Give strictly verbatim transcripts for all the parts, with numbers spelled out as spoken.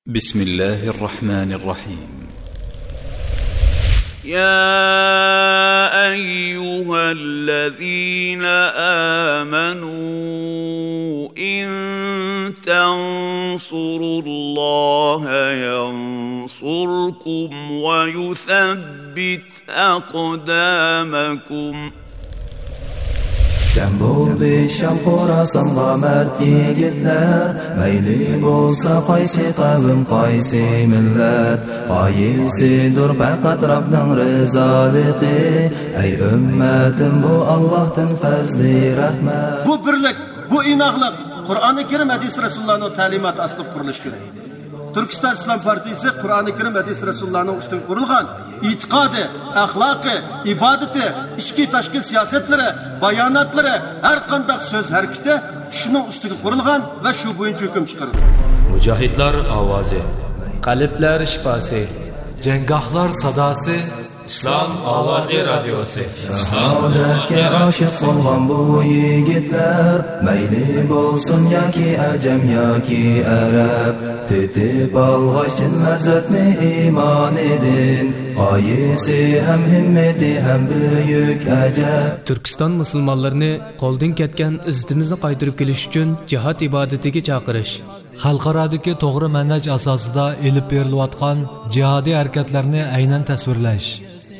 بسم الله الرحمن الرحيم. يا أيها الذين آمنوا إن تنصروا الله ينصركم ويثبت أقدامكم. جەم بولدى شام خوراسانغا مەرد يىگىتلەر، مەيلى بولسا قايسى قەۋم، قايسى مىللەت، غايىسىدۇر پەقەت رەبنىڭ رىزالىقى. ئەي ئۈممەتىم، بۇ ئاللاھتىن پەزلى رەھمەت. بۇ بىرلىك، بۇ ئىناقلىق قۇرئانى كەرىم، ھەدىس رەسۇلۇللانىڭ تەلىماتى ئاستىدا قۇرۇلۇشى كېرەك. تۈركىستان ئىسلام پارتىيىسى قۇرئانى كەرىم، ھەدىس رەسۇلۇللانىڭ ئۈستىگە قۇرۇلغان ئېتىقادى، ئەخلاقى، ئىبادىتى، ئىچكى تاشقى سىياسەتلىرى، باياناتلىرى، ھەر قانداق سۆز ھەرىكىتى شۇنىڭ ئۈستىگە قۇرۇلغان ۋە شۇ بويىچە ھۆكۈم چىقىرىدۇ. مۇجاھىدلار ئاۋازى. قەلبلەر شىپاسى. جەڭگاھلار ساداسى. ئىسلام ئاۋازى رادىيوسى. شاھادەتكە ئاشىق بولغان بۇ يىگىتلەر، مەيلى بولسۇن ياكى ئەجەم ياكى ئەرەب، تېتىپ ئالغاچ چىن لەززەتنى ئىمانىدىن، غايىسى ھەم ھىممىتى ھەم بۈيۈك ئەجەب. تۈركىستان مۇسۇلمانلىرىنى قولدىن كەتكەن ئىززىتىمىزنى قايتۇرۇپ كېلىش ئۈچۈن جىھاد ئىبادىتىگە چاقىرىش. خەلقئارادىكى توغرا مەنھەج ئاساسىدا ئېلىپ بېرىلىۋاتقان جىھادىي ھەرىكەتلەرنى ئەينەن تەسۋىرلەش.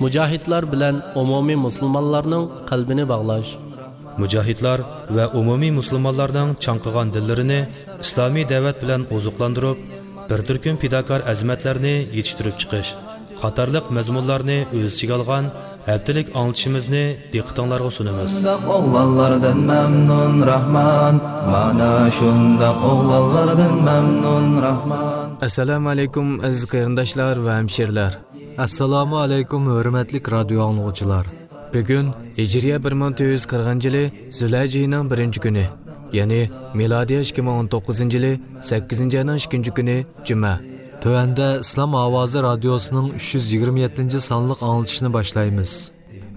مۇجاھىدلار بىلەن ئومۇمىي مۇسۇلمانلارنىڭ قەلبىنى باغلاش. مۇجاھىدلار ۋە ئومۇمىي مۇسۇلمانلارنىڭ چاڭقىغان دىللىرىنى ئىسلامىي دەۋەت بىلەن ئوزۇقلاندۇرۇپ، بىر تۈركۈم پىداكار ئەزىمەتلەرنى يېتىشتۈرۈپ چىقىش قاتارلىق مەزمۇنلارنى ئۆز ئىچىگە ئالغان ھەپتىلىك ئاڭلىتىشىمىزنى دىققىتىڭلارغا سۇنىمىز. شۇنداق ئوغلانلاردىن مەمنۇن راھمان، مانا شۇنداق ئوغلانلاردىن مەمنۇن راھمان. ئەسسالامۇ ئەلەيكۇم، ئەزىز قېرىنداشلار ۋە ھەمشىرىلەر. ئەسسالامۇ ئەلەيكۇم، ھۆرمەتلىك رادىيو ئاڭلىغۇچىلار. بۈگۈن ھىجرىيە بىر مىڭ تۆت يۈز قىرىقىنچى يىلى زۇلھەججە ئېيىنىڭ بىرىنچى كۈنى، يەنى مىلادىيە ئىككى مىڭ ئون توققۇزىنچى يىلى سەككىزىنچى ئاينىڭ ئىككىنچى كۈنى، جۈمە. تۆۋەندە ئىسلام ئاۋازى رادىيوسىنىڭ ئۈچ يۈز يىگىرمە يەتتىنچى سانلىق ئاڭلىتىشىنى باشلايمىز.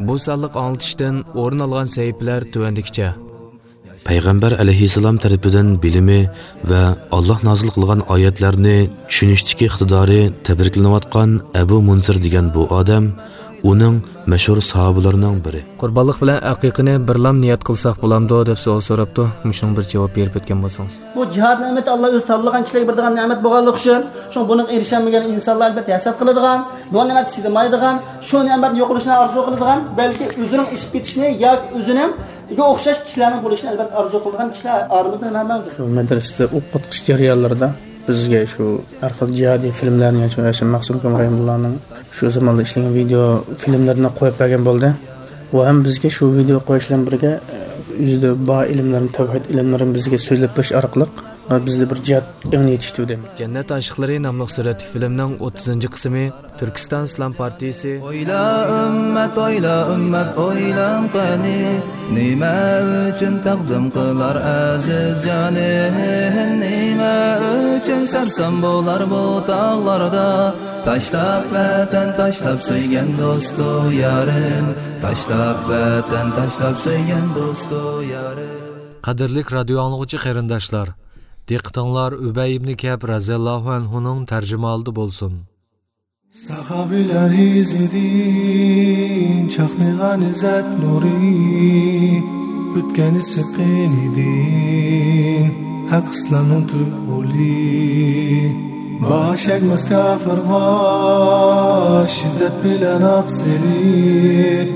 بۇ سانلىق ئاڭلىتىشتىن ئورۇن ئالغان سەھىپىلەر تۆۋەندىكىچە. پەيغەمبەر ئەلەيھىسسالام تەرىپىدىن بىلىمى ۋە ئاللاھ نازىل قىلغان ئايەتلەرنى چۈشىنىشتىكى ئىقتىدارى تەبرىكلىنىۋاتقان ئەبۇ مۇنزىر دېگەن بۇ ئادەم ئۇنىڭ مەشھۇر ساھابىلىرىنىڭ بىرى. قۇربانلىق بىلەن ئەقىقىنى بىرلام نىيەت قىلساق بولامدۇ دەپ سوئال سوراپتۇ. مۇشۇنىڭغا بىر جاۋاب بېرىپ ئۆتكەن بولسىڭىز. بۇ جىھاد نېمىتى ئاللاھ ئۆزى تاللىغان كىشىلەرگە بېرىدىغان نېمەت بولغانلىقى ئۈچۈن، شۇڭا بۇنىڭغا ئېرىشەلمىگەن ئىنسانلار ئەلبەتتە ھەسەت قىلىدىغان، بۇ نېمەتكە چىدىمايدىغان، شۇ نېمەتنى يوقىلىشىنى ئارزۇ قىلىدىغان، بەلكى ئۆزىنىڭ ئېشىپ كېتىشىنى ياكى ئۆزىنىڭ گە ئوخشاش كىشىلەرنىڭ بولۇشىنى ئەلبەتتە ئارزۇ قىلىدىغان كىشىلەر ئارىمىزدا ھەم مەۋجۇت. شۇ مەدرىسىدە ئوقۇتقۇچى جەريانلىرىدا بىزگە شۇ ھەر خىل جىھادىي فىلىملەرنى، شۇ مەخسۇم ئىكرام رەھىمۇللانىڭ شۇ زاماندا ئىشلىگەن ۋىدېئو فىلىملىرىنى قويۇپ بەرگەن بولدى. ئۇ ھەم بىزگە شۇ ۋىدېئو قويۇش بىلەن بىرگە، ئۆزىدە بار ئىلىملىرىنى، تەۋھىد ئىلىملىرىنى بىزگە سۆزلەپ بېرىش ئارقىلىق، بىزدە بىر جىھاد ئېڭىنى يېتىشتۈردى. جەننەت ئاشىقلىرى ناملىق سۈرەتلىك فىلىمنىڭ ئوتتۇزىنچى قىسمى تۈركىستان ئىسلام پارتىيىسى. ئويلا ئۈممەت، ئويلا ئۈممەت، ئويلاڭ قېنى، نېمە ئۈچۈن تەقدىم قىلار ئەزىز جانى؟ نېمە ئۈچۈن سەرسان بولار بۇ تاغلاردا؟ تاشلاپ ۋەتەن، تاشلاپ سۆيگەن دوستۇ يارىن، تاشلاپ ۋەتەن، تاشلاپ سۆيگەن دوستۇ يارىن. قەدىرلىك رادىيو ئاڭلىغۇچى قېرىنداشلار، دىققىتىڭلار ئۈبەي ئىبنى كەئب رەزىياللاھۇ ئەنھۇنىڭ تەرجىمىھالىدا بولسۇن. ساھابىلەر ئىزىدىن چاقنىغان ئىززەت نۇرى، ئۆتكەن ئىسسىق قېنىدىن ھەق ئىسلامنىڭ تۈپ غولى. باش ئەگمەس كاپىرغا شىددەت بىلەن ئات سېلىپ،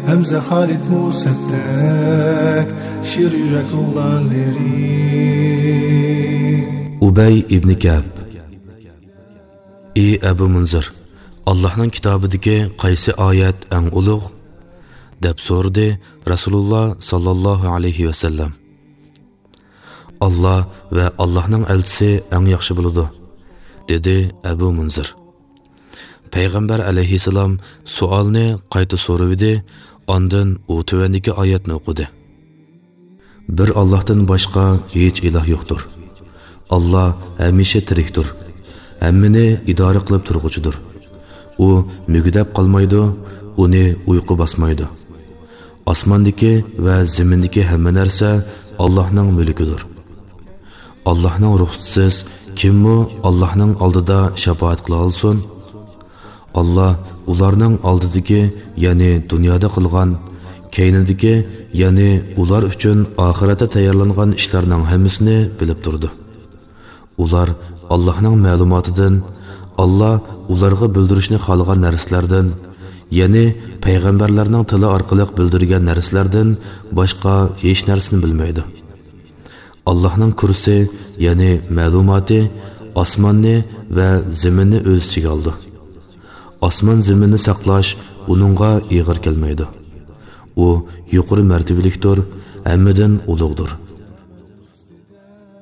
ھەمزە خالىد مۇسەپدەك شىر يۈرەك ئوغلانلىرى. ئۇبەي ئىبنى كەئب. ئى ئەبۇ مۇنزىر، ئاللاھنىڭ كىتابىدىكى قايسى ئايەت ئەڭ ئۇلۇغ؟ دەپ سورىدى رەسۇلۇللا ساللاللاھۇ ئەلەيھى ۋەسەللەم. ئاللا ۋە ئاللاھنىڭ ئەلچىسى ئەڭ ياخشى بىلىدۇ، دېدى ئەبۇ مۇنزىر. پەيغەمبەر ئەلەيھىسسالام سوئالنى قايتا سورىۋىدى، ئاندىن ئۇ تۆۋەندىكى ئايەتنى ئوقۇدى. بىر ئاللاھتىن باشقا ھېچ ئىلاھ يوقتۇر. ئاللا ھەمىشە تىرىكتۇر، ھەممىنى ئىدارە قىلىپ تۇرغۇچىدۇر. ئۇ مۈگدەپ قالمايدۇ، ئۇنى ئۇيقۇ باسمايدۇ. ئاسماندىكى ۋە زېمىندىكى ھەممە نەرسە ئاللاھنىڭ مۈلكىدۇر. ئاللاھنىڭ رۇخسىتىسىز كىممۇ ئاللاھنىڭ ئالدىدا شاپائەت قىلالىسۇن؟ ئاللا ئۇلارنىڭ ئالدىدىكى، يەنى دۇنيادا قىلغان، كەينىدىكى، يەنى ئۇلار ئۈچۈن ئاخىرەتتە تەييارلانغان ئىشلارنىڭ ھەممىسىنى بىلىپ تۇرىدۇ. ئۇلار ئاللاھنىڭ مەلۇماتىدىن، ئاللا ئۇلارغا بىلدۈرۈشنى خالىغان نەرسىلەردىن، يەنى پەيغەمبەرلەرنىڭ تىلى ئارقىلىق بىلدۈرگەن نەرسىلەردىن باشقا ھېچ نەرسىنى بىلمەيدۇ. ئاللاھنىڭ كۇرسى، يەنى مەلۇماتى، ئاسماننى ۋە زېمىننى ئۆز ئىچىگە ئالىدۇ. ئاسمان زېمىننى ساقلاش ئۇنىڭغا ئېغىر كەلمەيدۇ. ئۇ يۇقىرى مەرتىۋىلىكتۇر، ھەممىدىن ئۇلۇغدۇر.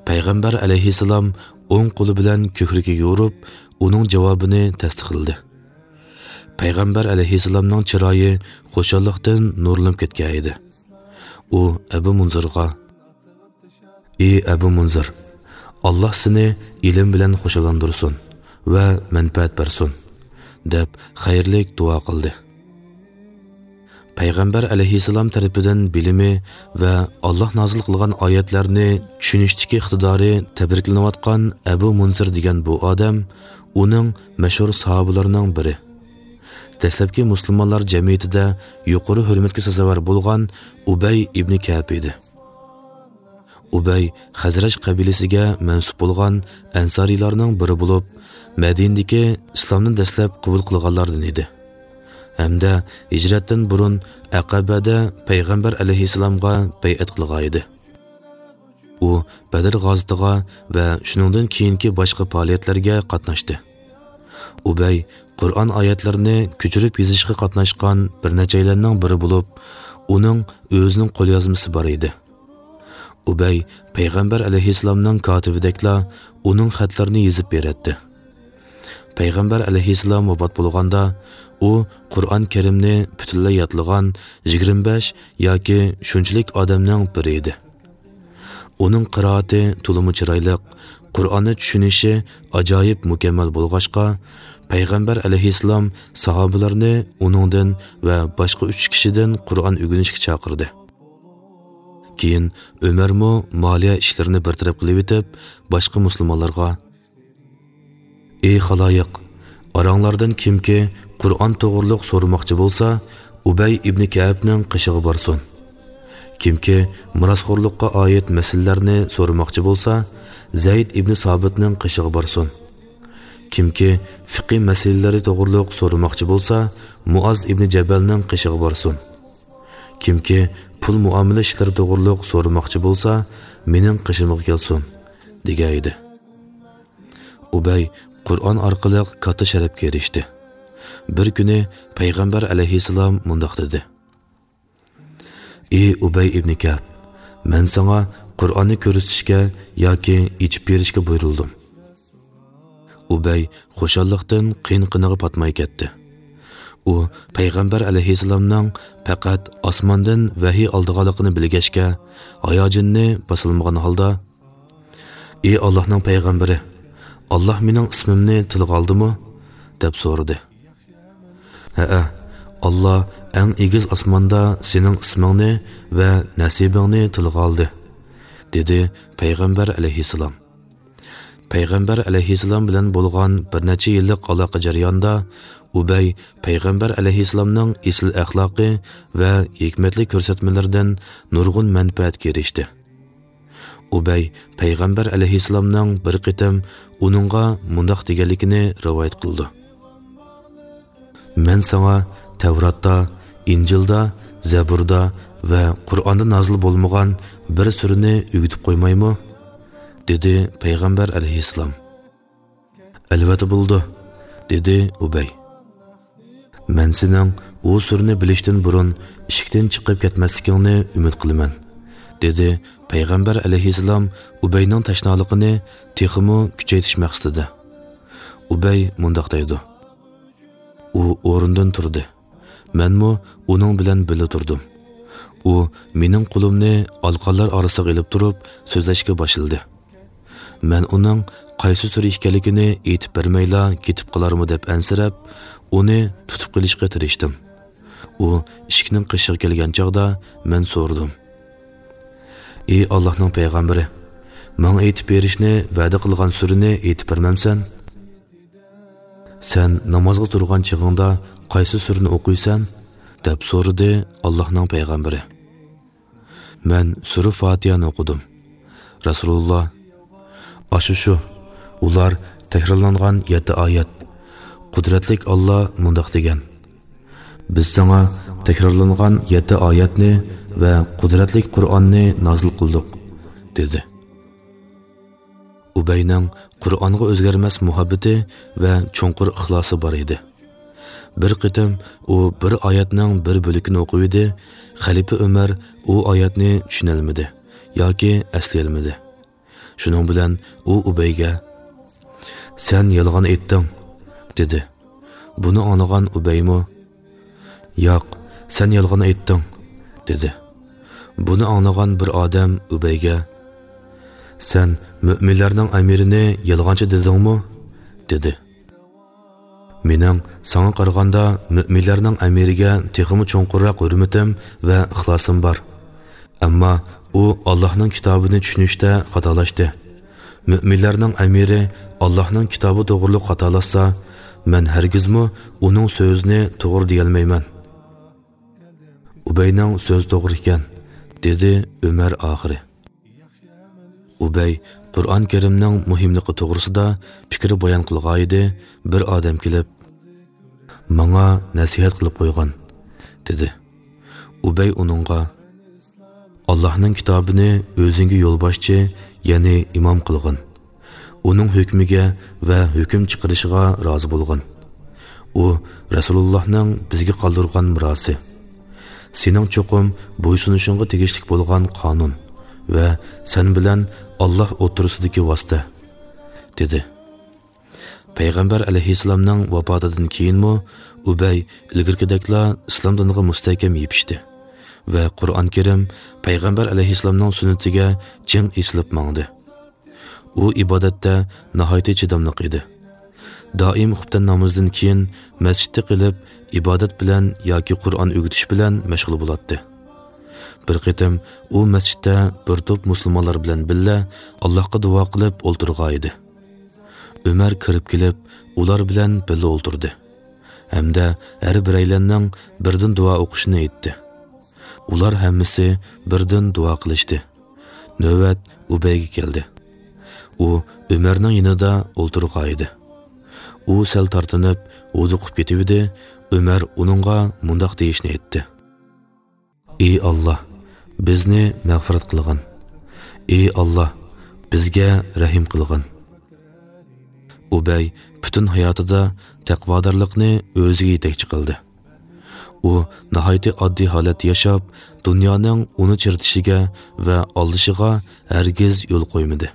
پەيغەمبەر ئەلەيھىسسالام ئوڭ قولى بىلەن كۆكرىكىگە ئۇرۇپ، ئۇنىڭ جاۋابىنى تەستىقلىدى. پەيغەمبەر ئەلەيھىسسالامنىڭ چىرايى خۇشاللىقتىن نۇرلىنىپ كەتكەن ئىدى. ئۇ ئەبۇ مۇنزىرغا، ئى ئەبۇ مۇنزىر، ئاللا سېنى ئىلىم بىلەن خۇشاللاندۇرسۇن ۋە مەنپەئەت بەرسۇن، دەپ خەيرلىك دۇئا قىلدى. پەيغەمبەر ئەلەيھىسسالام تەرىپىدىن بىلىمى ۋە ئاللا نازىل قىلغان ئايەتلەرنى چۈشىنىشتىكى ئىقتىدارى تەبرىكلىنىۋاتقان ئەبۇ مۇنزىر دېگەن بۇ ئادەم ئۇنىڭ مەشھۇر ساھابىلىرىنىڭ بىرى. دەسلەپكى مۇسۇلمانلار جەمئىيىتىدە يۇقىرى ھۆرمەتكە سازاۋەر بولغان ئۇبەي ئىبنى كەئب ئىدى. ئۇبەي خەزرەج قەبىلىسىگە مەنسۇپ بولغان ئەنسارىيلارنىڭ بىرى بولۇپ، مەدىنىدىكى ئىسلامنى دەسلەپ قوبۇل قىلغانلاردىن ئىدى ھەمدە ھىجرەتتىن بۇرۇن ئەقەبەدە پەيغەمبەر ئەلەيھىسسالامغا بەيئەت قىلغان ئىدى. ئۇ بەدر غازىتىغا ۋە شۇنىڭدىن كېيىنكى باشقا پائالىيەتلەرگە قاتناشتى. ئۇبەي قۇرئان ئايەتلىرىنى كۆچۈرۈپ يېزىشقا قاتناشقان بىر نەچچەيلەننىڭ بىرى بولۇپ، ئۇنىڭ ئۆزىنىڭ قوليازمىسى بار ئىدى. ئۇبەي پەيغەمبەر ئەلەيھىسسالامنىڭ كاتىۋىدەكلا ئۇنىڭ خەتلىرىنى يېزىپ بېرەتتى. پەيغەمبەر ئەلەيھىسسالام ۋاپات بولغاندا، ئۇ قۇرئان كەرىمنى پۈتۈنلەي يادلىغان يىگىرمە بەش ياكى شۇنچىلىك ئادەمنىڭ بىرى ئىدى. ئۇنىڭ قىرائىتى تولىمۇ چىرايلىق، قۇرئاننى چۈشىنىشى ئاجايىپ مۇكەممەل بولغاچقا، پەيغەمبەر ئەلەيھىسسالام ساھابىلەرنى ئۇنىڭدىن ۋە باشقا ئۈچ كىشىدىن قۇرئان ئۆگىنىشكە چاقىردى. كېيىن ئۆمەرمۇ مالىيە ئىشلىرىنى بىر تەرەپ قىلىۋېتىپ، باشقا مۇسۇلمانلارغا، ئى خالايىق، ئاراڭلاردىن كىمكى قۇرئان توغرۇلۇق سورىماقچى بولسا، ئۇبەي ئىبنى كەئەبنىڭ قېشىغا بارسۇن. كىمكى مىراسخورلۇققا ئائىت مەسىلىلەرنى سورىماقچى بولسا، زەيد ئىبنى سابىتنىڭ قېشىغا بارسۇن. كىمكى فىقھى مەسىلىلىرى توغرۇلۇق سورىماقچى بولسا، مۇئاز ئىبنى جەبەلنىڭ قېشىغا بارسۇن. كىمكى پۇل مۇئامىلە ئىشلىرى توغرۇلۇق سورىماقچى بولسا، مېنىڭ قېشىمغا كەلسۇن، دېگەن ئىدى. ئۇبەي قۇرئان ئارقىلىق كاتتا شەرەپكە ئېرىشتى. بىر كۈنى پەيغەمبەر ئەلەيھىسسالام مۇنداق دېدى: ئى ئۇبەي ئىبنى كەئب، مەن ساڭا قۇرئاننى كۆرسىتىشكە ياكى ئېچىپ بېرىشكە بۇيرۇلدۇم. ئۇبەي خۇشاللىقتىن قىن-قىنىغا پاتماي كەتتى. ئۇ پەيغەمبەر ئەلەيھىسسالامنىڭ پەقەت ئاسماندىن ۋەھىي ئالىدىغانلىقىنى بىلگەچكە، ھاياجىنىنى باسالمىغان ھالدا، ئى ئاللاھنىڭ پەيغەمبىرى، ئاللاھ مېنىڭ ئىسمىمنى تىلغا ئالدىمۇ؟ دەپ سورىدى. ھەئە، ئاللاھ ئەڭ ئېگىز ئاسماندا سېنىڭ ئىسمىڭنى ۋە نەسىبىڭنى تىلغا ئالدى، دېدى پەيغەمبەر ئەلەيھىسسالام. پەيغەمبەر ئەلەيھىسسالام بىلەن بولغان بىر نەچچە يىللىق ئالاقە جەريانىدا ئۇبەي پەيغەمبەر ئەلەيھىسسالامنىڭ ئېسىل ئەخلاقى ۋە ھېكمەتلىك كۆرسەتمىلىرىدىن نۇرغۇن مەنپەئەتكە ئېرىشتى. ئۇبەي پەيغەمبەر ئەلەيھىسسالامنىڭ بىر قېتىم ئۇنىڭغا مۇنداق دېگەنلىكىنى رىۋايەت قىلىدۇ: مەن ساڭا تەۋراتتا، ئىنجىلدا، زەبۇردا ۋە قۇرئاندا نازىل بولمىغان بىر سۈرىنى ئۆگىتىپ قويمايمۇ؟ دېدى پەيغەمبەر ئەلەيھىسسالام. ئەلۋەتتە بولىدۇ، دېدى ئۇبەي. مەن سېنىڭ ئۇ سۈرىنى بىلىشتىن بۇرۇن ئىشىكتىن چىقىپ كەتمەسلىكىڭنى ئۈمىد قىلىمەن، دېدى پەيغەمبەر ئەلەيھىسسالام ئۇبەينىڭ تەشنالىقىنى تېخىمۇ كۈچەيتىش مەقسىتىدە. ئۇبەي مۇنداق دەيدۇ. ئۇ ئورنىدىن تۇردى. مەنمۇ ئۇنىڭ بىلەن بىللە تۇردۇم. ئۇ مېنىڭ قولۇمنى ئالىقانلار ئارىسىغا ئېلىپ تۇرۇپ سۆزلەشكە باشلىدى. مەن ئۇنىڭ قايسى سۈرە ئىكەنلىكىنى ئېيتىپ بەرمەيلا كېتىپ قالارمۇ دەپ ئەنسىرەپ، ئۇنى تۇتۇپ قېلىشقا تىرىشتىم. ئۇ ئىشىكنىڭ قېشىغا كەلگەن چاغدا مەن سورىدىم: ئى ئاللاھنىڭ پەيغەمبىرى، ماڭا ئېيتىپ بېرىشنى ۋەدە قىلغان سۈرىنى ئېيتىپ بەرمەمسەن؟ سەن نامازغا تۇرغان چېغىڭدا قايسى سۈرىنى ئوقۇيسەن؟ دەپ سورىدى ئاللاھنىڭ پەيغەمبىرى. مەن سۈرە فاتىھەنى ئوقۇدۇم. رەسۇلۇللا، ئاشۇ شۇ، ئۇلار تەكرارلانغان يەتتە ئايەت. قۇدرەتلىك ئاللا مۇنداق دېگەن: «بىز ساڭا تەكرارلانغان يەتتە ئايەتنى ۋە قۇدرەتلىك قۇرئاننى نازىل قىلدۇق» دېدى. ئۇبەينىڭ قۇرئانغا ئۆزگەرمەس مۇھەببىتى ۋە چوڭقۇر ئىخلاسى بار ئىدى. بىر قېتىم ئۇ بىر ئايەتنىڭ بىر بۆلىكىنى ئوقۇۋىدى، خەلىپە ئۆمەر ئۇ ئايەتنى چۈشىنەلمىدى ياكى ئەسلىيەلمىدى. شۇنىڭ بىلەن ئۇ ئۇبەيگە: «سەن يالغان ئېيتتىڭ» دېدى. بۇنى ئاڭلىغان ئۇبەيمۇ: «ياق، سەن يالغان ئېيتتىڭ» دېدى. بۇنى ئاڭلىغان بىر ئادەم ئۇبەيگە: «سەن مۆمىنلەرنىڭ ئەمىرىنى يالغانچى دېدىڭمۇ؟» دېدى. مېنىڭ ساڭا قارىغاندا مۆمىنلەرنىڭ ئەمىرىگە تېخىمۇ چوڭقۇرراق ھۆرمىتىم ۋە ئىخلاسىم بار. ئەمما ئۇ ئاللاھنىڭ كىتابىنى چۈشىنىشتە خاتالاشتى. مۆمىنلەرنىڭ ئەمىرى ئاللاھنىڭ كىتابى توغرۇلۇق خاتالاشسا، مەن ھەرگىزمۇ ئۇنىڭ سۆزىنى توغرا دېيەلمەيمەن. ئۇبەينىڭ سۆزى توغرا ئىكەن، دېدى ئۆمەر ئاخىرى. ئۇبەي قۇرئان كەرىمنىڭ مۇھىملىقى توغرىسىدا پىكىر بايان قىلغانىدى، بىر ئادەم كېلىپ، «ماڭا نەسىھەت قىلىپ قويغىن» دېدى. ئۇبەي ئۇنىڭغا، «ئاللاھنىڭ كىتابىنى ئۆزۈڭگە يولباشچى، يەنى ئىمام قىلغىن. ئۇنىڭ ھۆكمىگە ۋە ھۆكۈم چىقىرىشىغا رازى بولغىن. ئۇ رەسۇلۇللاھنىڭ بىزگە قالدۇرغان مىراسى. سېنىڭ چوقۇم بويسۇنۇشۇڭغا تېگىشلىك بولغان قانۇن ۋە سەن بىلەن ئاللاھ ئوتتۇرىسىدىكى ۋاسىتە» دېدى. پەيغەمبەر ئەلەيھىسسالامنىڭ ۋاپاتىدىن كېيىنمۇ ئۇبەي ئىلگىرىكىدەكلا ئىسلام دىنىغا مۇستەھكەم يېپىشتى ۋە قۇرئان كەرىم، پەيغەمبەر ئەلەيھىسسالامنىڭ سۈننىتىگە چىڭ ئېسىلىپ ماڭدى. ئۇ ئىبادەتتە ناھايىتى چىداملىق ئىدى. دائىم خۇپتەن نامىزىدىن كېيىن مەسچىتتە قېلىپ، ئىبادەت بىلەن ياكى قۇرئان ئۆگىتىش بىلەن مەشغۇل بولاتتى. بىر قېتىم ئۇ مەسچىتتە بىر توپ مۇسۇلمانلار بىلەن بىللە ئاللاھقا دۇئا قىلىپ ئولتۇرغانىدى. ئۆمەر كىرىپ كېلىپ، ئۇلار بىلەن بىللە ئولتۇردى ھەمدە ھەر بىرەيلەننىڭ بىردىن دۇئا ئوقۇشىنى ئېيتتى. ئۇلار ھەممىسى بىردىن دۇئا قىلىشتى. نۆۋەت ئۇبەيگە كەلدى. ئۇ ئۆمەرنىڭ يېنىدا ئولتۇرغانىدى. ئۇ سەل تارتىنىپ، ھودۇقۇپ كېتىۋىدى. ئۆمەر ئۇنىڭغا مۇنداق دېيىشنى ئېيتتى: «ئى ئاللاھ، بىزنى مەغپىرەت قىلغىن. ئى ئاللاھ، بىزگە رەھىم قىلغىن.» ئۇبەي پۈتۈن ھاياتىدا تەقۋادارلىقنى ئۆزىگە يېتەكچى قىلدى. ئۇ ناھايىتى ئاددىي ھالەتتە ياشاپ، دۇنيانىڭ ئۇنى چىرىتىشىگە ۋە ئالدىشىغا ھەرگىز يول قويمىدى.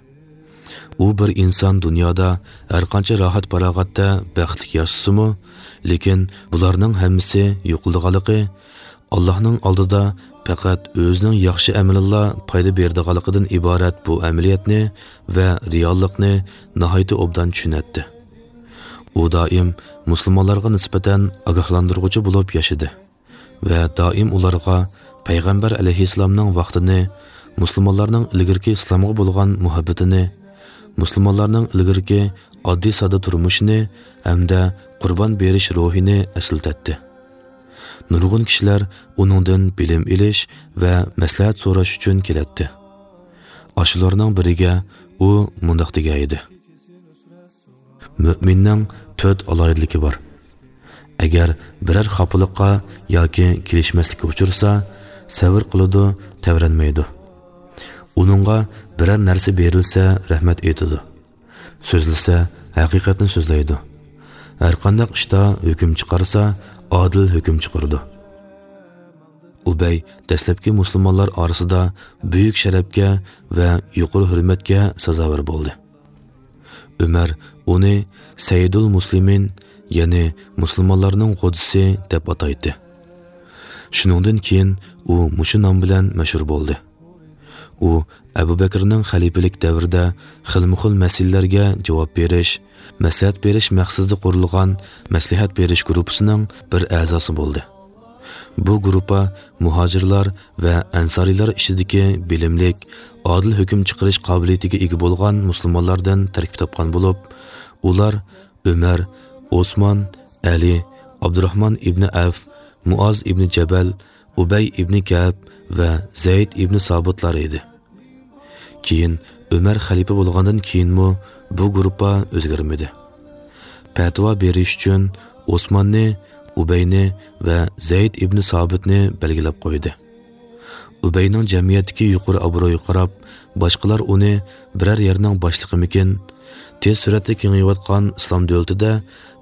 ئۇ بىر ئىنسان دۇنيادا ھەرقانچە راھەت-پاراغەتتە بەختلىك ياشىسىمۇ، لېكىن بۇلارنىڭ ھەممىسى يوقىلىدىغانلىقى، ئاللاھنىڭ ئالدىدا پەقەت ئۆزىنىڭ ياخشى ئەمىلىلا پايدا بېرىدىغانلىقىدىن ئىبارەت بۇ ئەمەلىيەتنى ۋە رېئاللىقنى ناھايىتى ئوبدان چۈشىنەتتى. ئۇ دائىم مۇسۇلمانلارغا نىسبەتەن ئاگاھلاندۇرغۇچى بولۇپ ياشىدى ۋە دائىم ئۇلارغا پەيغەمبەر ئەلەيھىسسالامنىڭ ۋاقتىنى، مۇسۇلمانلارنىڭ ئىلگىرىكى ئىسلامغا بولغان مۇھەببىتىنى، مۇسۇلمانلارنىڭ ئىلگىرىكى ئاددىي-ساددا تۇرمۇشىنى ھەمدە قۇربان بېرىش روھىنى ئەسلىتەتتى. نۇرغۇن كىشىلەر ئۇنىڭدىن بىلىم ئېلىش ۋە مەسلىھەت سوراش ئۈچۈن كېلەتتى. ئاشۇلارنىڭ بىرىگە ئۇ مۇنداق دېگەن ئىدى: «مۆمىننىڭ تۆت ئالاھىدىلىكى بار. ئەگەر بىرەر خاپىلىققا ياكى كېلىشمەسلىككە ئۇچرىسا، سەۋر قىلىدۇ، تەۋرەنمەيدۇ. ئۇنىڭغا بىرەر نەرسە بېرىلسە، رەھمەت ئېيتىدۇ. سۆزلىسە، ھەقىقەتنى سۆزلەيدۇ. ھەرقانداق ئىشتا ھۆكۈم چىقارسا، ئادىل ھۆكۈم چىقىرىدۇ.» ئۇبەي دەسلەپكى مۇسۇلمانلار ئارىسىدا بۈيۈك شەرەپكە ۋە يۇقىرى ھۆرمەتكە سازاۋەر بولدى. ئۆمەر ئۇنى سەييىدۇل مۇسلىمىن، يەنى مۇسۇلمانلارنىڭ غوجىسى دەپ ئاتايتتى. شۇنىڭدىن كېيىن ئۇ مۇشۇ نام بىلەن مەشھۇر بولدى. ئۇ ئەبۇ بەكرىنىڭ خەلىپىلىك دەۋرىدە خىلمۇخىل مەسىلىلەرگە جاۋاب بېرىش، مەسلىھەت بېرىش مەقسىتىدە قۇرۇلغان مەسلىھەت بېرىش گۇرۇپپىسىنىڭ بىر ئەزاسى بولدى. بۇ گۇرۇپپا مۇھاجىرلار ۋە ئەنسارىيلار ئىچىدىكى بىلىملىك، ئادىل ھۆكۈم چىقىرىش قابىلىيىتىگە ئىگە بولغان مۇسۇلمانلاردىن تەركىب تاپقان بولۇپ، ئۇلار ئۆمەر، ئوسمان، ئەلى، ئابدۇراخمان ئىبنى ئەۋف، مۇئاز ئىبنى جەبەل، ئۇبەي ئىبنى كەئب ۋە زەيد ئىبنى سابىتلار ئىدى. كېيىن ئۆمەر خەلىپە بولغاندىن كېيىنمۇ بۇ گۇرۇپپا ئۆزگەرمىدى. پەتىۋا بېرىش ئۈچۈن ئوسماننى، ئۇبەينى ۋە زەيد ئىبنى سابىتنى بەلگىلەپ قويدى. ئۇبەينىڭ جەمئىيەتتىكى يۇقىرى ئابرۇيىغا قاراپ، باشقىلار ئۇنى بىرەر يەرنىڭ باشلىقىمىكىن، تېز سۈرئەتتە كېڭىيىۋاتقان ئىسلام دۆلىتىدە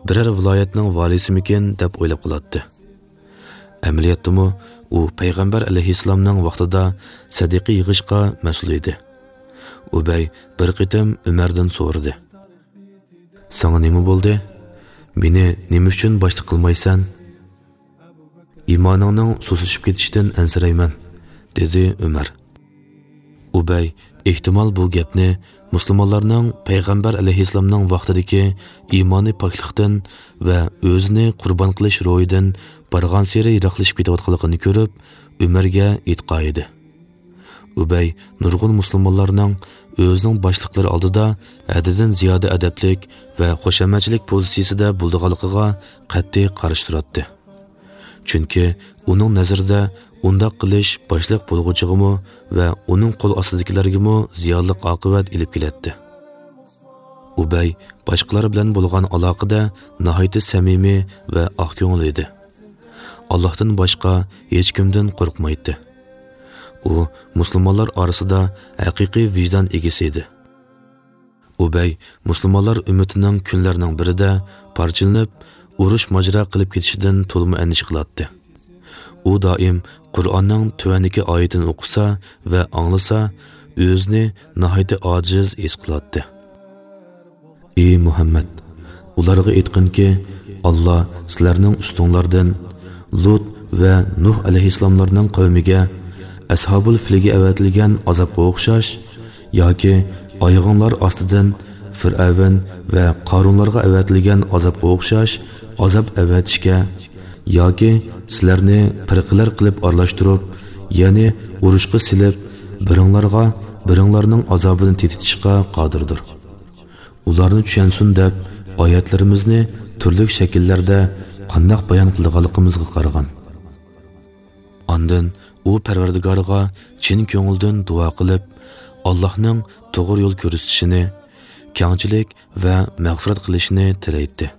بىرەر ۋىلايەتنىڭ ۋالىيسىمىكىن دەپ ئويلاپ قالاتتى. ئەمەلىيەتتىمۇ ئۇ پەيغەمبەر ئەلەيھىسسالامنىڭ ۋاقتىدا سەدىقە يىغىشقا مەسئۇل ئىدى. ئۇبەي بىر قېتىم ئۆمەردىن سورىدى: «ساڭا نېمە بولدى؟ مېنى نېمە ئۈچۈن باشلىق قىلمايسەن؟» «ئىمانىڭنىڭ سۇسلىشىپ كېتىشىدىن ئەنسىرەيمەن»، دېدى ئۆمەر. ئۇبەي ئېھتىمال بۇ گەپنى مۇسۇلمانلارنىڭ پەيغەمبەر ئەلەيھىسسالامنىڭ ۋاقتىدىكى ئىمانىي پاكلىقتىن ۋە ئۆزىنى قۇربان قىلىش روھىدىن بارغانسېرى يىراقلىشىپ كېتىۋاتقانلىقىنى كۆرۈپ، ئۆمەرگە ئېيتقان ئىدى. ئۇبەي نۇرغۇن مۇسۇلمانلارنىڭ ئۆزىنىڭ باشلىقلىرى ئالدىدا ھەددىدىن زىيادە ئەدەپلىك ۋە خۇشامەتچىلىك پوزىتسىيىسىدە بولىدىغانلىقىغا قەتئىي قارشى تۇراتتى. چۈنكى ئۇنىڭ نەزىرىدە ئۇنداق قىلىش باشلىق بولغۇچىغىمۇ ۋە ئۇنىڭ قول ئاستىدىكىلەرگىمۇ زىيانلىق ئاقىۋەت ئېلىپ كېلەتتى. ئۇبەي باشقىلار بىلەن بولغان ئالاقىدە ناھايىتى سەمىمىي ۋە ئاق كۆڭۈل ئىدى. ئاللاھتىن باشقا ھېچكىمدىن قورقمايتتى. ئۇ مۇسۇلمانلار ئارىسىدا ھەقىقىي ۋىجدان ئىگىسى ئىدى. ئۇبەي مۇسۇلمانلار ئۈممىتىنىڭ كۈنلەرنىڭ بىرىدە پارچىلىنىپ، ئۇرۇش ماجىرا قىلىپ كېتىشىدىن تولىمۇ ئەندىشە قىلاتتى. ئۇ دائىم قۇرئاننىڭ تۆۋەندىكى ئايىتىنى ئوقۇسا ۋە ئاڭلىسا، ئۆزىنى ناھايىتى ئاجىز ھېس قىلاتتى. «ئى مۇھەممەد، ئۇلارغا ئېيتقىنكى، ئاللا سىلەرنىڭ ئۈستۈڭلاردىن لۇت ۋە نۇھ ئەلەيھىسسالاملارنىڭ قەۋمىگە ئەسھابۇل فىلگە ئەۋەتىلگەن ئازابقا ئوخشاش ياكى ئايىغىڭلار ئاستىدىن فىرئەۋن ۋە قارۇنلارغا ئەۋەتىلگەن ئازابقا ئوخشاش ئازاب ئەۋەتىشكە ياكى سىلەرنى پىرقىلەر قىلىپ ئارىلاشتۇرۇپ، يەنى ئۇرۇشقا سېلىپ، بىرىڭلارغا بىرىڭلارنىڭ ئازابىنى تېتىتىشقا قادىردۇر. ئۇلارنى چۈشەنسۇن دەپ ئايەتلىرىمىزنى تۈرلۈك شەكىللەردە قانداق بايان قىلىدىغانلىقىمىزغا قارىغان.» ئاندىن ئۇ پەرۋەردىگارىغا چىن كۆڭۈلدىن دۇئا قىلىپ، ئاللاھنىڭ توغرا يول كۆرسىتىشىنى، كەڭچىلىك ۋە مەغپىرەت قىلىشىنى تىلەيتتى.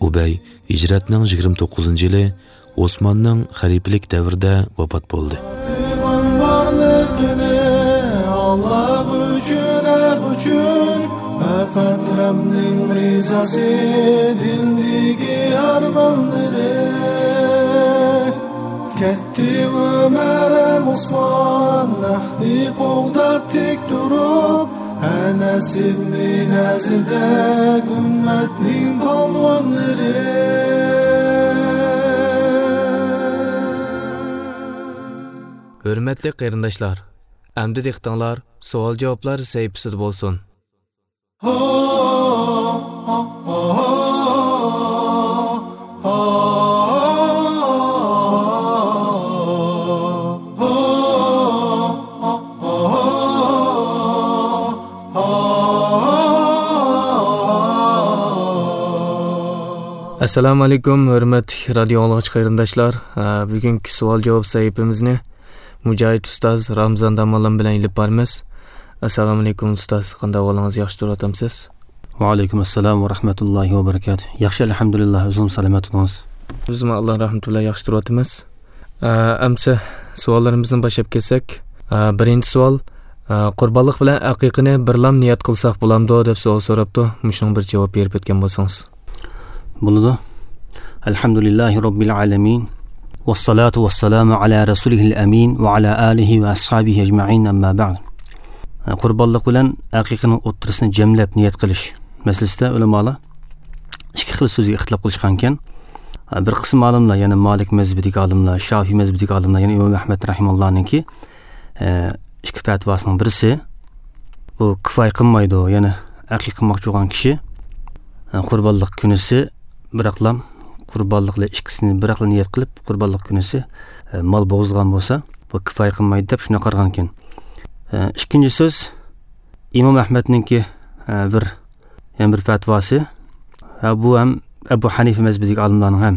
ئۇبەي ھىجرەتنىڭ يىگىرمە توققۇزىنچى يىلى ئوسماننىڭ خەلىپىلىك دەۋرىدە ۋاپات بولدى. بارلىقىنى ئاللا ئۈچۈن، ھەق ئۈچۈن، پەقەت رەبنىڭ رىزاسى دىلدىكى ئارمانلىرى. كەتتى ئۆمەر ھەم ئوسمان، ھەقنى قوغداپ تىك تۇرۇپ، ئەنەس ئىبنى نەزىردەك ئۈممەتنىڭ پالۋانلىرى. ھۆرمەتلىك قېرىنداشلار، ئەمدى دىققىتىڭلار سوئال-جاۋابلار سەھىپىسىدە بولسۇن. ئەسسالامۇ ئەلەيكۇم، ھۆرمەتلىك رادىيو ئاڭلىغۇچى قېرىنداشلار. ھە، بۈگۈنكى سوئال-جاۋاب سەھىپىمىزنى مۇجاھىد ئۇستاز رامزان داموللام بىلەن ئېلىپ بارىمىز. ئەسسالامۇ ئەلەيكۇم ئۇستاز، قانداق ئەھۋالىڭىز، ياخشى تۇرۇۋاتامسىز؟ ۋەئەلەيكۇم ئەسسالام ۋە رەھمەتۇللاھى ۋە بەرىكاتۇھ. ياخشى، ئەلھەمدۇلىللا، ئۆزىڭىز سالامەت تۇرۇڭىز. بىزمۇ ئاللا رەھمىتى بىلەن ياخشى تۇرۇۋاتىمىز. ئە، ئەمسە سوئاللىرىمىزدىن باشلاپ كەتسەك، ئە، بىرىنچى سوئال، ئە، قۇربانلىق بىلەن ئەقىقىنى بىرلام نىيەت قىلساق بولامدۇ دەپ سوئال سوراپتۇ. مۇشۇنىڭغا بىر جاۋاب بېرىپ ئۆتكەن بولسىڭىز. بولىدۇ. ئەلھەمدۇلىللاھى رەببىل ئالەمىن. ۋەسسالاتۇ ۋەسسالامۇ ئالا رەسۇلىھىل ئەمىن ۋە ئالا ئالىھى ۋە ئەسھابىھى ئەجمەئىن، ئەمما بەئد. قۇربانلىق بىلەن ئەقىقىنىڭ ئوتتۇرىسىنى جەملەپ نىيەت قىلىش مەسىلىسىدە ئۆلىمالار ئىككى خىل سۆزگە ئىختىلاپ قىلىشقانكەن. بىر قىسىم ئالىملار، يەنى مالىك مەزھىپىدىكى ئالىملار، شافىي مەزھىپىدىكى ئالىملار، يەنى ئىمام ئەھمەد رەھىمەھۇللانىڭكى ئىككى پەتىۋاسىنىڭ بىرسى، بۇ كۇفايە قىلمايدۇ، يەنى ئەقىقە قىلماقچى بولغان كىشى قۇربانلىق كۈنىسى بىراقلام قۇربانلىق بىلەن ئىككىسىنى بىراقلا نىيەت قىلىپ، قۇربانلىق كۈنىسى، ئە، مال بوغۇزلىغان بولسا، بۇ كۇپايە قىلمايدۇ دەپ شۇنداق قارىغان ئىكەن. ئە، ئىككىنچى سۆز، ئىمام ئەھمەدنىڭكى، ئە، بىر، يەنە بىر پەتىۋاسى. ھە، بۇ ھەم ئەبۇ ھەنىفە مەزھىپىدىكى ئالىملارنىڭ ھەم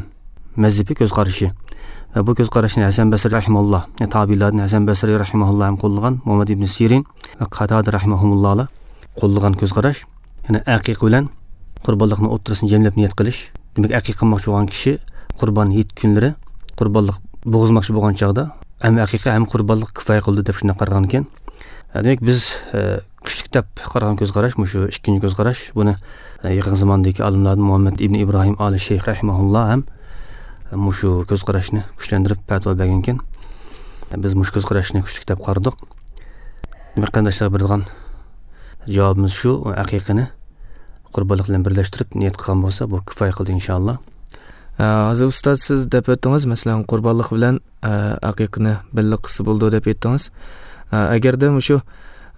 مەزھىپى، كۆز قارىشى. ۋە بۇ كۆز قاراشنى ھەسەن بەسرى رەھىمەھۇللا، يەنى تابىئىنلاردىن ھەسەن بەسرى رەھىمەھۇللا ھەم قوللىغان، مۇھەممەد ئىبنى سىرىن ۋە قاتادە رەھىمەھۇمۇللالار قوللىغان كۆز قاراش. يەنى ئەقىقە بىلەن قۇربانلىقنىڭ ئوتتۇرىسىنى جەملەپ نىيەت قىلىش. دېمەك، ئەقىقە قىلماقچى بولغان كىشى قۇربان ھېيت كۈنلىرى قۇربانلىق بوغۇزماقچى بولغان چاغدا ھەم ئەقىقە ھەم قۇربانلىق كۇپايە قىلىدۇ دەپ شۇنداق قارىغان ئىكەن. دېمەك، بىز، ئە، كۈچلۈك دەپ قارىغان كۆز قاراش مۇشۇ ئىككىنچى كۆز قاراش. بۇنى، ئە، يېقىن زاماندىكى ئالىملاردىن مۇھەممەد ئىبنى ئىبراھىم ئالى شەيخ رەھىمەھۇللا ھەم، ئە، مۇشۇ كۆز قاراشنى كۈچلەندۈرۈپ پەتىۋا بەرگەنكەن. بىز مۇشۇ كۆز قاراشنى كۈچلۈك دەپ قارىدۇق. دېمەك، قېرىنداشلارغا بېرىدىغان جاۋابىمىز شۇ، ئەقىقىنى قۇربانلىق بىلەن بىرلەشتۈرۈپ نىيەت قىلغان بولسا، بۇ كۇپايە قىلدى، ئىنشائاللا. ئە، ھازىر ئۇستاز، سىز دەپ ئۆتتىڭىز، مەسىلەن، قۇربانلىق بىلەن، ئە، ئەقىقىنى بىللە قىلسا بولىدۇ دەپ ئېيتتىڭىز. ئە، ئەگەردە مۇشۇ،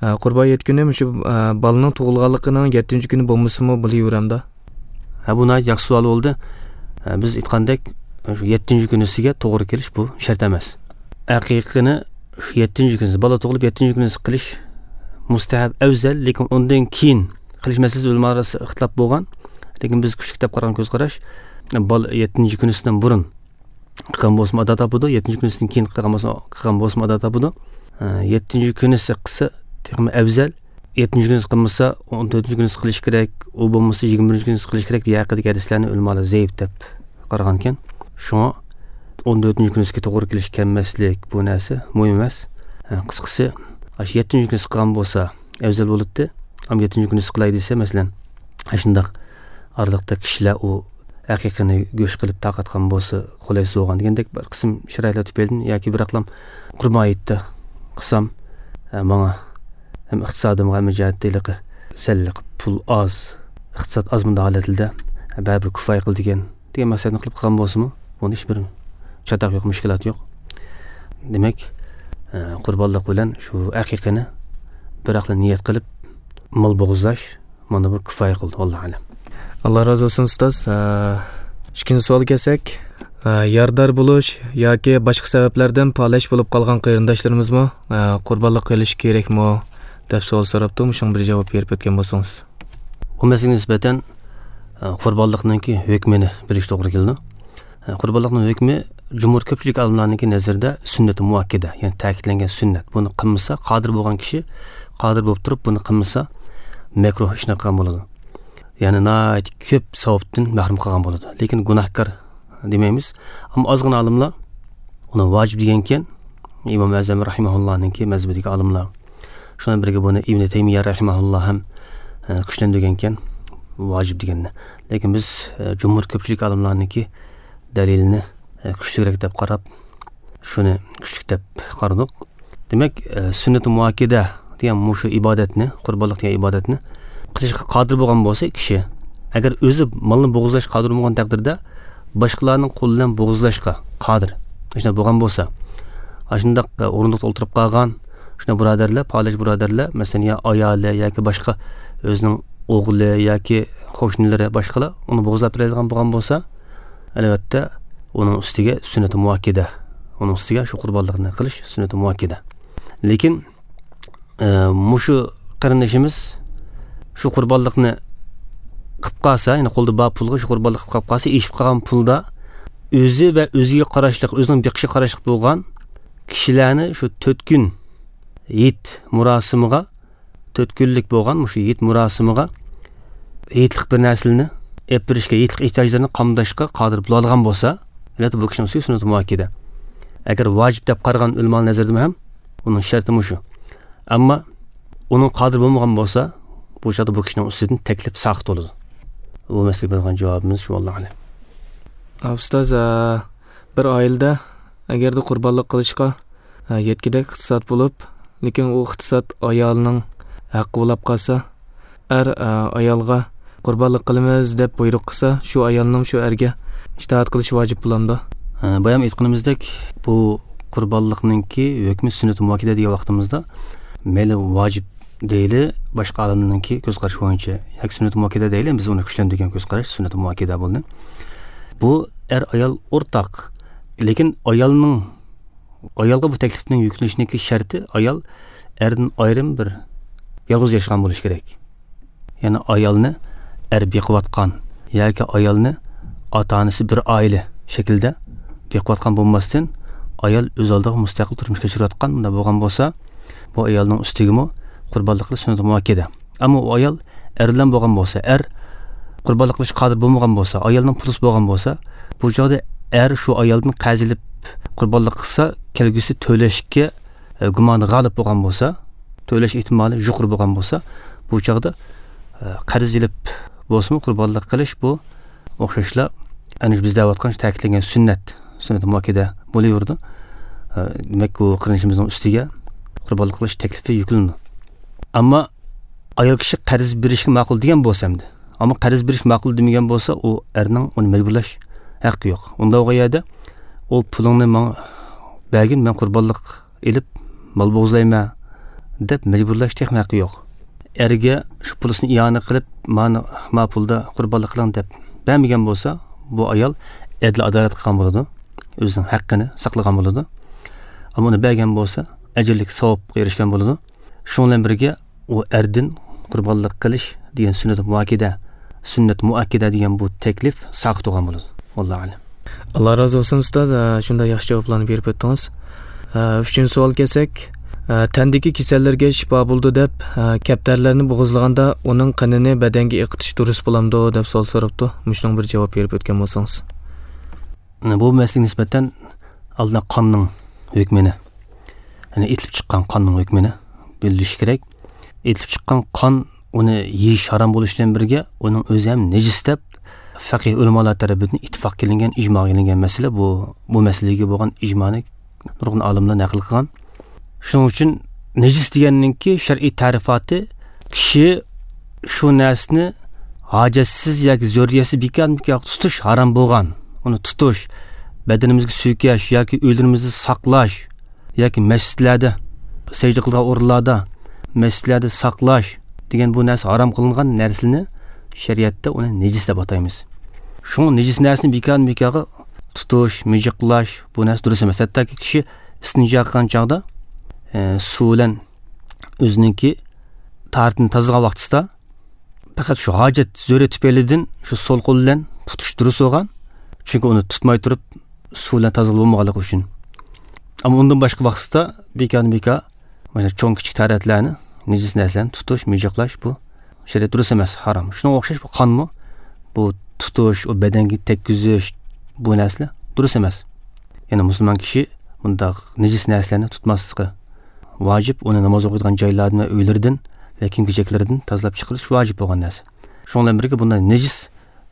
ئە، قۇربان ھېيت كۈنى مۇشۇ، ئە، بالىنىڭ تۇغۇلغانلىقىنىڭ يەتتىنچى كۈنى بولمىسىمۇ بولۇۋېرەمدۇ؟ ھە، بۇ ناھايىتى ياخشى سوئال بولدى. ھە، بىز ئېيتقاندەك، شۇ يەتتىنچى كۈنىسىگە توغرا كېلىش بۇ شەرت ئەمەس. ئەقىقىنى شۇ يەتتىنچى كۈنىسى، بالا تۇغۇلۇپ يەتتىنچى كۈنىسى قىلىش مۇستەھەب، ئەۋزەل، لېكىن ئۇندىن كېيىن قىلىش مەسىلىسى ئۆلىمالار ئارىسىدا ئىختىلاپ بولغان. لېكىن بىز كۈچلۈك دەپ قارىغان كۆز قاراش، بالا يەتتىنچى كۈنىسىدىن بۇرۇن قىلغان بولسىمۇ ئادا تاپىدۇ، يەتتىنچى كۈنىسىدىن كېيىن قىلغان بولسا، قىلغان بولسىمۇ ئادا تاپىدۇ. ئە، يەتتىنچى كۈنىسى قىلسا تېخىمۇ ئەۋزەل. يەتتىنچى كۈنىسى قىلمىسا، ئون تۆتىنچى كۈنىسى قىلىش كېرەك، ئۇ بولمىسا يىگىرمە بىرىنچى كۈنىسى قىلىش كېرەك دېگەن ھەققىدىكى ھەدىسلەرنى ئۆلىمالار زەئىپ دەپ قارىغانىكەن. شۇڭا ئون تۆتىنچى كۈنىسىگە توغرا كېلىش كەلمەسلىك، بۇ نەرسە مۇھىم ئەمەس. ئە، قىسقىسى، ئاشۇ يەتتىنچى كۈنىسى قىلغان بولسا ئەۋزەل بولاتتى. ئەمما يەتتىنچى كۈنىسى قىلاي دېسە، مەسىلەن، ئاشۇنداق ئارىلىقتا كىشىلەر ئۇ ئەقىقىنى گۆش قىلىپ تارقاتقان بولسا قولايسىز بولغان دېگەندەك بىر قىسىم شارائىتلار تۈپەيلىدىن ياكى بىراقلام قۇربان ھېيتتا قىلسام، ئە، ماڭا ھەم ئىقتىسادىمغا، ھەم جەھەتتە ھېلىقى سەل پۇل ئاز، ئىقتىساد ئاز مۇنداق ھالەتلىدە، ئە، بەرىبىر كۇپايە قىلىدىكەن دېگەن مەقسەتنى قىلىپ قىلغان بولسىمۇ، بۇنىڭ ھېچبىر چاتاق يوق، مۇشكىلات يوق. دېمەك، ئە، قۇربانلىق بىلەن شۇ ئەقىقىنى بىراقلا نىيەت قىلىپ مال بوغۇزلاش، مانا بۇ كۇپايە قىلدى، ۋاللاھۇ ئەلەم. ئاللا رازى بولسۇن، ئۇستاز. ئە، ئىككىنچى سوئالغا كەلسەك، ئە، يارىدار بولۇش ياكى باشقا سەۋەبلەردىن پالەچ بولۇپ قالغان قېرىنداشلىرىمىزمۇ، ئە، قۇربانلىق قىلىش كېرەكمۇ دەپ سوئال سوراپتۇ. مۇشۇڭا بىر جاۋاب بېرىپ ئۆتكەن بولسىڭىز. بۇ مەسىلىگە نىسبەتەن، ئە، قۇربانلىقنىڭكى ھۆكمىنى بىلىش توغرا كېلىدۇ. قۇربانلىقنىڭ ھۆكمى جۇمھۇر كۆپچىلىك ئالىملارنىڭكى نەزىرىدە سۈننىتى مۇئەككىدە، يەنى تەكىتلەنگەن سۈننەت. بۇنى قىلمىسا، قادىر بولغان كىشى قادىر بولۇپ تۇرۇپ بۇنى قىلمىسا، مەكرۇھ ئىشنى قىلغان بولىدۇ. يەنى ناھايىتى كۆپ ساۋابتىن مەھرۇم قالغان بولىدۇ. لېكىن گۇناھكار دېمەيمىز. ئەمما ئازغىنە ئالىملار ئۇنى ۋاجىپ دېگەنكەن. ئىمام ئەزەم رەھىمەھۇللانىڭكى مەزھىپىدىكى ئالىملار. شۇنىڭ بىرگە بۇنى ئىبنى تەيمىيە رەھىمەھۇللا ھەم، ئە، كۈچلەندۈرگەنكەن، ۋاجىپ دېگەننى. لېكىن بىز، ئە، جۇمھۇر كۆپچىلىك ئالىملارنىڭكى دەلىلىنى، ئە، كۈچلۈكرەك دەپ قاراپ، شۇنى كۈچلۈك دەپ قارىدۇق. دېمەك، ئە، سۈننىتى مۇئەككىدە دېگەن مۇشۇ ئىبادەتنى، قۇربانلىق دېگەن ئىبادەتنى قىلىشقا قادىر بولغان بولسا كىشى، ئەگەر ئۆزى مالنى بوغۇزلاشقا قادىر بولمىغان تەقدىردە، باشقىلارنىڭ قولى بىلەن بوغۇزلاشقا قادىر. ئاشۇنداق بولغان بولسا، ئاشۇنداق، ئە، ئورۇندۇقتا ئولتۇرۇپ قالغان شۇنداق بۇرادەرلەر، پالەچ بۇرادەرلەر، مەسىلەن، يا ئايالى ياكى باشقا ئۆزىنىڭ ئوغلى ياكى قوشنىلىرى، باشقىلار ئۇنى بوغۇزلاپ بېرەلىگەن بولغان بولسا، ئەلۋەتتە، ئۇنىڭ ئۈستىگە سۈننىتى مۇئەككىدە. ئۇنىڭ ئۈستىگە شۇ قۇربانلىقنى قىلىش سۈننىتى مۇئەككىدە. لېكىن، ئە، مۇشۇ قېرىندىشىمىز شۇ قۇربانلىقنى قىلىپ قالسا، يەنى قولدا بار پۇلغا شۇ قۇربانلىق قىلىپ قالسا، ئېشىپ قالغان پۇلدا ئۆزى ۋە ئۆزىگە قاراشلىق، ئۆزىنىڭ بېقىشىغا قاراشلىق بولغان كىشىلەرنى شۇ تۆت كۈن ھېيت مۇراسىمىغا، تۆت كۈنلۈك بولغان مۇشۇ ھېيت مۇراسىمىغا ھېيتلىق بىر نەرسىلەرنى ئېلىپ بېرىشكە، ھېيتلىق ئېھتىياجلىرىنى قامداشقا قادىر بولالىغان بولسا، ئەلۋەتتە، بۇ كىشىنىڭ ئۈستىگە سۈننىتى مۇئەككىدە. ئەگەر ۋاجىپ دەپ قارىغان ئۆلىمالار نەزىرىدىمۇ ھەم ئۇنىڭ شەرتى مۇشۇ. ئەمما ئۇنىڭ قادىر بولمىغان بولسا، بۇ چاغدا بۇ كىشىنىڭ ئۈستىدىن تەكلىپ ساقىت بولىدۇ. بۇ مەسىلىگە بېرىدىغان جاۋابىمىز شۇ، ۋاللاھۇ ئەلەم. ئۇستاز، ئە، بىر ئائىلىدە ئەگەردە قۇربانلىق قىلىشقا، ئە، يەتكۈدەك ئىقتىساد بولۇپ، لېكىن ئۇ ئىقتىساد ئايالنىڭ ھەققى بولاپ قالسا، ئەر، ئە، ئايالغا قۇربانلىق قىلىمىز دەپ بۇيرۇق قىلسا، شۇ ئايالنىڭ شۇ ئەرگە ئىتائەت قىلىشى ۋاجىپ بولامدۇ؟ ئە، بايام ئېيتقىنىمىزدەك، بۇ قۇربانلىقنىڭكى ھۆكمى سۈننىتى مۇئەككىدە دېگەن ۋاقتىمىزدا، مەيلى ۋاجىپ دەيلى، باشقا ئالىملارنىڭكى كۆز قارىشى بويىچە، ياكى سۈننىتى مۇئەككىدە دەيلى، بىز ئۇنى كۈچلەندۈرگەن كۆز قاراش سۈننىتى مۇئەككىدە بولدى. بۇ ئەر ئايال ئورتاق. لېكىن ئايالنىڭ، ئايالغا بۇ تەكلىپنىڭ يۈكلىنىشىنىڭكى شەرتى، ئايال ئەردىن ئايرىم بىر يالغۇز ياشىغان بولۇشى كېرەك. يەنى ئايالنى ئەر بېقىۋاتقان ياكى ئايالنى ئاتا-ئانىسى بىر ئائىلە شەكلىدە بېقىۋاتقان بولماستىن، ئايال ئۆز ئالدىغا مۇستەقىل تۇرمۇش كەچۈرۈۋاتقان، بۇنداق بولغان بولسا، بۇ ئايالنىڭ ئۈستىگىمۇ قۇربانلىق قىلىش سۈننىتى مۇئەككەدە. ئەمما ئۇ ئايال ئەر بىلەن بولغان بولسا، ئەر قۇربانلىق قىلىشقا قادىر بولمىغان بولسا، ئايالنىڭ پۇلىسى بولغان بولسا، بۇ چاغدا ئەر شۇ ئايالدىن قەرز ئېلىپ قۇربانلىق قىلسا، كەلگۈسى تۆلەشكە، ئە، گۇمانى غالىب بولغان بولسا، تۆلەش ئېھتىمالى يۇقىرى بولغان بولسا، بۇ چاغدا، ئە، قەرز ئېلىپ بولسىمۇ قۇربانلىق قىلىش، بۇ ئوخشاشلا ئەنە شۇ بىز دەۋاتقان شۇ تەكىتلەنگەن سۈننەت، سۈننەت مۇئەككەدە بولۇۋېرىدۇ. ئە، دېمەك، بۇ قېرىندىشىمىزنىڭ ئۈستىگە قۇربانلىق قىلىش تەكلىپى يۈكلىنىدۇ. ئەمما ئايال كىشى قەرز بېرىشكە ماقۇل دېگەن بولسا ئەمدى، ئەمما قەرز بېرىشكە ماقۇل دېمىگەن بولسا، ئۇ ئەرنىڭ ئۇنى مەجبۇرلاش ھەققى يوق. ئۇنداق بولغان يەردە، ئۇ پۇلۇڭنى ماڭا بەرگىن، مەن قۇربانلىق ئېلىپ مال بوغۇزلايمەن دەپ مەجبۇرلاش تېخىمۇ ھەققى يوق. ئەرگە شۇ پۇلىسىنى ئىئانە قىلىپ، مانا ما پۇلدا قۇربانلىق قىلىڭ دەپ بەرمىگەن بولسا، بۇ ئايال ئەدىل ئادالەت قىلغان بولىدۇ، ئۆزىنىڭ ھەققىنى ساقلىغان بولىدۇ. ئەمما ئۇنى بەرگەن بولسا، ئەجىرلىك ساۋابقا ئېرىشكەن بولىدۇ. شۇنىڭ بىلەن بىرگە، ئۇ ئەردىن قۇربانلىق قىلىش دېگەن سۈننەت مۇئەككەدە، سۈننەت مۇئەككەدە دېگەن بۇ تەكلىپ ساقىت بولغان بولىدۇ. ۋاللاھۇ ئەلەم. ئاللا رازى بولسۇن، ئۇستاز. ئە، شۇنداق ياخشى جاۋابلارنى بېرىپ ئۆتتىڭىز. ئە، ئۈچىنچى سوئال كەلسەك، ئە، تەندىكى كېسەللەرگە شىپا بولىدۇ دەپ، ئە، كەپتەرلەرنى بوغۇزلىغاندا ئۇنىڭ قېنىنى بەدەنگە ئېقىتىش دۇرۇس بولامدۇ دەپ سوئال سوراپتۇ. مۇشۇنىڭغا بىر جاۋاب بېرىپ ئۆتكەن بولسىڭىز. بۇ مەسىلىگە نىسبەتەن ئالدىن قاننىڭ ھۆكمىنى، يەنى ئېتىلىپ چىققان قاننىڭ ھۆكمىنى بىلىش كېرەك. ئېتىلىپ چىققان قان، ئۇنى يېيىش ھارام بولۇشى بىلەن بىرگە، ئۇنىڭ ئۆزى ھەم نىجىس دەپ فەقىھ ئۆلىمالار تەرىپىدىن ئىتتىپاق قىلىنغان، ئىجماغا قىلىنغان مەسىلە بۇ. بۇ مەسىلىگە بولغان ئىجمانى نۇرغۇن ئالىملار نەقىل قىلغان. شۇنىڭ ئۈچۈن نىجىس دېگەننىڭكى شەرئىي تەرىپاتى، كىشى شۇ نەرسىنى ھاجەتسىز ياكى زۆرۈرىيەتسىز بىكارمۇ بىكار تۇتۇش ھارام بولغان. ئۇنى تۇتۇش، بەدىنىمىزگە سۈيكەش ياكى ئۆيلىرىمىزدە ساقلاش ياكى مەسچىتلەردە، سەجدە قىلىدىغان ئورۇنلاردا، مەسچىتلەردە ساقلاش دېگەن بۇ نەرسە ھارام قىلىنغان نەرسىنى شەرىئەتتە ئۇنى نىجىس دەپ ئاتايمىز. شۇڭا نىجىس نەرسىنى بىكارمۇ بىكارغا تۇتۇش، مىجىقلاش، بۇ نەرسە دۇرۇس ئەمەس. ھەتتاكى كىشى ئىستىنجا قىلغان چاغدا، ئە، سۇ بىلەن ئۆزىنىڭكى تاھارىتىنى تازىلىغان ۋاقتىدا پەقەت شۇ ھاجەت زۆرۈرىيىتى تۈپەيلىدىن شۇ سول قول بىلەن تۇتۇش دۇرۇس بولغان. چۈنكى ئۇنى تۇتماي تۇرۇپ سۇ بىلەن تازىلاپ بولمىغانلىقى ئۈچۈن. ئەمما ئۇندىن باشقا ۋاقىتتا بىكارمۇ بىكار، مەسىلەن، چوڭ كىچىك تاھارەتلەرنى، نىجىس نەرسىلەرنى تۇتۇش، مىجىقلاش، بۇ شەرىئەت دۇرۇس ئەمەس، ھارام. شۇنىڭغا ئوخشاش بۇ قانمۇ، بۇ تۇتۇش، ئۇ بەدەنگە تەگكۈزۈش، بۇ نەرسىلەر دۇرۇس ئەمەس. يەنى مۇسۇلمان كىشى بۇنداق نىجىس نەرسىلەرنى تۇتماسلىقى ۋاجىپ، ئۇنى ناماز ئوقۇيدىغان جايلاردىن ۋە ئۆيلىرىدىن ۋە كىيىم-كېچەكلىرىدىن تازىلاپ چىقىرىش ۋاجىپ بولغان نەرسە. شۇنىڭ بىلەن بىرگە، بۇنداق نىجىس،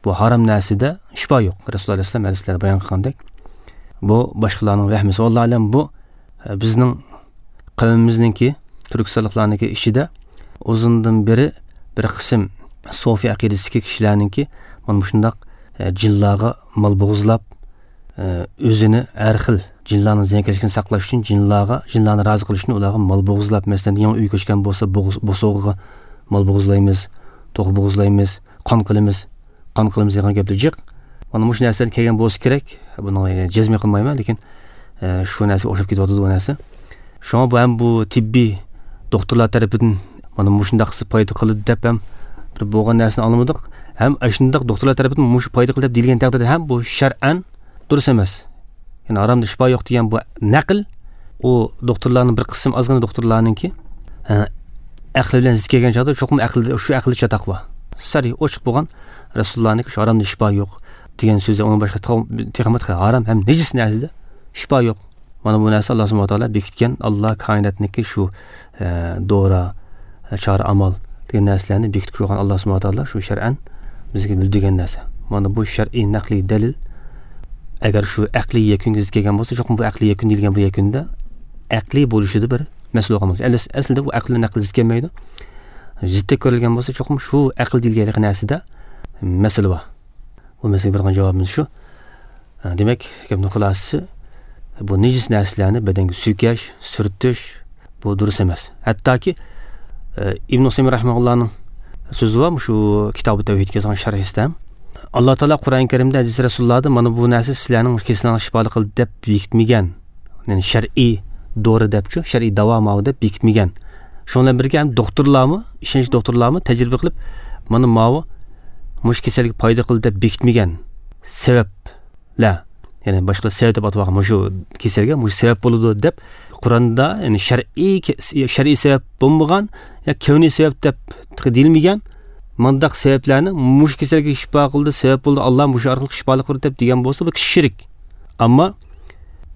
بۇ ھارام نەرسىدە شىپا يوق. رەسۇلۇللاھ ئەلەيھىسسالام ھەدىسلەردە بايان قىلغاندەك، بۇ باشقىلارنىڭ ۋەھمىسى. ۋاللاھۇ ئەلەم، بۇ، ئە، بىزنىڭ قەۋمىمىزنىڭكى، تۈركىستانلىقلارنىڭكى ئىچىدە ئۇزۇندىن بېرى بىر قىسىم سوفىي ئەقىدىسىدىكى كىشىلەرنىڭكى مانا مۇشۇنداق، ئە، جىنلارغا مال بوغۇزلاپ، ئە، ئۆزىنى ھەر خىل جىنلارنىڭ زىيانكەشلىكىدىن ساقلاش ئۈچۈن جىنلارغا، جىنلارنى رازى قىلىش ئۈچۈن ئۇلارغا مال بوغۇزلاپ، مەسىلەن، يېڭى ئۆي كۆچكەن بولسا، بوغۇز-، بوسۇغىغا مال بوغۇزلايمىز، توخۇ بوغۇزلايمىز، قان قىلىمىز، قان قىلىمىز دېگەن گەپلەر جىق. مانا مۇشۇ نەرسىلەر كەلگەن بولسا كېرەك. بۇنىڭغا يەنە جەزم قىلمايمەن، لېكىن، ئە، شۇ نەرسىگە ئوخشاپ كېتىۋاتىدۇ بۇ نەرسە. شۇڭا بۇ ھەم بۇ تېببىي دوختۇرلار تەرىپىدىن مانا مۇشۇنداق قىلسا پايدا قىلىدۇ دەپ ھەم بىر بولغان نەرسىنى ئاڭلىمىدۇق. ھەم ئاشۇنداق دوختۇرلار تەرىپىدىن مۇشۇ پايدا قىلىدۇ دەپ دېيىلگەن تەقدىردە ھەم بۇ شەرئەن دۇرۇس ئەمەس. يەنى ھارامدا شىپا يوق دېگەن بۇ نەقىل، ئۇ دوختۇرلارنىڭ بىر قىسىم، ئازغىنە دوختۇرلارنىڭكى، ھە، ئەقلى بىلەن زىت كەلگەن چاغدا، چوقۇم ئەقىلدە، شۇ ئەقىلدە چاتاق بار. سەرى ئوچۇق بولغان، رەسۇلۇللانىڭكى شۇ ھارامدا شىپا يوق دېگەن سۆزى، ئۇنىڭ باشقا تېخىمۇ، تېخىمۇ ھارام ھەم نىجىس نەرسىدە شىپا يوق. مانا بۇ نەرسە ئاللا سۇبھانەھۇ ۋە تائالا بېكىتكەن، ئاللا كائىناتنىڭكى شۇ، ئە، دورا، ئە، چارە ئامال دېگەن نەرسىلەرنى بېكىتىپ قويغان ئاللا سۇبھانەھۇ ۋە تائالا شۇ شەرئەن بىزگە بىلدۈرگەن نەرسە. مانا بۇ شەرئىي نەقلىي دەلىل. ئەگەر شۇ ئەقلىي يەكۈنگە زىت كەلگەن بولسا، چوقۇم بۇ ئەقلىي يەكۈن دېيىلگەن بۇ يەكۈندە ئەقلىي بولۇشىدا بىر مەسىلە بولغان بولىدۇ. ئەل-، ئەسلىدە بۇ ئەقىل بىلەن نەقىل زىت كەلمەيدۇ. زىتتەك كۆرۈلگەن بولسا، چوقۇم شۇ ئەقىل دېيىلگەن ھېلىقى نەرسىدە مەسىلە بار. بۇ مەسىلىگە بېرىدىغان جاۋابىمىز شۇ. ھە، دېمەك، گەپنىڭ خۇلاسىسى، بۇ نىجىس نەرسىلەرنى بەدەنگە سۈيكەش، سۈرتۈش، بۇ دۇرۇس ئەمەس. ھەتتاكى، ئە، ئىبن ئۇسەيمىن رەھىمەھۇللانىڭ سۆزى بار، شۇ كىتابى تەۋھىدكە يازغان شەرھىسىدە ھەم، ئاللا تائالا قۇرئان كەرىمدە، ھەدىس رەسۇلۇللاھدا مانا بۇ نەرسە سىلەرنىڭ كېسىلىڭلارنى شىپالىق قىلىدۇ دەپ بېكىتمىگەن. يەنى شەرئىي دورا دەپچۇ، شەرئىي داۋا ماۋۇ دەپ بېكىتمىگەن. شۇنىڭ بىلەن بىرگە ھەم دوختۇرلارمۇ، ئىشەنچلىك دوختۇرلارمۇ تەجرىبە قىلىپ، مانا ماۋۇ مۇشۇ كېسەلگە پايدا قىلىدۇ دەپ بېكىتمىگەن سەۋەبلەر، يەنى باشقىلار سەۋەب دەپ ئاتىۋالغان مۇشۇ كېسەلگە مۇشۇ سەۋەب بولىدۇ دەپ قۇرئاندا، يەنى شەرئىي، شەرئىي سەۋەب بولمىغان يا كەۋنىي سەۋەب دەپ دېيىلمىگەن مۇنداق سەۋەبلەرنى، مۇشۇ كېسەلگە شىپا قىلىدۇ، سەۋەب بولىدۇ، ئاللا مۇشۇ ئارقىلىق شىپالىق قىلىدۇ دەپ دېگەن بولسا، بۇ كىچىك شىرك. ئەمما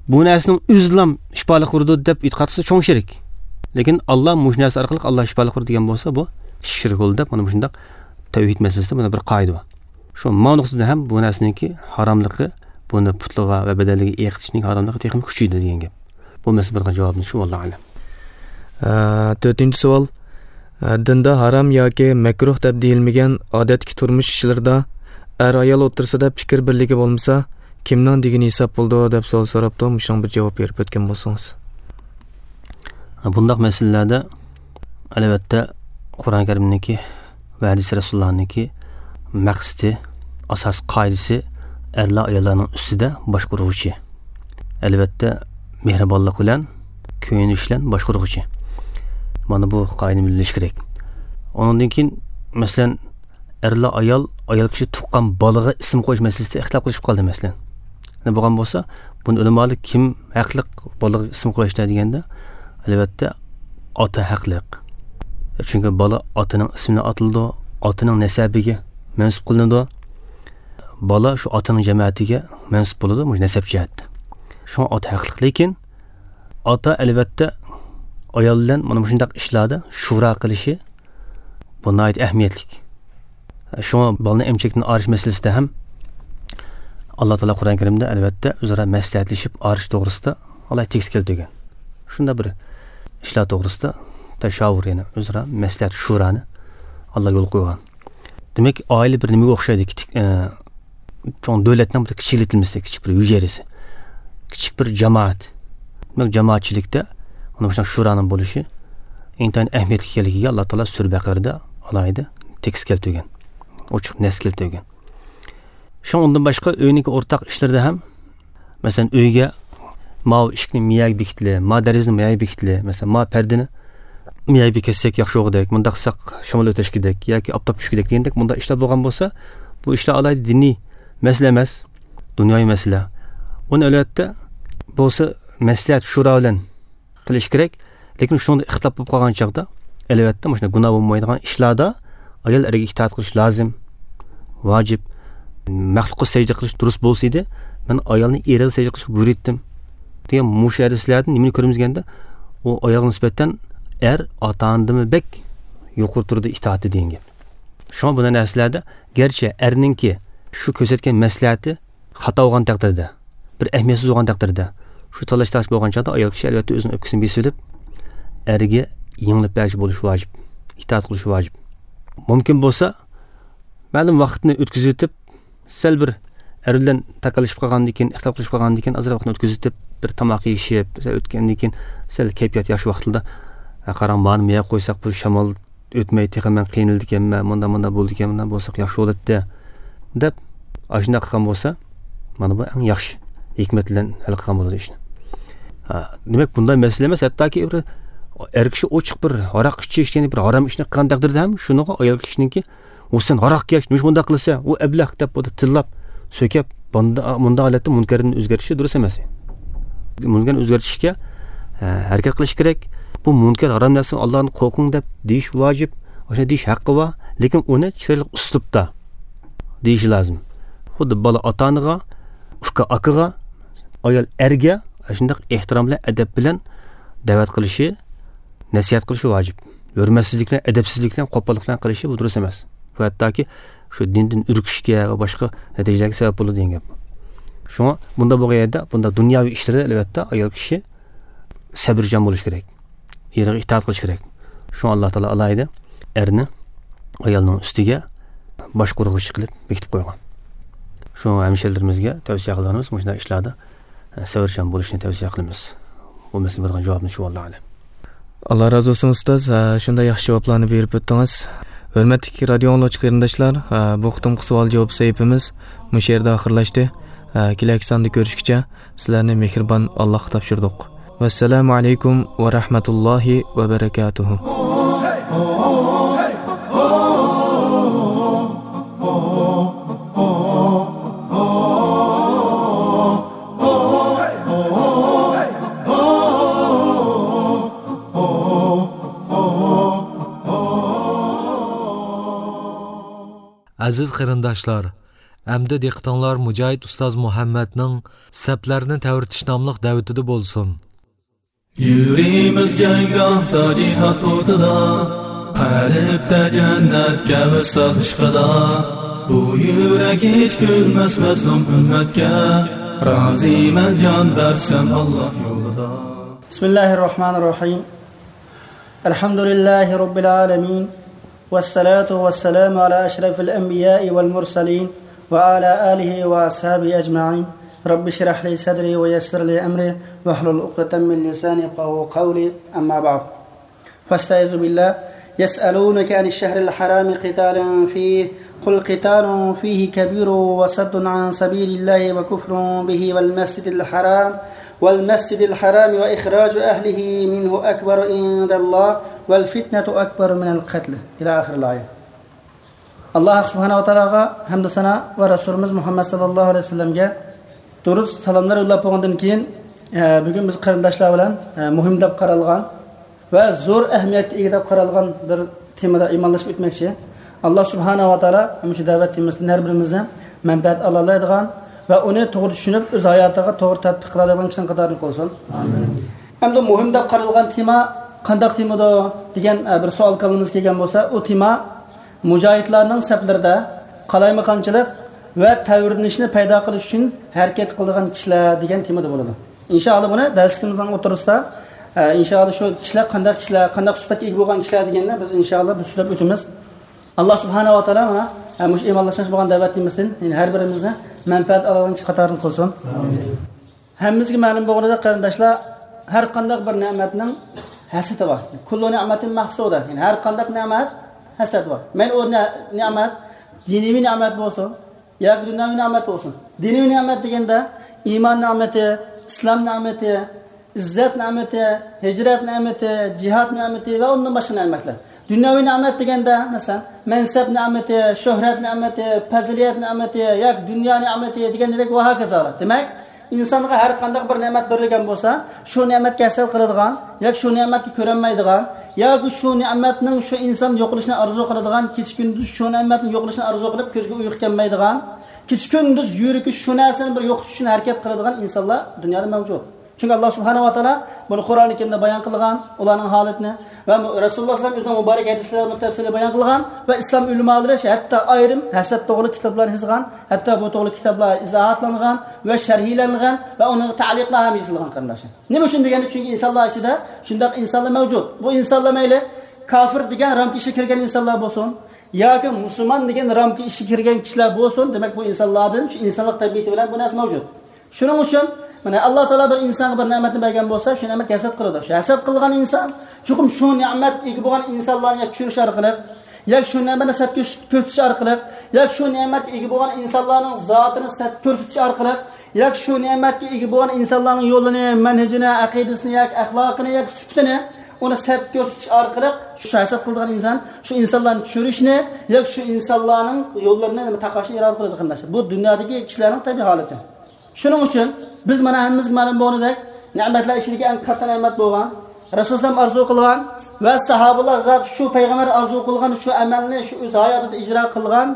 بۇ نەرسىنىڭ ئۆزىلا شىپالىق قىلىدۇ دەپ ئېتىقاد قىلسا، چوڭ شىرك. لېكىن ئاللا مۇشۇ نەرسە ئارقىلىق ئاللا شىپالىق قىلىدۇ دېگەن بولسا، بۇ كىچىك شىرك بولىدۇ دەپ، مانا مۇشۇنداق تەۋھىد مەسىلىسىدە مانا بىر قائىدە بار. شۇ ما نۇقتىدا ھەم بۇ نەرسىنىڭكى ھاراملىقى، بۇنى پۇتلىرىغا ۋە بەدەنلىرىگە ئېقىتىشنىڭ ھاراملىقى تېخىمۇ كۈچىيىدۇ دېگەن گەپ. بۇ مەسىلە بېرىدىغان جاۋابىمىز شۇ، ۋاللاھۇ ئەلەم. ئە، تۆتىنچى سوئال. ئە، دىندا ھارام ياكى مەكرۇھ دەپ دېيىلمىگەن ئادەتتىكى تۇرمۇش ئىشلىرىدا ئەر-ئايال ئوتتۇرىسىدا پىكىر بىرلىكى بولمىسا، كىمنىڭ دېگىنى ھېساب بولىدۇ دەپ سوئال سوراپتۇ. مۇشۇنىڭغا بىر جاۋاب بېرىپ ئۆتكەن بولسىڭىز. بۇنداق مەسىلىلەردە، ئەلۋەتتە، قۇرئان كەرىمنىڭكى ۋە ھەدىس رەسۇلۇللانىڭكى مەقسىتى، ئاساس قائىدىسى ئەرلەر ئاياللارنىڭ ئۈستىدە باشقۇرغۇچى. ئەلۋەتتە، مېھرىبانلىق بىلەن، كۆيۈنۈش بىلەن باشقۇرغۇچى. مانا بۇ قائىدىنى بىلىش كېرەك. ئۇنىڭدىن كېيىن، مەسىلەن، ئەرلەر ئايال، ئايال كىشى تۇغقان بالىغا ئىسىم قويۇش مەسىلىسىدە ئىختىلاپ قىلىشىپ قالدى، مەسىلەن. يەنە بولغان بولسا، بۇنى ئۆلىمالار كىم ھەقلىق بالىغا ئىسىم قويۇشتا دېگەندە، ئەلۋەتتە، ئاتا ھەقلىق. چۈنكى بالا ئاتىنىڭ ئىسمىنى ئاتىلىدۇ، ئاتىنىڭ نەسەبىگە مەنسۇپ قىلىنىدۇ. بالا شۇ ئاتىنىڭ جەمەتىگە مەنسۇپ بولىدۇ، مۇشۇ نەسەب جەھەتتە. شۇڭا ئاتا ھەقلىق. لېكىن ئاتا، ئەلۋەتتە، ئايال بىلەن مانا مۇشۇنداق ئىشلاردا شورا قىلىشى، بۇ ناھايىتى ئەھمىيەتلىك. شۇڭا بالىنى ئەمچەكتىن ئايرىش مەسىلىسىدە ھەم ئاللا تائالا قۇرئان كەرىمدە، ئەلۋەتتە، ئۆزئارا مەسلىھەتلىشىپ ئايرىش توغرىسىدا ئالاھىدە تېكىست كەلتۈرگەن. شۇنداق بىر ئىشلار توغرىسىدا تەشاۋۇر، يەنى ئۆزئارا مەسلىھەت، شۇرانى ئاللا يولغا قويغان. دېمەك، ئائىلە بىر نېمىگە ئوخشايدۇ؟ كىچىك، ئە، چوڭ دۆلەتنىڭ بىر كىچىكلىتىلمىسى، كىچىك بىر ھۈجەيرىسى، كىچىك بىر جامائەت. دېمەك، جامائەتچىلىكتە مانا مۇشۇنداق شۇرانىڭ بولۇشى ئىنتايىن ئەھمىيەتلىك ئىكەنلىكىگە ئاللا تائالا سۈرە بەقەرىدە ئالاھىدە تېكىست كەلتۈرگەن، ئوچۇق نەس كەلتۈرگەن. شۇڭا ئۇندىن باشقا ئۆينىڭكى ئورتاق ئىشلىرىدا ھەم، مەسىلەن، ئۆيگە ماۋۇ ئىشىكنى مىيەگە بېكىتىلى، ما دېرىزىنى مىيەگە بېكىتىلى، مەسىلەن، ما پەردىنى مىيەگە بېكەتسەك ياخشى بولغۇدەك، مۇنداق قىلساق شامال ئۆتەشكۈدەك ياكى ئاپتاپ چۈشكۈدەك دېگەندەك مۇنداق ئىشلار بولغان بولسا، بۇ ئىشلار ئالاھىدە دىنىي مەسىلە ئەمەس، دۇنياۋى مەسىلە. ئۇنى ئەلۋەتتە بولسا مەسلىھەت، شورا بىلەن قىلىش كېرەك. لېكىن شۇنىڭدا ئىختىلاپ بولۇپ قالغان چاغدا، ئەلۋەتتە، مۇشۇنداق گۇناھ بولمايدىغان ئىشلاردا ئايال ئەرگە ئىتائەت قىلىش لازىم، ۋاجىپ. مەخلۇققا سەجدە قىلىش دۇرۇس بولسا ئىدى، مەن ئايالنى ئېرىگە سەجدە قىلىشقا بۇيرۇيتتىم، دېگەن مۇشۇ ھەدىسلەردىن نېمىنى كۆرىمىز دېگەندە، ئۇ ئايالغا نىسبەتەن ئەر ئاتا-ئانىدىنمۇ بەك يۇقىرى تۇرىدۇ ئىتائەتتە دېگەن گەپ. شۇڭا بۇنداق نەرسىلەردە گەرچە ئەرنىڭكى شۇ كۆرسەتكەن مەسلىھەتى خاتا بولغان تەقدىردە، بىر ئەھمىيەتسىز بولغان تەقدىردە، شۇ تاللاش-تارتىش بولغان چاغدا ئايال كىشى ئەلۋەتتە ئۆزىنىڭ ئۆپكىسىنى بېسىۋېلىپ، ئەرگە يېڭىلىپ بەرگۈچى بولۇشى ۋاجىپ، ئىتائەت قىلىشى ۋاجىپ. مۇمكىن بولسا، مەلۇم ۋاقىتنى ئۆتكۈزۈۋېتىپ، سەل بىر ئەر بىلەن تاكاللىشىپ قالغاندىن كېيىن، ئىختىلاپ قىلىشىپ قالغاندىن كېيىن، ئازراق ۋاقىتنى ئۆتكۈزۈۋېتىپ، بىر تاماق يېيىشىپ، سەل ئۆتكەندىن كېيىن، سەل كەيپىيات ياخشى ۋاقتىدا، «ھە، قاراڭ، مانى مۇيەرگە قويساق، بۇ شامال ئۆتمەي، تېخى مەن قىينىلىدىكەنمەن، مۇنداق، مۇنداق بولىدىكەن، مۇنداق بولساق ياخشى بولاتتى» دەپ، ئاشۇنداق قىلغان بولسا، مانا بۇ ئەڭ ياخشى ھېكمەت بىلەن ھەل قىلغان بولىدۇ ئىشنى. ھە، دېمەك، بۇنداق مەسىلە ئەمەس، ھەتتاكى بىر ئەر كىشى ئوچۇق بىر ھاراق ئىچىش، يەنى بىر ھارام ئىشنى قىلغان تەقدىردە ھەم شۇنىڭغا ئايال كىشىنىڭكى، «ئۇ سەن ھاراق ئىكەن، نېمىشقا بۇنداق قىلىسەن؟ ئۇ ئەبلەخ» دەپ، بۇنى تىللاپ، سۆكەپ، بۇندا-، مۇنداق ھالەتتە مۇنكەرنى ئۆزگەرتىشى دۇرۇس ئەمەس. مۇنكەرنى ئۆزگەرتىشكە، ئە، ھەرىكەت قىلىش كېرەك. «بۇ مۇنكەر، ھارام نەرسە، ئاللادىن قورقۇڭ» دەپ دېيىش ۋاجىپ. ئاشۇنداق دېيىش ھەققى بار. لېكىن ئۇنى چىرايلىق ئۇسلۇبتا دېيىشى لازىم. خۇددى بالا ئاتا-ئانىغا، ئۇكا ئاكىغا، ئايال ئەرگە ئاشۇنداق ئېھتىرام بىلەن، ئەدەپ بىلەن دەۋەت قىلىشى، نەسىھەت قىلىشى ۋاجىپ. ھۆرمەتسىزلىك بىلەن، ئەدەپسىزلىك بىلەن، قوپاللىق بىلەن قىلىشى بۇ دۇرۇس ئەمەس. بۇ ھەتتاكى شۇ دىندىن ئۈركۈشكە ۋە باشقا نەتىجىلەرگە سەۋەب بولىدۇ دېگەن گەپ. شۇڭا بۇنداق بولغان يەردە، بۇنداق دۇنياۋى ئىشلىرى، ئەلۋەتتە، ئايال كىشى سەبرىچان بولۇش كېرەك. ئېرىغا ئىتائەت قىلىش كېرەك. شۇڭا ئاللا تائالا ئالاھىدە ئەرنى ئايالنىڭ ئۈستىگە باشقۇرغۇچى قىلىپ بېكىتىپ قويغان. شۇڭا ھەمشىرىلىرىمىزگە تەۋسىيە قىلىدىغىنىمىز مۇشۇنداق ئىشلاردا سەۋرچان بولۇشنى تەۋسىيە قىلىمىز. بۇ مەسىلىگە بېرىدىغان جاۋابىمىز شۇ، ۋاللاھۇ ئەلەم. ئاللا رازى بولسۇن، ئۇستاز. ھە، شۇنداق ياخشى جاۋابلارنى بېرىپ ئۆتتىڭىز. ھۆرمەتلىك رادىيو ئاڭلىغۇچى قېرىنداشلار، ھە، بۇ قېتىمقى سوئال-جاۋاب سەھىپىمىز مۇشۇ يەردە ئاخىرلاشتى. ھە، كېلەكساندا كۆرۈشكىچە سىلەرنى مېھرىبان ئاللاھقا تاپشۇردۇق. ۋەسسالامۇ ئەلەيكۇم ۋە رەھمەتۇللاھى ۋە بەرەكاتۇھۇ. ئەزىز قېرىنداشلار، ئەمدى دىققىتىڭلار مۇجاھىد ئۇستاز مۇھەممەدنىڭ سەپلەرنى تەۋرىتىش ناملىق دەۋىتىدە بولسۇن. يۈرىمىز جەڭگاھتا جىھاد ئوتىدا، قەلبتە جەننەتكە ۋىسال ئىشقىدا. بۇ يۈرەك ھېچ كۈلمەس مەزلۇم ئۈممەتكە، رازىمەن جان بەرسەم ئاللاھ يولىدا. بسم الله الرحمن الرحيم. الحمد لله رب العالمين، والصلاة والسلام على أشرف الأنبياء والمرسلين، وعلى آله وأصحابه أجمعين. رب اشرح لي صدري ويسر لي أمري واحلل عقدة من لساني يفقهوا قولي. أما بعد، فاستعذ بالله. يسألونك عن الشهر الحرام قتال فيه، قل قتال فيه كبير وصد عن سبيل الله وكفر به والمسجد الحرام، والمسجد الحرام وإخراج أهله منه أكبر عند الله والفتنة أكبر من القتل. إلى آخر الآية. ئاللاھ سۇبھانەھۇ ۋە تائالاغا ھەمدۇ سانا ۋە رەسۇلىمىز مۇھەممەد ساللاللاھۇ ئەلەيھى ۋەسەللەمگە دۇرۇت سالاملار يوللاپ بولغاندىن كېيىن، ئە، بۈگۈن بىز قېرىنداشلار بىلەن، ئە، مۇھىم دەپ قارالغان ۋە زور ئەھمىيەتكە ئىگە دەپ قارالغان بىر تېمىدا ئىمانلىشىپ ئۆتمەكچى. ئاللاھ سۇبھانەھۇ ۋە تائالا مۇشۇ دەۋەت تېمىسىدىن ھەر بىرىمىزدىن مەنپەئەت ئالالايدىغان ۋە ئۇنى توغرا چۈشىنىپ، ئۆز ھاياتىغا توغرا تەتبىق قىلالايدىغان كىشىلەرنىڭ قاتارىدىن قىلسۇن. ئامىن. ئەمدى مۇھىم دەپ قارالغان تېما قانداق تېمىدۇ دېگەن، ئە، بىر سوئال كاللىمىزغا كەلگەن بولسا، ئۇ تېما مۇجاھىدلارنىڭ سەپلىرىدە قالايمىقانچىلىق ۋە تەۋرىنىشنى پەيدا قىلىش ئۈچۈن ھەرىكەت قىلىدىغان كىشىلەر دېگەن تېمىدا بولىدۇ. ئىنشائاللا، بۇنى دەرسلىكىمىزنىڭ ئوتتۇرىسىدا، ئە، ئىنشائاللا، شۇ كىشىلەر قانداق كىشىلەر، قانداق سۈپەتكە ئىگە بولغان كىشىلەر دېگەننى بىز ئىنشائاللا بىر سۆزلەپ ئۆتىمىز. ئاللاھ سۇبھانەھۇ ۋە تائالا مانا، ئە، مۇشۇ ئىمانلاشماقچى بولغان دەۋەت تېمىسىدىن، يەنى ھەر بىرىمىزنى مەنپەئەت ئالىدىغان كىشى قاتارىدىن قىلسۇن. ئامىن. ھەممىمىزگە مەلۇم بولغىنىدەك، قېرىنداشلار، ھەر قانداق بىر نېمەتنىڭ ھەسەتى بار. كۇللۇ نېمەتىن مەھسۇدە. يەنى ھەر قانداق نېمەت ھەسەت بار. مەيلى ئۇ نە-، نېمەت دىنىي نېمەت بولسۇن ياكى دۇنياۋى نېمەت بولسۇن. دىنىي نېمەت دېگەندە ئىمان نېمىتى، ئىسلام نېمىتى، ئىززەت نېمىتى، ھىجرەت نېمىتى، جىھاد نېمىتى ۋە ئۇندىن باشقا نېمەتلەر. دۇنياۋى نېمەت دېگەندە، مەسىلەن، مەنسەپ نېمىتى، شۆھرەت نېمىتى، پەزىلەت نېمىتى ياكى دۇنيا نېمىتى دېگەندەك ۋە ھاكازالار. دېمەك، ئىنسانغا ھەر قانداق بىر نېمەت بېرىلگەن بولسا، شۇ نېمەتكە ھەسەت قىلىدىغان ياكى شۇ نېمەتكە كۆرەلمەيدىغان ياكى شۇ نېمەتنىڭ شۇ ئىنسان يوقىلىشىنى ئارزۇ قىلىدىغان، كېچە-كۈندۈز شۇ نېمەتنىڭ يوقىلىشىنى ئارزۇ قىلىپ، كۆزگە ئۇيقۇ كەلمەيدىغان، كېچە-كۈندۈز يۈرىكى شۇ نەرسىنى بىر يوقىتىش ئۈچۈن ھەرىكەت قىلىدىغان ئىنسانلار دۇنيادا مەۋجۇت. چۈنكى ئاللاھ سۇبھانەھۇ ۋە تائالا بۇنى قۇرئانى كەرىمدە بايان قىلغان، ئۇلارنىڭ ھالىتىنى ۋە مۇ-، رەسۇلۇللاھ سەللەللاھۇ ئەلەيھى ۋەسەللەم ئۆزىنىڭ مۇبارەك ھەدىسلىرىدە مۇتەپسىلىي بايان قىلغان ۋە ئىسلام ئۆلىمالىرى ھەتتا ئايرىم ھەسەت توغرىلىق كىتابلارنى يازغان، ھەتتا بۇ توغرىلىق كىتابلار ئىزاھاتلانغان ۋە شەرھلەنگەن ۋە ئۇنىڭغا تەئلىقلار ھەم يېزىلغان، قېرىنداشلار. نېمە ئۈچۈن دېگەندە، چۈنكى ئىنسانلار ئىچىدە شۇنداق ئىنسانلار مەۋجۇت. بۇ ئىنسانلار مەيلى كافىر دېگەن رامكا ئىچىگە كىرگەن ئىنسانلار بولسۇن ياكى مۇسۇلمان دېگەن رامكا ئىچىگە كىرگەن كىشىلەر بولسۇن، دېمەك، بۇ ئىنسانلاردىن شۇ ئىنسانلىق تەبىئىتى بىلەن بۇ نەرسە مەۋجۇت. شۇنىڭ ئۈچۈن، مانا، ئاللاھ تائالا بىر ئىنسانغا بىر نېمەتنى بەرگەن بولسا، شۇ نېمەتكە ھەسەت قىلىدۇ. شۇ ھەسەت قىلغان ئىنسان چوقۇم شۇ نېمەتكە ئىگە بولغان ئىنسانلارنى ياكى چۈشۈرۈش ئارقىلىق، ياكى شۇ نېمەتنى سەت كۆرس-، كۆرسىتىش ئارقىلىق، ياكى شۇ نېمەتكە ئىگە بولغان ئىنسانلارنىڭ زاتىنى سەت كۆرسىتىش ئارقىلىق، ياكى شۇ نېمەتكە ئىگە بولغان ئىنسانلارنىڭ يولىنى، مەنھىجىنى، ئەقىدىسىنى ياكى ئەخلاقىنى ياكى سۈپىتىنى، ئۇنى سەت كۆرسىتىش ئارقىلىق شۇ ھەسەت قىلىدىغان ئىنسان شۇ ئىنسانلارنى چۈشۈرۈشنى ياكى شۇ ئىنسانلارنىڭ يوللىرىنى تاقاشنى ئىرادە قىلىدۇ، قېرىنداشلار. بۇ دۇنيادىكى كىشىلەرنىڭ تەبىئىي ھالىتى. شۇنىڭ ئۈچۈن بىز مانا ھەممىمىزگە مەلۇم بولغىنىدەك، نېمەتلەر ئىچىدىكى ئەڭ كاتتا نېمەت بولغان، رەسۇلۇللاھ ئارزۇ قىلغان ۋە ساھابىلار زادى شۇ پەيغەمبەر ئارزۇ قىلغان شۇ ئەمەلنى شۇ ئۆز ھاياتىدا ئىجرا قىلغان،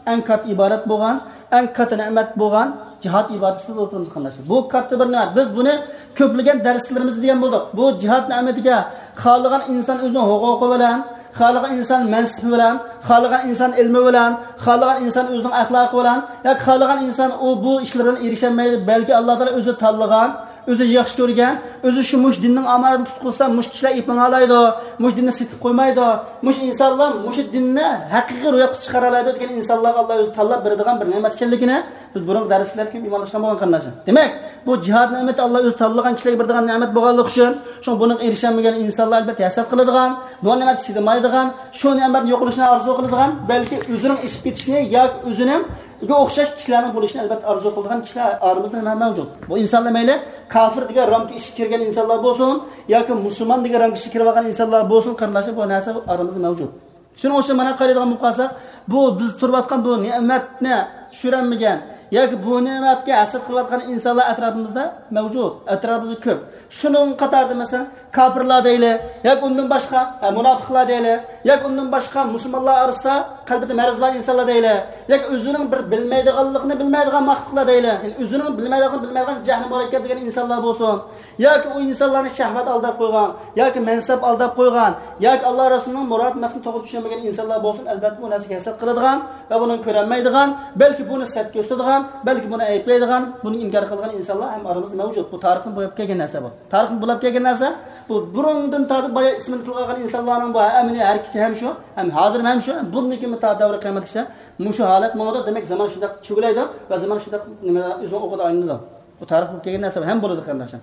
ئەڭ كاتتا ئىبادەت بولغان، ئەڭ كاتتا نېمەت بولغان جىھاد ئىبادىتىدە ئولتۇرىمىز، قېرىنداشلار. بۇ كاتتا بىر نېمەت. بىز بۇنى كۆپلىگەن دەرسلىرىمىزدە دېگەن بولدۇق. بۇ جىھاد نېمىتىگە خالىغان ئىنسان ئۆزىنىڭ ھوقۇقى بىلەن، خالىغان ئىنسان مەنسىپى بىلەن، خالىغان ئىنسان ئىلمى بىلەن، خالىغان ئىنسان ئۆزىنىڭ ئەخلاقى بىلەن ياكى خالىغان ئىنسان ئۇ بۇ ئىشلىرى بىلەن ئېرىشەلمەيدۇ. بەلكى ئاللاھ تائالا ئۆزى تاللىغان، ئۆزى ياخشى كۆرگەن، ئۆزى شۇ مۇشۇ دىننىڭ ئامانىتىنى تۇتقۇزسا، مۇشۇ كىشىلەر ئېلىپ ماڭالايدۇ، مۇشۇ دىننى سېتىپ قويمايدۇ، مۇشۇ ئىنسانلار مۇشۇ دىننى ھەقىقىي روياپقا چىقارالايدۇ دېگەن ئىنسانلارغا ئاللا ئۆزى تاللاپ بېرىدىغان بىر نېمەت ئىكەنلىكىنى بىز بۇرۇنقى دەرسلەرگە كۆپ ئىمانلاشقان بولغان قېرىنداشلار. دېمەك، بۇ جىھاد نېمىتى ئاللا ئۆزى تاللىغان كىشىلەرگە بېرىدىغان نېمەت بولغانلىقى ئۈچۈن، شۇڭا بۇنىڭغا ئېرىشەلمىگەن ئىنسانلار ئەلبەتتە ھەسەت قىلىدىغان، بۇ نېمەتكە چىدىمايدىغان، شۇ نېمەتنى يوقىلىشىنى ئارزۇ قىلىدىغان، بەلكى ئۆزىنىڭ ئېشىپ كېتىشىنى ياكى ئۆزىنىڭ گە ئوخشاش كىشىلەرنىڭ بولۇشىنى ئەلبەتتە ئارزۇ قىلىدىغان كىشىلەر ئارىمىزدا ھەم مەۋجۇت. بۇ ئىنسانلار مەيلى كاپىر دېگەن رامكا ئىچىگە كىرگەن ئىنسانلار بولسۇن، ياكى مۇسۇلمان دېگەن رامكا ئىچىگە كىرىۋالغان ئىنسانلار بولسۇن، قېرىنداشلار، بۇ نەرسە ئارىمىزدا مەۋجۇت. شۇنىڭ ئۈچۈن مانا قارايدىغان بولۇپ قالساق، بۇ بىز تۇرۇۋاتقان بۇ نېمەتنى چۈشۈرەلمىگەن ياكى بۇ نېمەتكە ھەسەت قىلىۋاتقان ئىنسانلار ئەتراپىمىزدا مەۋجۇت، ئەتراپىمىزدا كۆپ. شۇنىڭ قاتارىدا مەسىلەن، كاپىرلار دەيلى، ياكى ئۇندىن باشقا، ھە، مۇناپىقلار دەيلى، ياكى ئۇندىن باشقا مۇسۇلمانلار ئارىسىدا قەلبىدە مەرز بار ئىنسانلار دەيلى، ياكى ئۆزىنىڭ بىر بىلمەيدىغانلىقىنى بىلمەيدىغان ماختۇقلار دەيلى، يەنى ئۆزىنىڭ بىلمەيدىغانلىقىنى بىلمەيدىغان جەھلى مۇرەككەپ دېگەن ئىنسانلار بولسۇن، ياكى ئۇ ئىنسانلارنى شەھۋەت ئالداپ قويغان، ياكى مەنسەپ ئالداپ قويغان، ياكى ئاللا رەسۇلىنىڭ مۇراد مەقسىتىنى توغرا چۈشەنمىگەن ئىنسانلار بولسۇن، ئەلبەتتە بۇ نەرسىگە ھەسەت قىلىدىغان ۋە بۇنى كۆرەلمەيدىغان، بەلكى بۇنى سەت كۆرسىتىدىغان، بەلكى بۇنى ئەيىبلەيدىغان، بۇنى ئىنكار قىلغان ئىنسانلار ھەم ئارىمىزدا مەۋجۇت. بۇ تارىخنى بوياپ كەلگەن نەرسە بۇ. تارىخنى بوياپ كەلگەن نەرسە بۇ. بۇرۇندىن تارتىپ بايا ئىسمىنى تىلغا ئالغان ئىنسانلارنىڭ بۇ ئەمەلىي ھەرىكىتى ھەم شۇ، ھەم ھازىر ھەم شۇ، ھەم بۇندىن كېيىن تا دەۋرى قىيامەتكىچە مۇشۇ ھالەت ماڭىدۇ. دېمەك، زامان شۇنداق چۆگىلەيدۇ ۋە زامان شۇنداق نېمە ئۆزىنىڭ ئوقىدا ئايلىنىدۇ. بۇ تارىخ بولۇپ كەلگەن نەرسە ھەم بولىدۇ، قېرىنداشلار.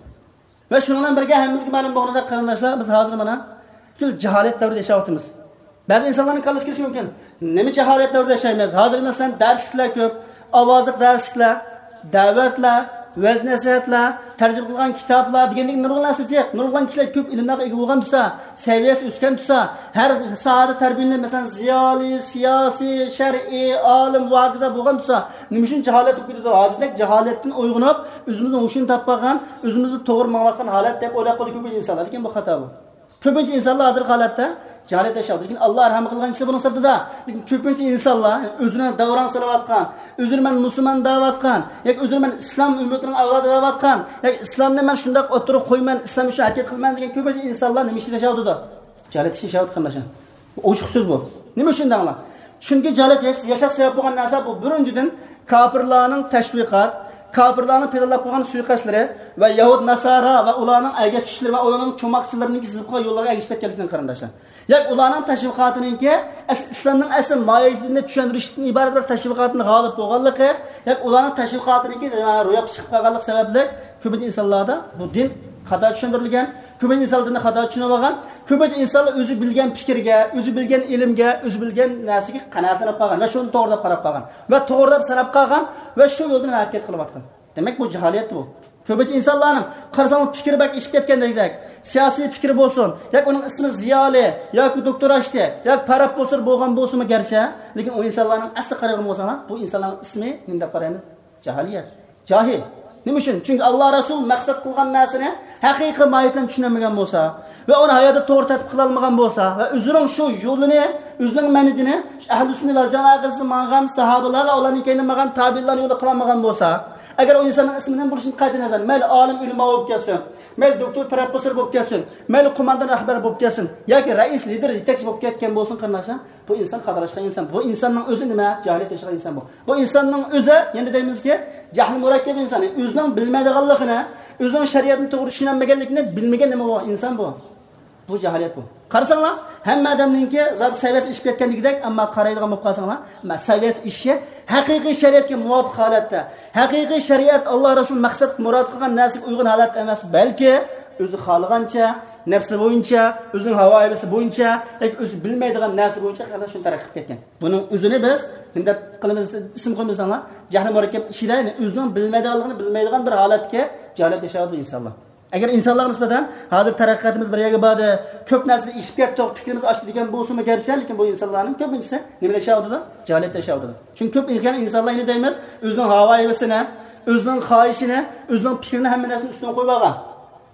ۋە شۇنىڭ بىلەن بىرگە ھەممىمىزگە مەلۇم بولغىنىدەك، قېرىنداشلار، بىز ھازىر مانا پۈتكۈل جاھالەت دەۋرىدە ياشاۋاتىمىز. بەزى ئىنسانلارنىڭ كاللىسىغا كېلىشى مۇمكىن، نېمە جاھالەت دەۋرىدە ياشايمىز؟ ھازىر مەسىلەن، دەرسلىكلەر كۆپ، ئاۋازلىق دەرسلىكلەر، دەۋەتلەر، ۋەز-نەسىھەتلەر، تەرجىمە قىلغان كىتابلار دېگەندەك نۇرغۇن نەرسە جىق، نۇرغۇن كىشىلەر كۆپ ئىلىملەرگە ئىگە بولغان تۇرسا، سەۋىيەسى ئۆسكەن تۇرسا، ھەر ساھەدە تەربىيەلىنىپ، مەسىلەن، زىيالىي، سىياسىي، شەرئىي، ئالىم ۋە ھاكازا بولغان تۇرسا، نېمە ئۈچۈن جاھالەت بولۇپ كېتىدۇ؟ ھازىردەك جاھالەتتىن ئويغىنىپ، ئۆزىمىزنىڭ ھوشىنى تاپالىغان، ئۆزىمىز بىر توغرا ماڭىۋاتقان ھالەت دەپ ئويلاپ قويىدۇ كۆپىنچە ئىنسانلار. لېكىن بۇ خاتا بۇ. كۆپىنچە ئىنسانلار ھازىرقى ھالەتتە جاھالەت ياشاۋاتىدۇ. لېكىن ئاللا رەھىم قىلغان كىشى بۇنىڭ سىرتىدا. لېكىن كۆپىنچە ئىنسانلار ئۆزىنى داۋراڭ سېلىۋاتقان، ئۆزىنى مەن مۇسۇلمان دەۋاتقان، ياكى ئۆزىنى مەن ئىسلام ئۈممىتىنىڭ ئەۋلادى دەۋاتقان، ياكى ئىسلامنى مەن شۇنداق ئوتتۇرىغا قويىمەن، ئىسلام ئۈچۈن ھەرىكەت قىلىمەن دېگەن كۆپىنچە ئىنسانلار نېمە ئىچىدە ياشاۋاتىدۇ؟ جاھالەت ئىچىدە ياشاۋاتىدۇ، قېرىنداشلار. بۇ ئوچۇق سۆز بۇ. نېمە ئۈچۈن دەڭلار؟ چۈنكى جاھالەت ياش-، ياشاش سەۋەب بولغان نەرسە بۇ، بىرىنچىدىن، كاپىرلارنىڭ تەشۋىقات، كاپىرلارنىڭ پىلانلاپ قويغان سۇيىقەستلىرى ۋە يەھۇد ناسارا ۋە ئۇلارنىڭ ئەگەشكۈچىلىرى ۋە ئۇلارنىڭ چوماقچىلىرىنىڭكى سىزىپ قويغان يوللارغا ئەگىشىپ كەتكەنلىكىدىن، قېرىنداشلار. ياكى ئۇلارنىڭ تەشۋىقاتىنىڭكى ئەس-، ئىسلامنىڭ ئەسلى ماھىيىتىنى چۈشەندۈرۈشتىن ئىبارەت بىر تەشۋىقاتتىن غالىب بولغانلىقى، ياكى ئۇلارنىڭ تەشۋىقاتىنىڭكى روياپقا چىقىپ قالغانلىقى سەۋەبلىك كۆپىنچە ئىنسانلاردا بۇ دىن خاتا چۈشەندۈرۈلگەن، كۆپىنچە ئىنسانلار دىننى خاتا چۈشىنىۋالغان، كۆپىنچە ئىنسانلار ئۆزى بىلگەن پىكىرگە، ئۆزى بىلگەن ئىلىمگە، ئۆزى بىلگەن نەرسىگە قانائەتلىنىپ قالغان ۋە شۇنى توغرا دەپ قاراپ قالغان ۋە توغرا دەپ ساناپ قالغان ۋە شۇ يولدىن ھەرىكەت قىلىۋاتقان. دېمەك، بۇ جاھالەت بۇ. كۆپىنچە ئىنسانلارنىڭ قارىساڭلار پىكرى بەك ئېشىپ كەتكەندەك، سىياسىي پىكرى بولسۇن، ياكى ئۇنىڭ ئىسمى زىيالىي، ياكى دوكتور ئاشتى، ياكى پروفېسسور بولغان بولسىمۇ گەرچە، لېكىن ئۇ ئىنسانلارنىڭ ئەسلى قارايدىغان بولساڭلار، بۇ ئىنسانلارنىڭ ئىسمى نېمە دەپ قارايمىز؟ جاھىلىيەت. جاھىل. نېمە ئۈچۈن؟ چۈنكى ئاللا رەسۇل مەقسەت قىلغان نەرسىنى ھەقىقىي ماھىيەت بىلەن چۈشىنەلمىگەن بولسا ۋە ئۇنى ھاياتىدا توغرا تەتبىق قىلالمىغان بولسا ۋە ئۆزىنىڭ شۇ يولىنى، ئۆزىنىڭ مەنھىجىنى شۇ ئەھلى سۈننە ۋەل جامائە ئەقىدىسىدە ماڭغان ساھابىلار ۋە ئۇلاردىن كېيىن ماڭغان تابىئىنلار يولىدا قىلالمىغان بولسا، ئەگەر ئۇ ئىنساننىڭ ئىسمى نېمە بولۇشىدىن قەتئىينەزەر، مەيلى ئالىم ئۆلىما بولۇپ كەتسۇن، مەيلى دوكتور پروفېسسور بولۇپ كەتسۇن، مەيلى قوماندان رەھبەر بولۇپ كەتسۇن ياكى رەئىس، لىدېر، يېتەكچى بولۇپ كەتكەن بولسۇن، قېرىنداشلار، بۇ ئىنسان خاتالاشقان ئىنسان. بۇ ئىنساننىڭ ئۆزى نېمە؟ جاھىلىيەت ياشىغان ئىنسان بۇ. بۇ ئىنساننىڭ ئۆزى، يەنە دەيمىزكى، جەھلى مۇرەككەپ ئىنسان. ئۆزىنىڭ بىلمەيدىغانلىقىنى، ئۆزىنىڭ شەرىئەتنى توغرا چۈشىنەلمىگەنلىكىنى بىلمىگەن نېمە بۇ؟ ئىنسان بۇ. بۇ جاھىلىيەت بۇ. قارىساڭلار، ھەممە ئادەمنىڭكى زادى سەۋىيەسى ئېشىپ كەتكەن دېگۈدەك، ئەمما قارايدىغان بولۇپ قالساڭلار، مە-، سەۋىيەسى ئېشىشى ھەقىقىي شەرىئەتكە مۇۋاپىق ھالەتتە، ھەقىقىي شەرىئەت ئاللا رەسۇل مەقسەت مۇراد قىلغان نەرسىگە ئۇيغۇن ھالەتتە ئەمەس، بەلكى ئۆزى خالىغانچە، نەپسى بويىچە، ئۆزىنىڭ ھاۋا ھەۋىسى بويىچە ياكى ئۆزى بىلمەيدىغان نەرسە بويىچە شۇنى تەرەققىي قىلىپ كەتكەن. بۇنىڭ ئۆزىنى بىز نېمە دەپ قىلىمىز، ئىسىم قويىمىز دەڭلار، جەھلى مۇرەككەپ ئىچىدە، يەنى ئۆزىنىڭ بىلمەيدىغانلىقىنى بىلمەيدىغان بىر ھالەتتىكى جاھىلىيەت ياشاۋاتىدۇ ئىنسانلار. ئەگەر ئىنسانلارغا نىسبەتەن ھازىر تەرەققىياتىمىز بىر يەرگە باردى، كۆپ نەرسىدە ئېشىپ كەتتۇق، پىكرىمىز ئاشتى دېگەن بولسىمۇ گەرچە، لېكىن بۇ ئىنسانلارنىڭ كۆپىنچىسى نېمىدە ياشاۋاتىدۇ؟ جاھىلىيەتتە ياشاۋاتىدۇ. چۈنكى كۆپ ئىنسانلار يەنە دەيمىز، ئۆزىنىڭ ھاۋا ھەۋىسىنى، ئۆزىنىڭ خاھىشىنى، ئۆزىنىڭ پىكرىنى، ھەممە نەرسىنى ئۈستىگە قويۇپ ئالغان.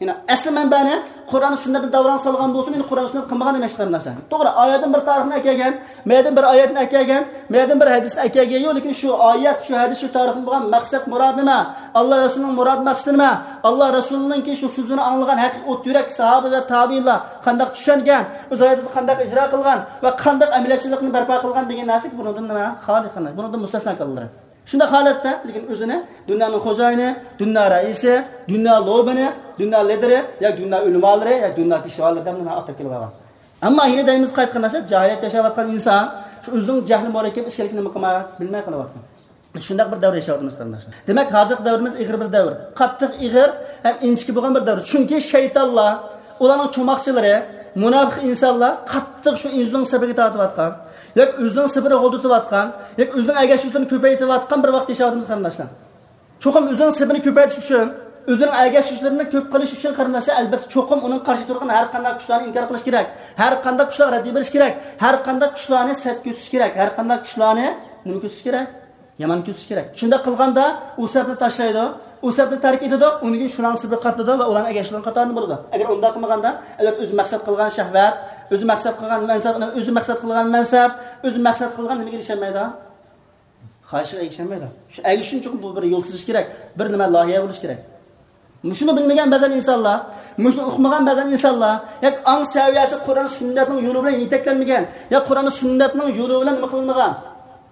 يەنى ئەسلى مەنبەنى قۇرئان سۈننەتنى داۋراڭ سالغان بولسا، مېنى قۇرئان سۈننەت قىلمىغان ئەمەس، قېرىنداشلار. توغرا، ئايەتتىن بىر تارىخنى ئەكەلگەن، مەيەدىن بىر ئايەتنى ئەكەلگەن، مەيەدىن بىر ھەدىسنى ئەكەلگەن يوق، لېكىن شۇ ئايەت، شۇ ھەدىس، شۇ تارىخنى بولغان مەقسەت مۇرادى نېمە؟ ئاللا رەسۇلىنىڭ مۇراد مەقسىتى نېمە؟ ئاللا رەسۇلىنىڭكى شۇ سۆزىنى ئاڭلىغان ھەقىقىي ئوت يۈرەك ساھابە ۋە تابىئىنلار قانداق چۈشەنگەن؟ ئۆز ھاياتىدا قانداق ئىجرا قىلغان ۋە قانداق ئەمەلىيەتچىلىكنى بەرپا قىلغان دېگەن نەرسە بۇنىڭدىن نېمە؟ خالىي، قېرىنداش. بۇنىڭدىن مۇستەسنا قىلىنغان. شۇنداق ھالەتتە، لېكىن ئۆزىنى دۇنيانىڭ خوجايىنى، دۇنيا رەئىسى، دۇنيا لوبىنى، دۇنيا لىدىرى، يا دۇنيا ئۆلىمالىرى، يا دۇنيا پېشۋالىرى دەپ نېمە ئاتاپ كېلىۋالغان. ئەمما يەنە دەيمىز، قايتا قېرىنداشلار، جاھىلىيەتتە ياشاۋاتقان ئىنسان شۇ ئۆزىنىڭ جەھلى مۇرەككەپ ئىكەنلىكىنى نېمە قىلماي، بىلمەي قېلىۋاتقان. شۇنداق بىر دەۋر ياشاۋاتىمىز، قېرىنداشلار. دېمەك، ھازىرقى دەۋرىمىز ئېغىر بىر دەۋر. قاتتىق ئېغىر ھەم ئىنچىكە بولغان بىر دەۋر. چۈنكى شەيتانلار، ئۇلارنىڭ چوماقچىلىرى، مۇناپىق ئىنسانلار قاتتىق شۇ ئۆزىنىڭ سېپىگە تارتىۋاتقان، ياكى ئۆزىنىڭ سېپىنى غۇلدىتىۋاتقان، ياكى ئۆزىنىڭ ئەگەشكۈچىلىرىنى كۆپەيتىۋاتقان بىر ۋاقىت ياشاۋاتىمىز، قېرىنداشلار. چوقۇم ئۆزىنىڭ سېپىنى كۆپەيتىش ئۈچۈن، ئۆزىنىڭ ئەگەشكۈچىلىرىنى كۆپ قىلىش ئۈچۈن، قېرىنداشلار، ئەلبەتتە، چوقۇم ئۇنىڭ قارشى تۇرغان ھەر قانداق كۈچلەرنى ئىنكار قىلىش كېرەك. ھەر قانداق كۈچلەرگە رەددىيە بېرىش كېرەك. ھەر قانداق كۈچلەرنى سەت كۆرسىتىش كېرەك. ھەر قانداق كۈچلەرنى نېمە كۆرسىتىش كېرەك؟ يامان كۆرسىتىش كېرەك. شۇنداق قىلغاندا ئۇ سەپنى تاشلايدۇ، ئۇ سەپنى تەرك ئېتىدۇ، ئۇنىڭ كېيىن شۇلارنىڭ سېپىگە قاتىلىدۇ ۋە ئۇلارنىڭ ئەگەشكۈچىلىرىنىڭ قاتارىدا بولىدۇ. ئەگەر ئۇنداق قىلمىغاندا، ئەلۋەتتە، ئۆزى مەقسەت قىلغان شەھۋەت، ئۆزى مەقسەت قىلغان مەنسەپ، ئۆزى مەقسەت قىلغان مەنسەپ، ئۆزى مەقسەت قىلغان نېمىگە ئېرىشەلمەيدۇ؟ خاھىشىغا ئېرىشەلمەيدۇ. شۇ ئەگىشىش ئۈچۈن چوقۇم بۇ بىر يول سىزىش كېرەك، بىر نېمە لايىھە بولۇش كېرەك. مۇشۇنى بىلمىگەن بەزەن ئىنسانلار، مۇشۇنى ئۇقمىغان بەزەن ئىنسانلار، ياكى ئاڭ سەۋىيەسى قۇرئان سۈننەتنىڭ يولى بىلەن يېتەكلەنمىگەن، ياكى قۇرئان سۈننەتنىڭ يولى بىلەن نېمە قىلىنمىغان،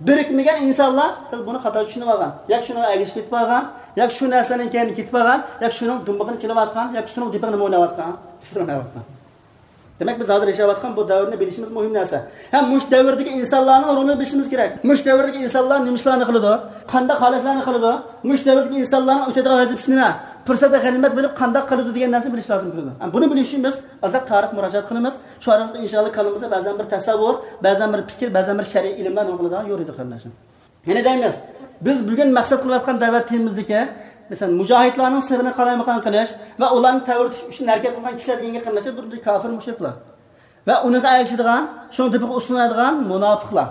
بىرىكمىگەن ئىنسانلار بۇنى خاتا چۈشىنىۋالغان، ياكى شۇنىڭغا ئەگىشىپ كېتىپ قالغان، ياكى شۇ نەرسىلەرنىڭ كەينىگە كېتىپ قالغان، ياكى شۇنىڭ دۇمبىقىنى چېلىۋاتقان، ياكى شۇنىڭ دېپىغا نېمە ئويناۋاتقان؟ ئۇسسۇل ئويناۋاتقان. دېمەك، بىز ھازىر ياشاۋاتقان بۇ دەۋرنى بىلىشىمىز مۇھىم نەرسە. ھەم مۇشۇ دەۋردىكى ئىنسانلارنىڭ رولىنى بىلىشىمىز كېرەك. مۇشۇ دەۋردىكى ئىنسانلار نېمە ئىشلارنى قىلىدۇ؟ قانداق ھالەتلەرنى قىلىدۇ؟ مۇشۇ دەۋردىكى ئىنسانلارنىڭ ئۆتىدىغان ۋەزىپىسى نېمە؟ پۇرسەتنى غەنىيمەت بىلىپ قانداق قىلىدۇ دېگەن نەرسىنى بىلىش لازىم كېلىدۇ. ھەم بۇنى بىلىش ئۈچۈن بىز ئازراق تارىخ مۇراجىئەت قىلىمىز. شۇ ئارقىلىق ئىنشاللا كاللىمىزدا بەزەن بىر تەسەۋۋۇر، بەزەن بىر پىكىر، بەزەن بىر شەرئىي ئىلىملەر نېمە قىلىدىغان يورۇيدۇ، قېرىنداشلار. يەنە دەيمىز، بىز بۈگۈن مەقسەت قىلىۋاتقان دەۋەت تېمىمىزدىكى، مەسىلەن، مۇجاھىدلارنىڭ سېپىنى قالايمىقان قىلىش ۋە ئۇلارنى تەۋرىتىش ئۈچۈن ھەرىكەت قىلغان كىشىلەر دېگەنگە قېرىنداشلار، بۇ كاپىر مۇشرىكلار ۋە ئۇنىڭغا ئەگىشىدىغان، شۇنىڭ تېپىغا ئۇسسۇلىنىدىغان مۇناپىقلار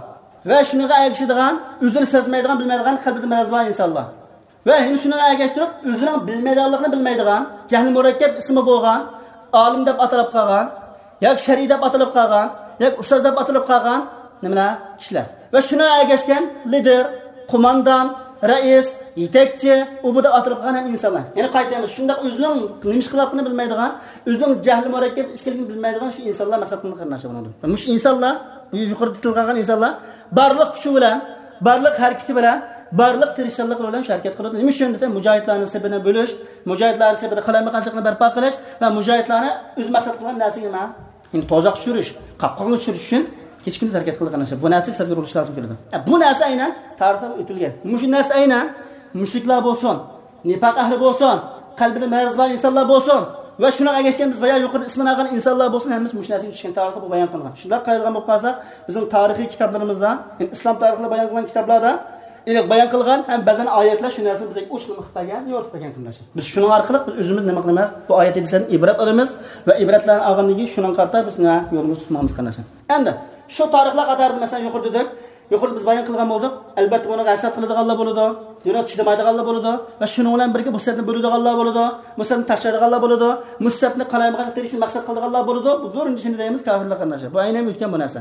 ۋە شۇنىڭغا ئەگىشىدىغان، ئۆزىنى سەزمەيدىغان، بىلمەيدىغان، قەلبىدە مەرەز بار ئىنسانلار. ۋە يەنە شۇنىڭغا ئەگەشتۈرۈپ، ئۆزىنىڭ بىلمەيدىغانلىقىنى بىلمەيدىغان، جەھلى مۇرەككەپ ئىسمى بولغان، ئالىم دەپ ئاتىلىپ قالغان، ياكى شەرئىي دەپ ئاتىلىپ قالغان، ياكى ئۇستاز دەپ ئاتىلىپ قالغان نېمىلەر؟ كىشىلەر. ۋە شۇنىڭغا ئەگەشكەن لىدىر، قوماندان، رەئىس، يېتەكچى، ئۇ بۇ دەپ ئاتىلىپ قالغان ھەم ئىنسانلار. يەنە قايتىمىز، شۇنداق ئۆزىنىڭ نېمە ئىش قىلىۋاتقىنىنى بىلمەيدىغان، ئۆزىنىڭ جەھلى مۇرەككەپ ئىكەنلىكىنى بىلمەيدىغان شۇ ئىنسانلار مەقسەت قىلىنغان، قېرىنداشلار، بۇنىڭدىن. مۇشۇ ئىنسانلار، بۇ يۇقىرىدا تىلغا ئالغان ئىنسانلار بارلىق كۈچى بىلەن، بارلىق ھەرىكىتى بىلەن، بارلىق تىرىشچانلىقلىرى بىلەن شۇ ھەرىكەت قىلىدۇ. نېمە ئۈچۈن دېسە، مۇجاھىدلارنىڭ سېپىنى بۆلۈش، مۇجاھىدلارنىڭ سېپىدە قالايمىقانچىلىقنى بەرپا قىلىش ۋە مۇجاھىدلارنى ئۆز مەقسەت قىلغان نەرسىگە نېمە؟ يەنى تۇزاققا چۈشۈرۈش، قاپقانغا چۈشۈرۈش ئۈچۈن كېچە-كۈندۈز ھەرىكەت قىلىدىغان نەرسە. بۇ نەرسىگە سەزگۈر بولۇش لازىم كېلىدۇ. ئە، بۇ نەرسە ئەينەن تارىختا ئۆتۈلگەن. مۇشۇ نەرسە ئەينەن مۇشرىكلار بولسۇن، نىپاق ئەھلى بولسۇن، قەلبىدە مەرەز بار ئىنسانلار بولسۇن ۋە شۇنىڭغا ئەگەشكەن بىز بايا يۇقىرىدا ئىسمىنى ئالغان ئىنسانلار بولسۇن، ھەممىسى مۇشۇ نەرسىگە چۈشكەن، تارىختا بۇ بايان قىلىنغان. شۇنداق قارايدىغان بولۇپ قالساق، بىزنىڭ تارىخىي كىتابلىرىمىزدا، يەنى ئىسلام تارىخىدا بايان قىلغان كىتابلاردا، ئېنىق بايان قىلغان ھەم بەزەن ئايەتلەر شۇ نەرسىنى بىزگە ئوچۇق نېمە قىلىپ بەرگەن، يورۇتۇپ بەرگەن، قېرىنداشلار. بىز شۇنىڭ ئارقىلىق بىز ئۆزىمىز نېمە قىلىمىز؟ بۇ ئايەت ھەدىسلەردىن ئىبرەت ئالىمىز ۋە ئىبرەتلەرنى ئالغاندىن كېيىن شۇنىڭغا قارىتا بىز نېمە يولىمىزنى تۇتماقمىز، قېرىنداشلار. ئەمدى شۇ تارىخلار قاتارىدا، مەسىلەن، يۇقىرىدا دېدۇق، يۇقىرىدا بىز بايان قىلغان بولدۇق. ئەلبەتتە، بۇنىڭغا ھەسەت قىلىدىغانلار بولىدۇ، بۇنىڭغا چىدىمايدىغانلار بولىدۇ ۋە شۇنىڭ بىلەن بىرگە بۇ سەپنى بۆلىدىغانلار بولىدۇ، بۇ سەپنى تاشلايدىغانلار بولىدۇ، مۇشۇ سەپنى قالايمىقانچىلىق تېرىشنى مەقسەت قىلىدىغانلار بولىدۇ. بۇ بىرىنچىسىنى دەيمىز كاپىرلار، قېرىنداشلار. بۇ ئەينەن ئۆتكەن بۇ نەرسە.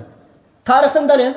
تارىختىن دەلىل،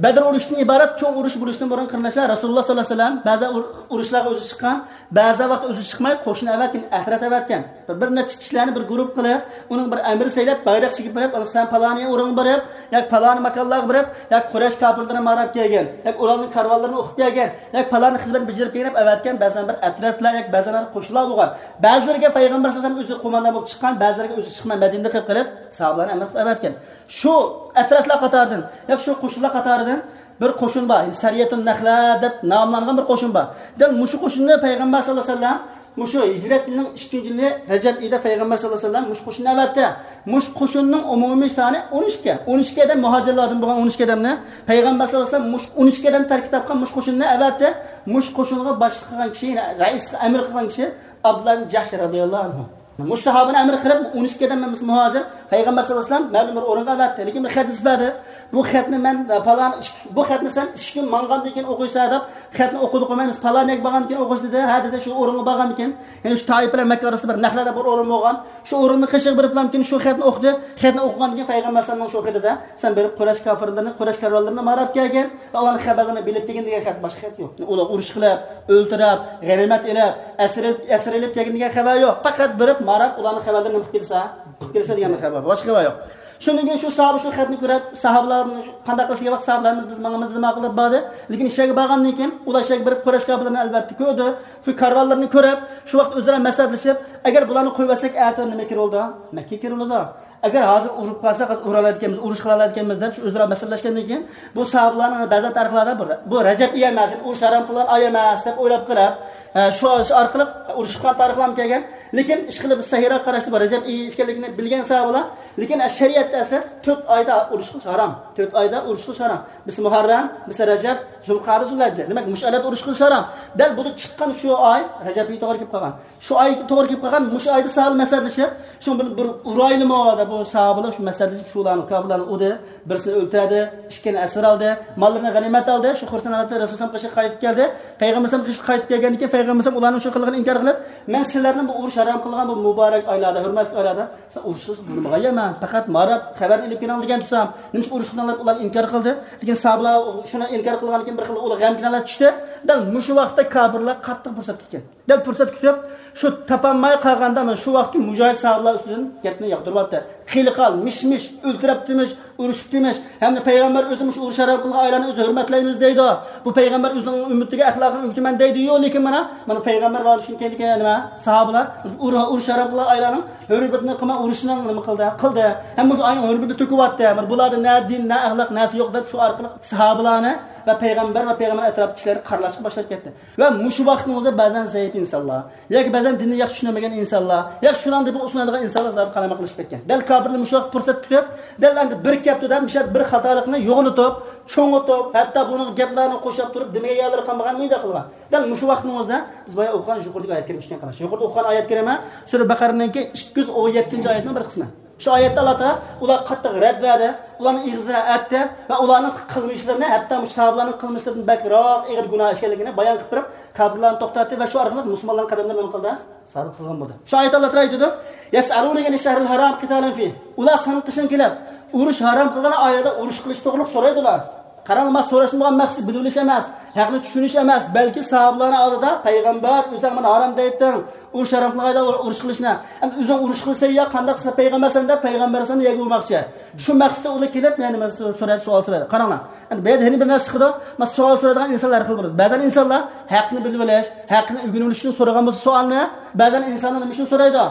بەدر ئۇرۇشىدىن ئىبارەت چوڭ ئۇرۇش بولۇشتىن بۇرۇن، قېرىنداشلار، رەسۇلۇللا ساللاللاھۇ ئەلەيھى ۋەسەللەم بەزى ئۇر-، ئۇرۇشلارغا ئۆزى چىققان، بەزى ۋاقىت ئۆزى چىقماي، قوشۇن ئەۋەتكەن، ئەترەت ئەۋەتكەن. بىر، بىر نەچچە كىشىلەرنى بىر گۇرۇپ قىلىپ، ئۇنىڭ بىر ئەمىر سەيلەپ، بايراق چېكىپ بېرىپ، سەن پالانى ئورۇنغا بېرىپ، ياكى پالانى ماكانلارغا بېرىپ، ياكى قۇرەيش كاپىرلىرىنى ماراپ كەلگەن، ياكى ئۇلارنىڭ كارۋانلىرىنى ئوقۇپ كەلگەن، ياكى پالانى خىزمەتنى بېجىرىپ كەلگەن دەپ ئەۋەتكەن بەزەن بىر ئەترەتلەر ياكى بەزەن بىر قوشۇنلار بولغان. بەزىلىرىگە پەيغەمبەر ساللاللاھۇ ئەلەيھى ۋەسەللەم ئۆزى قوماندان بولۇپ چىققان، بەزىلىرىگە ئۆزى چىقماي مەدىنىدە قېلىپ قېلىپ ساھابىلەرنى ئەمىر قىلىپ ئەۋەتكەن. شۇ ئەترەتلەر قاتارىدىن ياكى شۇ قوشۇنلار قاتارىدىن بىر قوشۇن بار، يەنى سەرىيەتۇن نەخلە دەپ ناملانغان بىر قوشۇن بار. دەل مۇشۇ قوشۇننى پەيغەمبەر ساللاللاھۇ ئەلەيھى ۋەسەللەم مۇشۇ ھىجرەت يىلىنىڭ ئىككىنچى يىلى رەجەب ئېيىدا پەيغەمبەر ساللاللاھۇ ئەلەيھى ۋەسەللەم مۇشۇ قوشۇننى ئەۋەتتى. مۇشۇ قوشۇننىڭ ئومۇمىي سانى ئون ئىككى. ئون ئىككى ئادەم مۇھاجىرلاردىن بولغان ئون ئىككى ئادەمنى پەيغەمبەر ساللاللاھۇ ئەلەيھى ۋەسەللەم مۇشۇ ئون ئىككى ئادەم تەركىب تاپقان مۇشۇ قوشۇننى ئەۋەتتى. مۇشۇ قوشۇنغا باشلىق قىلغان كىشى، يەنى رەئىسلىك ئەمىر قىلغان كىشى ئابدۇللا ئىبن جەھش رەزىياللاھۇ ئەنھۇ. مۇشۇ ساھابىنى ئەمىر قىلىپ، ئون ئىككى ئادەم مۇھاجىر پەيغەمبەر ساللاللاھۇ ئەلەيھى ۋەسەللەم مەلۇم بىر ئورۇنغا ئەۋەتتى. لېكىن بىر خەت يېزىپ بەردى. بۇ خەتنى مەن، پالان، بۇ خەتنى سەن ئىككى كۈن ماڭغاندىن كېيىن ئوقۇيسەن دەپ، خەتنى ئوقۇدى قويماي، مەن پالان يەرگە بارغاندىن كېيىن ئوقۇيسىز دېدى. ھە دېدى، شۇ ئورۇنغا بارغاندىن كېيىن، يەنى شۇ تائىپ بىلەن مەككە ئارىسىدا بىر نەخلە دەپ بىر ئورۇن بولغان. شۇ ئورۇننىڭ قېشىغا بېرىپلامكىن شۇ خەتنى ئوقۇدى. خەتنى ئوقۇغاندىن كېيىن پەيغەمبەر ئەلەيھىسسالامنىڭ شۇ خېتىدە، سەن بېرىپ قۇرەيش كاپىرلىرىنى، قۇرەيش كارۋانلىرىنى ماراپ كەلگىن ۋە ئۇلارنىڭ خەۋەرلىرىنى بىلىپ كەلگىن دېگەن خەت، باشقا خەت يوق. ئۇلار ئۇرۇش قىلىپ، ئۆلتۈرۈپ، غەنىيمەت ئېلىپ، ئەسىر ئېلىپ، ئەسىر ئېلىپ كەلگىن دېگەن خەۋەر يوق. پەقەت بېرىپ ماراپ ئۇلارنىڭ خەۋەرلىرىنى نېمە قىلىپ كېلىسە، قىلىپ كېلىسە دېگەن بىر خەۋەر بار. باشقا خەۋەر يوق. شۇندىن كېيىن شۇ ساھابە شۇ خەتنى كۆرۈپ، ساھابىلار قانداق قىلسا كېلىۋاتىدۇ، ساھابىلىرىمىز بىز ماڭىمىز دېمەي قىلىپ باردى. لېكىن ئىچەرگە بارغاندىن كېيىن ئۇلار ئىچەرگە بېرىپ قۇرەيش كاپىرلىرىنى ئەلۋەتتە كۆردى. شۇ كارۋانلىرىنى كۆرۈپ، شۇ ۋاقىت ئۆزئارا مەسلىھەتلىشىپ، ئەگەر بۇلارنى قويۇۋەتسەك، ئەتە نېمە كىرىۋالىدۇ؟ مەككە كىرىۋالىدۇ. ئەگەر ھازىر ئۇرۇپ قالساق، ھازىر ئۇرالايدىكەنمىز، ئۇرۇش قىلالايدىكەنمىز دەپ شۇ ئۆزئارا مەسلىھەتلەشكەندىن كېيىن، بۇ ساھابىلارنىڭ بەزى تارىخلاردا بۇ، بۇ رەجەب ئېيى ئەمەس، ئۇرۇش ھارام قىلغان ئاي ئەمەس دەپ ئويلاپ قېلىپ، ھە، شۇ، شۇ ئارقىلىق ئۇرۇش قىلغان تارىخلارمۇ كەلگەن. لېكىن ئىشقىلىپ سەھىرا قاراشتا بۇ رەجەب ئېيى ئىكەنلىكىنى بىلگەن ساھابىلار، لېكىن شەرىئەتتە ئەسلى تۆت ئايدا ئۇرۇش قىلىش ھارام. تۆت ئايدا ئۇرۇش قىلىش ھارام. بىرسى مۇھەررەم، بىرسى رەجەب، زۇلقەدە، زۇلھەججە. دېمەك، مۇشۇ ئايلاردا ئۇرۇش قىلىش ھارام. دەل بۇدا چىققان شۇ ئاي رەجەب ئېيى توغرا كېلىپ قالغان. شۇ ئايغا توغرا كېلىپ قالغان، مۇشۇ ئايدا ساھابىلار مەسلىھەتلىشىپ، شۇ بىر، بىر ئۇرايلىمۇ دەپ بۇ ساھابىلار شۇ مەسلىھەتلىشىپ، شۇلارنى، كاپىرلارنى ئۇردى، بىرسىنى ئۆلتۈردى، ئىككىنى ئەسىر ئالدى، ماللىرىنى غەنىيمەت ئالدى، شۇ خۇرسەن ھالەتتە رەسۇلۇللاھنىڭ قېشىغا قايتىپ كەلدى. پەيغەمبەر ئەلەيھىسسالام قېشىغا قايتىپ كەلگەندىن كېيىن پەيغەمبەر ئەلەيھىسسالام ئۇلارنىڭ شۇ قىلغان ئىنكار قىلىپ، مەن سىلەرنىڭ بۇ ئۇرۇش ھارام قىلغان بۇ مۇبارەك ئايلاردا، ھۆرمەتلىك ئايلاردا سىلەر ئۇرۇش قىلىشنى بۇيرۇمىغان ئەمەس، پەقەت مانا خەۋەرنى ئېلىپ كېلىڭ دېگەن تۇرسام، نېمىشقا ئۇرۇش قىلىڭلار دەپ ئۇلار ئىنكار قىلدى. لېكىن ساھابىلار شۇنى ئىنكار قىلغاندىن كېيىن بىر خىل ئۇلار غەمكىن ھالەتكە چۈشتى. دەل مۇشۇ ۋاقىتتا كاپىرلار قاتتىق پۇرسەت كۈتكەن. دەل پۇرسەت كۈتۈپ، شۇ تاپالماي قالغاندا، مانا شۇ ۋاقىتتىكى مۇجاھىد ساھابىلار ئۈستىدىن گەپنى ياغدۇرۇۋەتتى. خېلى قال، مىش-مىش، ئۆلتۈرۈپتىمىش، ئۇرۇشۇپتىمىش، ھەمدە پەيغەمبەر ئۆزى مۇشۇ ئۇرۇش ھارام قىلغان ئايلارنى ئۆزى ھۆرمەتلەيمىز دەيدۇ. بۇ پەيغەمبەر ئۆزىنىڭ ئۈممىتىگە ئەخلاقىنى ئۆگىتىمەن دەيدۇ. يوق، لېكىن مانا، مانا پەيغەمبەر مانا شۇنى كەينىدىكى نېمە؟ ساھابىلار ئۇر-، ئۇرۇش ھارام قىلغان ئايلارنىڭ ھۆرمىتىنى قىلماي ئۇرۇشنىڭ نېمە قىلدى؟ قىلدى. ھەم مۇشۇ ئاينىڭ ھۆرمىتىنى تۆكۈۋەتتى. مانا بۇلاردا نە دىن، نە ئەخلاق، نەرسە يوق دەپ شۇ ئارقىلىق ساھابىلارنى ۋە پەيغەمبەر ۋە پەيغەمبەر ئەتراپىدىكى كىشىلەرنى قارىلاشقا باشلاپ كەتتى. ۋە مۇشۇ ۋاقىتنىڭ ئۆزىدە بەزەن زەئىپ ئىنسانلار ياكى بەزەن دىننى ياخشى چۈشىنەلمىگەن ئىنسانلار ياكى شۇلارنى بۇ ئۇسۇلنى ئالىدىغان ئىنسانلار زادى قالايمىقان قىلىشىپ كەتكەن. دەل كاپىرلار مۇشۇ ۋاقىت پۇرسەت كۈتۈپ، دەل ئەمدى بىر كەپتۇ دەپ مۇشۇ بىر خاتالىقنى يوغىنىتىپ، چوڭىتىپ، ھەتتا بۇنىڭغا گەپلەرنى قوشۇپ تۇرۇپ، دېمىگەن يەرلىرى قالمىغان مۇنداق قىلغان. دەل مۇشۇ ۋاقىتنىڭ ئۆزىدە بىز بايا ئوقۇغان يۇقىرىدىكى ئايەت كەرىمە ئىكەن، قاراش. يۇقىرىدا ئوقۇغان ئايەت كەرىمە سۈرە بەقەرىنىڭكى ئىككى يۈز ئون يەتتىنچى ئايەتنىڭ بىر قىسمى. شۇ ئايەتتە ئاللا تائالا ئۇلارغا قاتتىق رەد بەردى، ئۇلارنىڭ ئېغىزىنى ئەتتى ۋە ئۇلارنىڭ قىلمىشلىرىنى، ھەتتا مۇشۇ ساھابىلارنىڭ قىلمىشلىرىدىن بەكرەك ئېغىر گۇناھ ئىكەنلىكىنى بايان قىلىپ بېرىپ، كاپىرلارنى توختاتتى ۋە شۇ ئارقىلىق مۇسۇلمانلارنىڭ قەدەملىرىنى نېمە قىلدى؟ سابىت قىلغان بولدى. شۇ ئايەتتە ئاللا تائالا ئېيتىدۇ، يەسئەلۇنەكە ئەنىش شەھرىل ھارام قىتالىن فىھ. ئۇلار ساڭا قېشىڭغا كېلىپ، ئۇرۇش ھارام قىلغان ئايلاردا ئۇرۇش قىلىش توغرىلىق سورايدۇ ئۇلار. قاراڭلار، مانا سوراشنىڭ بولغان مەقسىتى بىلىۋېلىش ئەمەس، ھەقنى چۈشىنىش ئەمەس، بەلكى ساھابىلارنىڭ ئالدىدا پەيغەمبەر ئۆزۈڭ مانا ھارام دەيتتىڭ، ئۇرۇش ھارام قىلغان ئايدا ئۇرۇش قىلىشنى. ئەمدى ئۆزۈڭ ئۇرۇش قىلساڭ يا قانداق، سەن پەيغەمبەرسەن دەپ پەيغەمبەرسەن يەرگە ئۇرماقچى. شۇ مەقسىتتە ئۇلار كېلىپ، يەنە مانا سو-، سورايدۇ، سوئال سورايدۇ. قاراڭلار. ئەمدى بۇ يەردە يەنە بىر نەرسە چىقىدۇ. مانا سوئال سورايدىغان ئىنسانلار ھەر خىل بولىدۇ. بەزەن ئىنسانلار ھەقنى بىلىۋېلىش، ھەقنى ئۆگىنىۋېلىش ئۈچۈن سورىغان بولسا سوئالنى، بەزەن ئىنسانلار نېمە ئۈچۈن سورايدۇ؟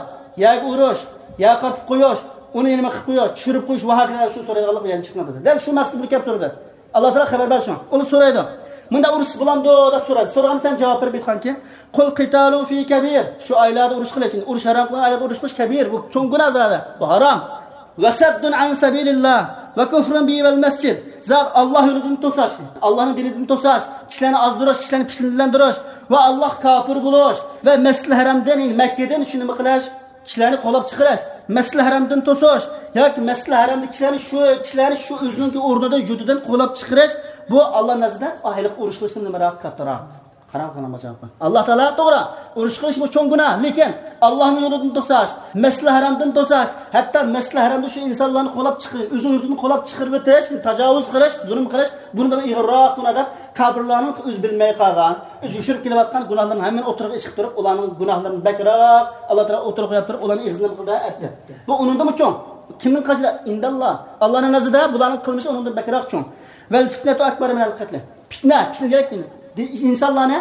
يەرگە ئۇرۇش، يەرگە قارىتىپ قويۇش، ئۇنى نېمە قىلىپ قويۇش، چۈشۈرۈپ قويۇش ۋە ھاكازا ئۈچۈن سورايدىغانلىق يەنە چىقمايدۇ. دەل شۇ مەقسەت بىلەن كەپ سورىدى. ئاللا تائالا خەۋەر بەردى شۇڭا. ئۇنى سورايدۇ. مۇنداق ئۇرۇشسا بولامدۇ دەپ سورايدۇ. سورىغاندا سەن جاۋاب بېرىپ ئېيتقانكى، قل قتال فيه كبير. شۇ ئايلاردا ئۇرۇش قىلىش، ئۇرۇش ھارام قىلغان ئايلاردا ئۇرۇش قىلىش كبير. بۇ چوڭ گۇناھ زادى. بۇ ھارام. وصد عن سبيل الله وكفر به والمسجد. زادى ئاللا يولىدىن توساش، ئاللانىڭ دىنىدىن توساش، كىشىلەرنى ئازدۇرۇش، كىشىلەرنى پىتنىلەندۈرۈش ۋە ئاللاغا كاپىر بولۇش ۋە مەسجىدىل ھەرەمدىن، يەنى مەككىدىن شۇ نېمە قىلىش؟ كىشىلەرنى قوغلاپ چىقىرىش، مەسجىدىل ھەرەمدىن توسۇش ياكى مەسجىدىل ھەرەمدە كىشىلەرنى شۇ، كىشىلەرنى شۇ ئۆزىنىڭكى ئورنىدىن، يۇرتىدىن قوغلاپ چىقىرىش، بۇ ئاللا نەزىرىدە ھېلىقى ئۇرۇش قىلىشتىن نېمىراق، كاتتىراق. قاراڭ، قاراڭ، بۇ جاۋابقا. ئاللا تائالا توغرا، ئۇرۇش قىلىش بۇ چوڭ گۇناھ، لېكىن ئاللانىڭ يولىدىن توساش، مەسجىدىل ھەرەمدىن توساش، ھەتتا مەسجىدىل ھەرەمدە شۇ ئىنسانلارنى قوغلاپ چىقىرىش، ئۆزىنىڭ يۇرتىدىن قوغلاپ چىقىرىۋېتىش، تاجاۋۇز قىلىش، زۇلۇم قىلىش، بۇنىڭدىن ئېغىرراق گۇناھ دەپ، كاپىرلارنىڭ ئۆزى بىلمەي قالغان، ئۆزى يوشۇرۇپ كېلىۋاتقان گۇناھلىرىنىڭ ھەممىنى ئوتتۇرىغا چىقىرىپ تۇرۇپ، ئۇلارنىڭ گۇناھلىرىنى بەكرەك ئاللا تائالا ئوتتۇرىغا قويۇپ تۇرۇپ، ئۇلارنىڭ ئېغىزىنى بۇلار ئەتتى. بۇ ئۇنىڭدىنمۇ چوڭ. كىمنىڭ قاچىلى؟ ئىنداللا. ئاللانىڭ نەزىرىدە بۇلارنىڭ قىلمىشى ئۇنىڭدىن بەكرەك چوڭ. والفتنة أكبر من القتل. پىتنە، پىتنە دېگەن دىن-، ئىنسانلارنى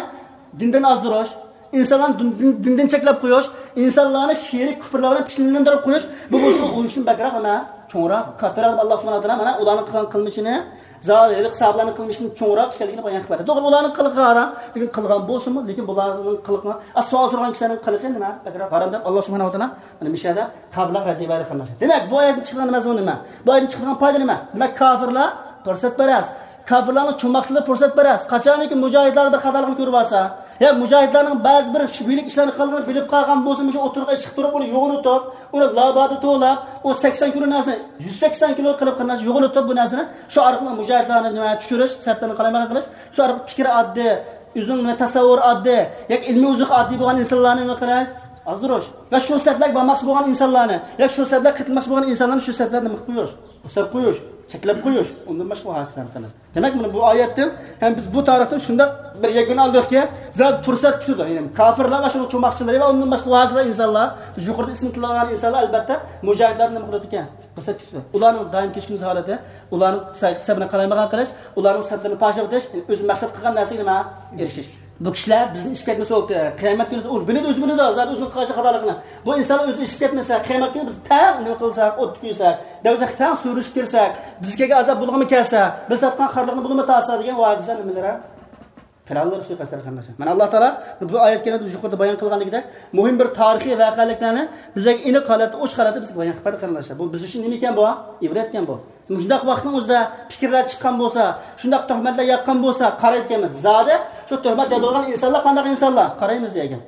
دىندىن ئازدۇرۇش، ئىنسانلارنى دىن-، دىن-، دىندىن چەتلەپ قويۇش، ئىنسانلارنى شېرىك كۇپۇرلار بىلەن پىتنىلەندۈرۈپ قويۇش، بۇ بولسا ئۇرۇشتىن بەكرەك نېمە؟ چوڭراق، كاتتىراق دەپ ئاللا سۇبھانەھۇ ۋە تائالا مانا ئۇلارنىڭ قىلغان قىلمىشىنى، زادى ھېلىقى ساھابىلارنىڭ قىلمىشىدىن چوڭراق ئىكەنلىكىنى بايان قىلىپ بەردى. توغرا، ئۇلارنىڭ قىلىقى ھارام، لېكىن قىلغان بولسىمۇ، لېكىن بۇلارنىڭ قىلىقى، ئا، سوئال سورىغان كىشىلەرنىڭ قىلىقى نېمە؟ بەكرەك ھارام دەپ ئاللا سۇبھانەھۇ ۋە تائالا مانا مۇشۇ يەردە كاپىرلارغا رەددىيە بەردى، قېرىنداشلار. دېمەك، بۇ ئايەتتىن چىقىدىغان مەزمۇن نېمە؟ بۇ ئايەتتىن چىقىدىغان پايدا نېمە؟ دېمەك، كاپىرلار پۇرسەتپەرەس. كاپىرلارنىڭ چوڭ مەقسىتى پۇرسەتپەرەس. قاچانكى مۇجاھىدلاردا بىر خاتالىقنى كۆرۈپ ئالسا، يا مۇجاھىدلارنىڭ بەزى بىر شۈبھىلىك ئىشلارنى قىلغىنىنى بىلىپ قالغان بولسا، مۇشۇ ئوتتۇرىغا چىقىپ تۇرۇپ، ئۇنى يوغىنىتىپ، ئۇنى لابادى توۋلاپ، ئۇ سەكسەن كىلو نەرسىنى يۈز سەكسەن كىلو قىلىپ، قېرىنداش، يوغىنىتىپ بۇ نەرسىنى، شۇ ئارقىلىق مۇجاھىدلارنى نېمە چۈشۈرۈش، سەپلەرنى قالايمىقان قىلىش، شۇ ئارقىلىق پىكرى ئاددىي، ئۆزىنىڭ نېمە تەسەۋۋۇرى ئاددىي ياكى ئىلمىي ئوزۇقى ئاددىي بولغان ئىنسانلارنى نېمە قىلىش؟ ئازدۇرۇش. ۋە شۇ سەپلەرگە بارماقچى بولغان ئىنسانلارنى، ياكى شۇ سەپلەرگە قېتىلماقچى بولغان ئىنسانلارنى شۇ سەپلەردىن نېمە قىلىپ قويۇش؟ توساپ قويۇش، چەكلەپ قويۇش. ئۇندىن باشقا بۇ ھاكىزانى قىلىش. دېمەك، مانا بۇ ئايەتتىن ھەم بىز بۇ تارىختىن شۇنداق بىر يەكۈن ئالدۇقكى، زادى پۇرسەت كۈتىدۇ. يەنى كاپىرلار ۋە شۇنىڭ چوماقچىلىرى ۋە ئۇندىن باشقا بۇ ھاكىزا ئىنسانلار، بىز يۇقىرىدا ئىسمى تىلغان ئىنسانلار، ئەلبەتتە، مۇجاھىدلارنى نېمە قىلىدىكەن؟ پۇرسەت كۈتىدۇ. ئۇلارنىڭ دائىم كەچكۈنسىز ھالىتى، ئۇلارنىڭ سەبرىنى قالايمىقان قىلىش، ئۇلارنىڭ سەبرىنى پاش قىلىش، ئۆزى مەقسەت قىلغان نەرسىگە نېمە؟ ئېرىشىش. بۇ كىشىلەر بىزدىن ئېشىپ كەتمىسە، كى-، قىيامەت كۈنى ئۇ بىلىدۇ، ئۆزى بىلىدۇ، زادى ئۆزىنىڭ قىلغان خاتالىقىنى. بۇ ئىنسانلار ئۆزى ئېشىپ كەتمىسە، قىيامەت كۈنى بىز تەڭ نېمە قىلساق، ئوتتا كۆيسەك، دوزاخقا تەڭ سۈرۈشۈپ كىرسەك، بىزگە كەلگەن ئازاب بۇلغىمۇ كەلسە، بىز تارتقان خارلىقنى بۇلىمۇ تارتسا دېگەن ۋاجىزلار نېمىلەر؟ پىلانلار سۇيىقەستلەر قېرىنداشلار. مانا ئاللا تائالا بۇ ئايەت كەرىمىدە يۇقىرىدا بايان قىلغاندىكىدەك، مۇھىم بىر تارىخىي ۋەقەلىكلەرنى بىزگە ئېنىق ھالەتتە، ئوچۇق ھالەتتە بىزگە بايان قىلىپ بەردى قېرىنداشلار. بۇ بىز ئۈچۈن نېمە ئىكەن بۇ؟ ئىبرەتكەن بۇ. مۇشۇنداق ۋاقىتنىڭ ئۆزىدە پىكىرلەر چىققان بولسا، شۇنداق تۆھمەتلەر ياغقان بولسا، قارايدىكەنمىز. زادى شۇ تۆھمەت ياغىدىغان ئىنسانلار قانداق ئىنسانلار؟ قارايمىز دېگەن.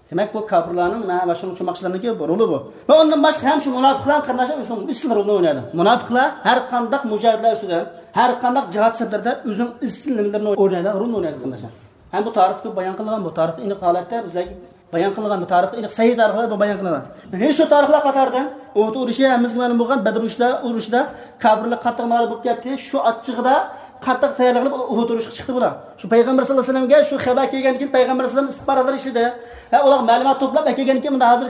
دېمەك، بۇ كاپىرلارنىڭ ۋە شۇنىڭ چوماقچىلىرىنىڭكى بۇ رولى بۇ. ۋە ئۇندىن باشقا ھەم شۇ مۇناپىقلار قېرىنداشلار ئۆزىنىڭ ئىسسىل رولىنى ئوينايدۇ. مۇناپىقلار ھەر قانداق مۇجاھىدىلەر ئۈستىدە، ھەر قانداق جىھاد سەپلىرىدە ئۆزىنىڭ ئىسسىل نېمىلىرىنى ئوينايدۇ، رولىنى ئوينايدۇ قېرىنداشلار. ھەم بۇ تارىختا كۆپ بايان قىلغان، بۇ تارىختا ئېنىق ھالەتتە بىزلەرگە بايان قىلغان، بۇ تارىختا ئېنىق سەھىھ تارىخلاردا بۇ بايان قىلىنغان. ھېلى شۇ تارىخلار قاتارىدىن ئۇھۇد ئۇرۇشى ھەممىمىزگە مەلۇم بولغان بەدر ئۇرۇشىدا، ئۇرۇشىدا كاپىرلار قاتتىق مەغلۇپ بولۇپ كەتتى. شۇ ئاچچىقىدا قاتتىق تەييارلىق قىلىپ ئۇھۇد ئۇرۇشقا چىقتى بۇلار. شۇ پەيغەمبەر سەللەللاھۇ ئەلەيھى ۋەسەللەمگە شۇ خەۋەر كەلگەندىن كېيىن پەيغەمبەر سەللەللاھۇ ئەلەيھى ۋەسەللەم ئىستىخباراتلار ئىشلىدى. ھە، ئۇلار مەلۇمات توپلاپ ئەكەلگەندىن كېيىن، مۇندا ھازىر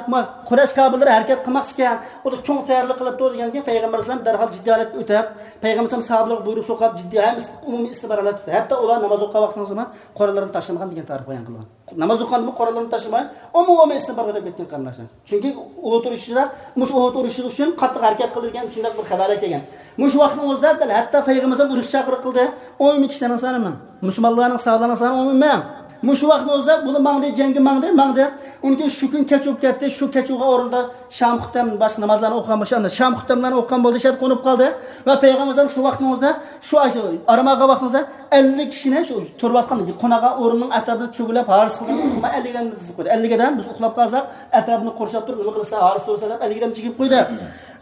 قۇرەيش كاپىرلىرى ھەرىكەت قىلماقچىكەن، ئۇلار چوڭ تەييارلىق قىلىپتۇ دېگەندىن كېيىن پەيغەمبەر سەللەللاھۇ ئەلەيھى ۋەسەللەم دەرھال جىددىي ھالەتكە ئۆتۈپ، پەيغەمبەر سەللەللاھۇ ئەلەيھى ۋەسەللەم سابىلارغا بۇيرۇق سوقۇپ، جىددىي ھەممىسى ئومۇمىي ئىستىخبارات ھالەتتە. ھەتتا ئۇلار ناماز ئوقۇغان ۋاقتىنىڭ زېمىن قوراللىرىنى تاشلىمىغان دېگەن تارىخ بايان قىلغان. ناماز ئوقۇغاندىمۇ قوراللىرىنى تاشلىماي، ئومۇمىي ئىستىخبارات قىلىپ كەتكەن قېرىنداشلار. چۈنكى ئۇھۇد ئۇرۇشىدا، مۇشۇ ئۇھۇد ئۇرۇشى ئۈچۈن قاتتىق ھەرىكەت قىلىدىكەن، شۇنداق بىر خەۋەرلەر كەلگەن. مۇشۇ ۋاقىتنىڭ ئۆزىدە دەل ھەتتا پەيغەمبەر ئۇرۇش چاقىرىق قىلدى. ئون مىڭ كىشىلەرنىڭ سانى مىڭ. مۇسۇلمانلارنىڭ، ساھابىلەرنىڭ سانى ئون مىڭ. مۇشۇ ۋاقىتنىڭ ئۆزىدە بۇلار ماڭدى، جەڭگە ماڭدى، ماڭدى. ئۇنىڭ كېيىن شۇ كۈن كەچ بولۇپ كەتتى. شۇ كەچ بولغان ئورۇندا شام خۇتەم، باشقا نامازلارنى ئوقۇغان بولسا، ئاندىن شام خۇتەملەرنى ئوقۇغان بولدى، شەرت قونۇپ قالدى. ۋە پەيغەمبەر شۇ ۋاقىتنىڭ ئۆزىدە، شۇ ئاي-، ئارام ئالغان ۋاقتىنىڭ ئۆزىدە ئەللىك كىشىنى شۇ تۇرۇۋاتقان قوناقلىق ئورنىنىڭ ئەتراپىدا چۆگىلەپ ھارس قىلدى. ئەللىك ئادەمنى تىزىپ قويدى. ئەللىك ئادەم بىز ئۇخلاپ قالساق، ئەتراپنى قورشاپ تۇرۇپ، نېمە قىلسا، ھارس تۇرسا دەپ ئەللىك ئادەم چېكىپ قويدى.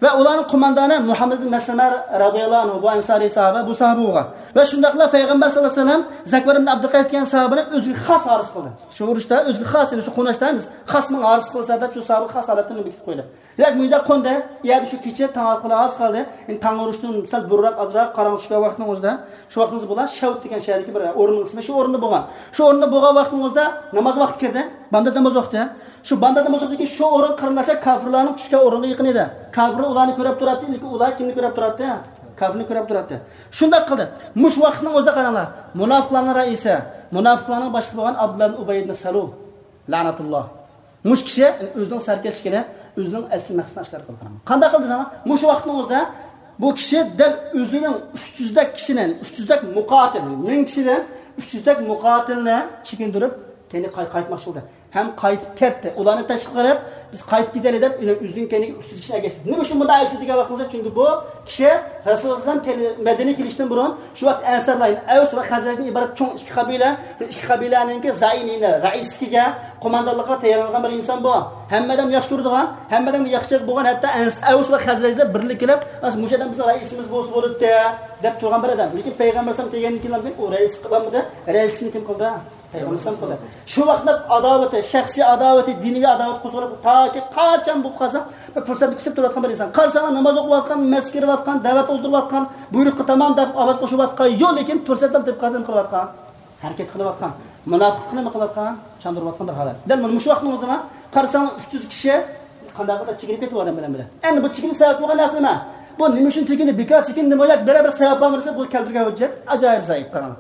ۋە ئۇلارنىڭ قوماندانى مۇھەممەد ئىبن مەسلەمە رەزىياللاھۇ ئەنھۇ، بۇ ئەنسارىي ساھابە، بۇ ساھابە بولغان. ۋە شۇنداقلا پەيغەمبەر سەللەللاھۇ ئەلەيھى ۋەسەللەم زەكۋار ئىبن ئابدۇقەيس دېگەن ساھابىنى ئۆزىگە خاس ھارس قىلدى. شۇ ئۇرۇشتا ئۆزىگە خاس، يەنى شۇ قوناشتا ئەمەس، خاس ماڭا ھارس قىلسا دەپ شۇ ساھابىغا خاس ھالەتتە نېمە كېتىپ قويدى. دېمەك، مۇ يەردە قوندى. يەردە شۇ كېچە تاڭ ئاتقىلى ئاز قالدى. ئەمدى تاڭ ئۇرۇشتىن سەل بۇرۇنراق، ئازراق قاراڭغۇ چۈشكەن ۋاقىتنىڭ ئۆزىدە، شۇ ۋاقىتنىڭ ئۆزىدە بۇلار شەۋت دېگەن شەھەردىكى بىر ئورۇننىڭ ئىسمى، شۇ ئورۇندا بولغان. شۇ ئورۇندا بولغان ۋاقىتنىڭ ئۆزىدە ناماز ۋاقتى كىردى. بامدات ناماز ۋاقتى. شۇ بامدات ناماز ۋاقتىدىكى شۇ ئورۇن قېرىنداشلار كاپىرلارنىڭ چۈشكەن ئورنىغا يېقىن ئىدى. كاپىرلار ئۇلارنى كۆرۈپ تۇراتتى، لېكىن ئۇلار كىمنى كۆرۈپ تۇراتتى؟ كاپىرنى كۆرۈپ تۇراتتى. شۇنداق قىلدى. مۇشۇ ۋاقىتنىڭ ئۆزىدە قاراڭلار، مۇناپىقلارنىڭ رەئىسى، مۇناپىقلارنىڭ باشلىقى بولغان ئابدۇللا ئىبن ئۇبەي ئىبن سەلۇل، لەنەتۇللا. مۇشۇ كىشى ئۆزىنىڭ سەركەشلىكىنى، ئۆزىنىڭ ئەسلى مەقسىتىنى ئاشكارا قىلدى. قانداق قىلدى دېسەڭلار، مۇشۇ ۋاقىتنىڭ ئۆزىدە بۇ كىشى دەل ئۆزىنىڭ ئۈچ يۈزدەك كىشىنى، ئۈچ يۈزدەك مۇقاتىل، مىڭ كىشىدىن ئۈچ يۈزدەك مۇقاتىلنى چېكىندۈرۈپ، كەينىگە قاي-، قايتماقچى بولدى. ھەم قايتىپ كەتتى. ئۇلارنى تەشۋىق قىلىپ، بىز قايتىپ كېتەيلى دەپ، ئۆزىنىڭ كەينىگە ئۈچ يۈز كىشىنى ئەكەشتى. نېمە ئۈچۈن بۇنداق ئەكەشتى دېگەن ۋاقتىمىزدا، چۈنكى بۇ كىشى رەسۇلۇللا ئەلەيھىسسالام مەدىنىگە كېلىشتىن بۇرۇن شۇ ۋاقىت ئەنسارلار، يەنى ئەۋس ۋە خەزرەجدىن ئىبارەت چوڭ ئىككى قەبىلە، شۇ ئىككى قەبىلەنىڭكى زەئىمىنى، رەئىسلىكىگە، قوماندانلىقىغا تەييارلانغان بىر ئىنسان بۇ. ھەممە ئادەم ياخشى كۆرىدىغان، ھەممە ئادەمگە ياخشى بولغان، ھەتتا ئەنس-، ئەۋس ۋە خەزرەجلەر بىرلىككە كېلىپ، مۇشۇ ئادەم بىزنىڭ رەئىسىمىز بولسا بولاتتى دەپ تۇرغان بىر ئادەم. لېكىن پەيغەمبەر ئەلەيھىسسالام كەلگەندىن كېيىن ئۇ رەئىسلىك قىلالمىدى. رەئىسلىكنى كىم قىلدى؟ پەيغەمبەر ئەلەيھىسسالام قىلدى. شۇ ۋاقىتتا ئاداۋىتى، شەخسىي ئاداۋىتى، دىنىي ئاداۋەت قوزغىلىپ، تاكى قاچان بولۇپ قالسا، بىر پۇرسەتنى كۈتۈپ تۇرۇۋاتقان بىر ئىنسان. قارىساڭلار، ناماز ئوقۇۋاتقان، مەسچىتكە كىرىۋاتقان، دەۋەت ئولتۇرۇۋاتقان، بۇيرۇققا تامام دەپ ئاۋاز قوشۇۋاتقان يوق، لېكىن پۇرسەتنى تېپىپ قالسا نېمە قىلىۋاتقان؟ ھەرىكەت قىلىۋاتقان، مۇناپىقلىقنى نېمە قىلىۋاتقان؟ چاندۇرۇۋاتقان بىر ھالەت. دەل مانا مۇشۇ ۋاقىتنىڭ ئۆزىدىما قارىساڭ، ئۈچ يۈز كىشى قانداق قىلىپ چېكىنىپ كېتىۋاتىدۇ بىلەن بىلەن. ئەمدى بۇ چېكىنىش سەۋەبى بولغان نەرسە نېمە؟ بۇ نېمە ئۈچۈن چېكىندى؟ بىكار چېكىندىمۇ ياكى بىرەر بىر سەۋەب بارمۇ دېسە، بۇ كەلتۈرگەن ھۆججەت ئاجايىپ زەئىپ. قاراڭ.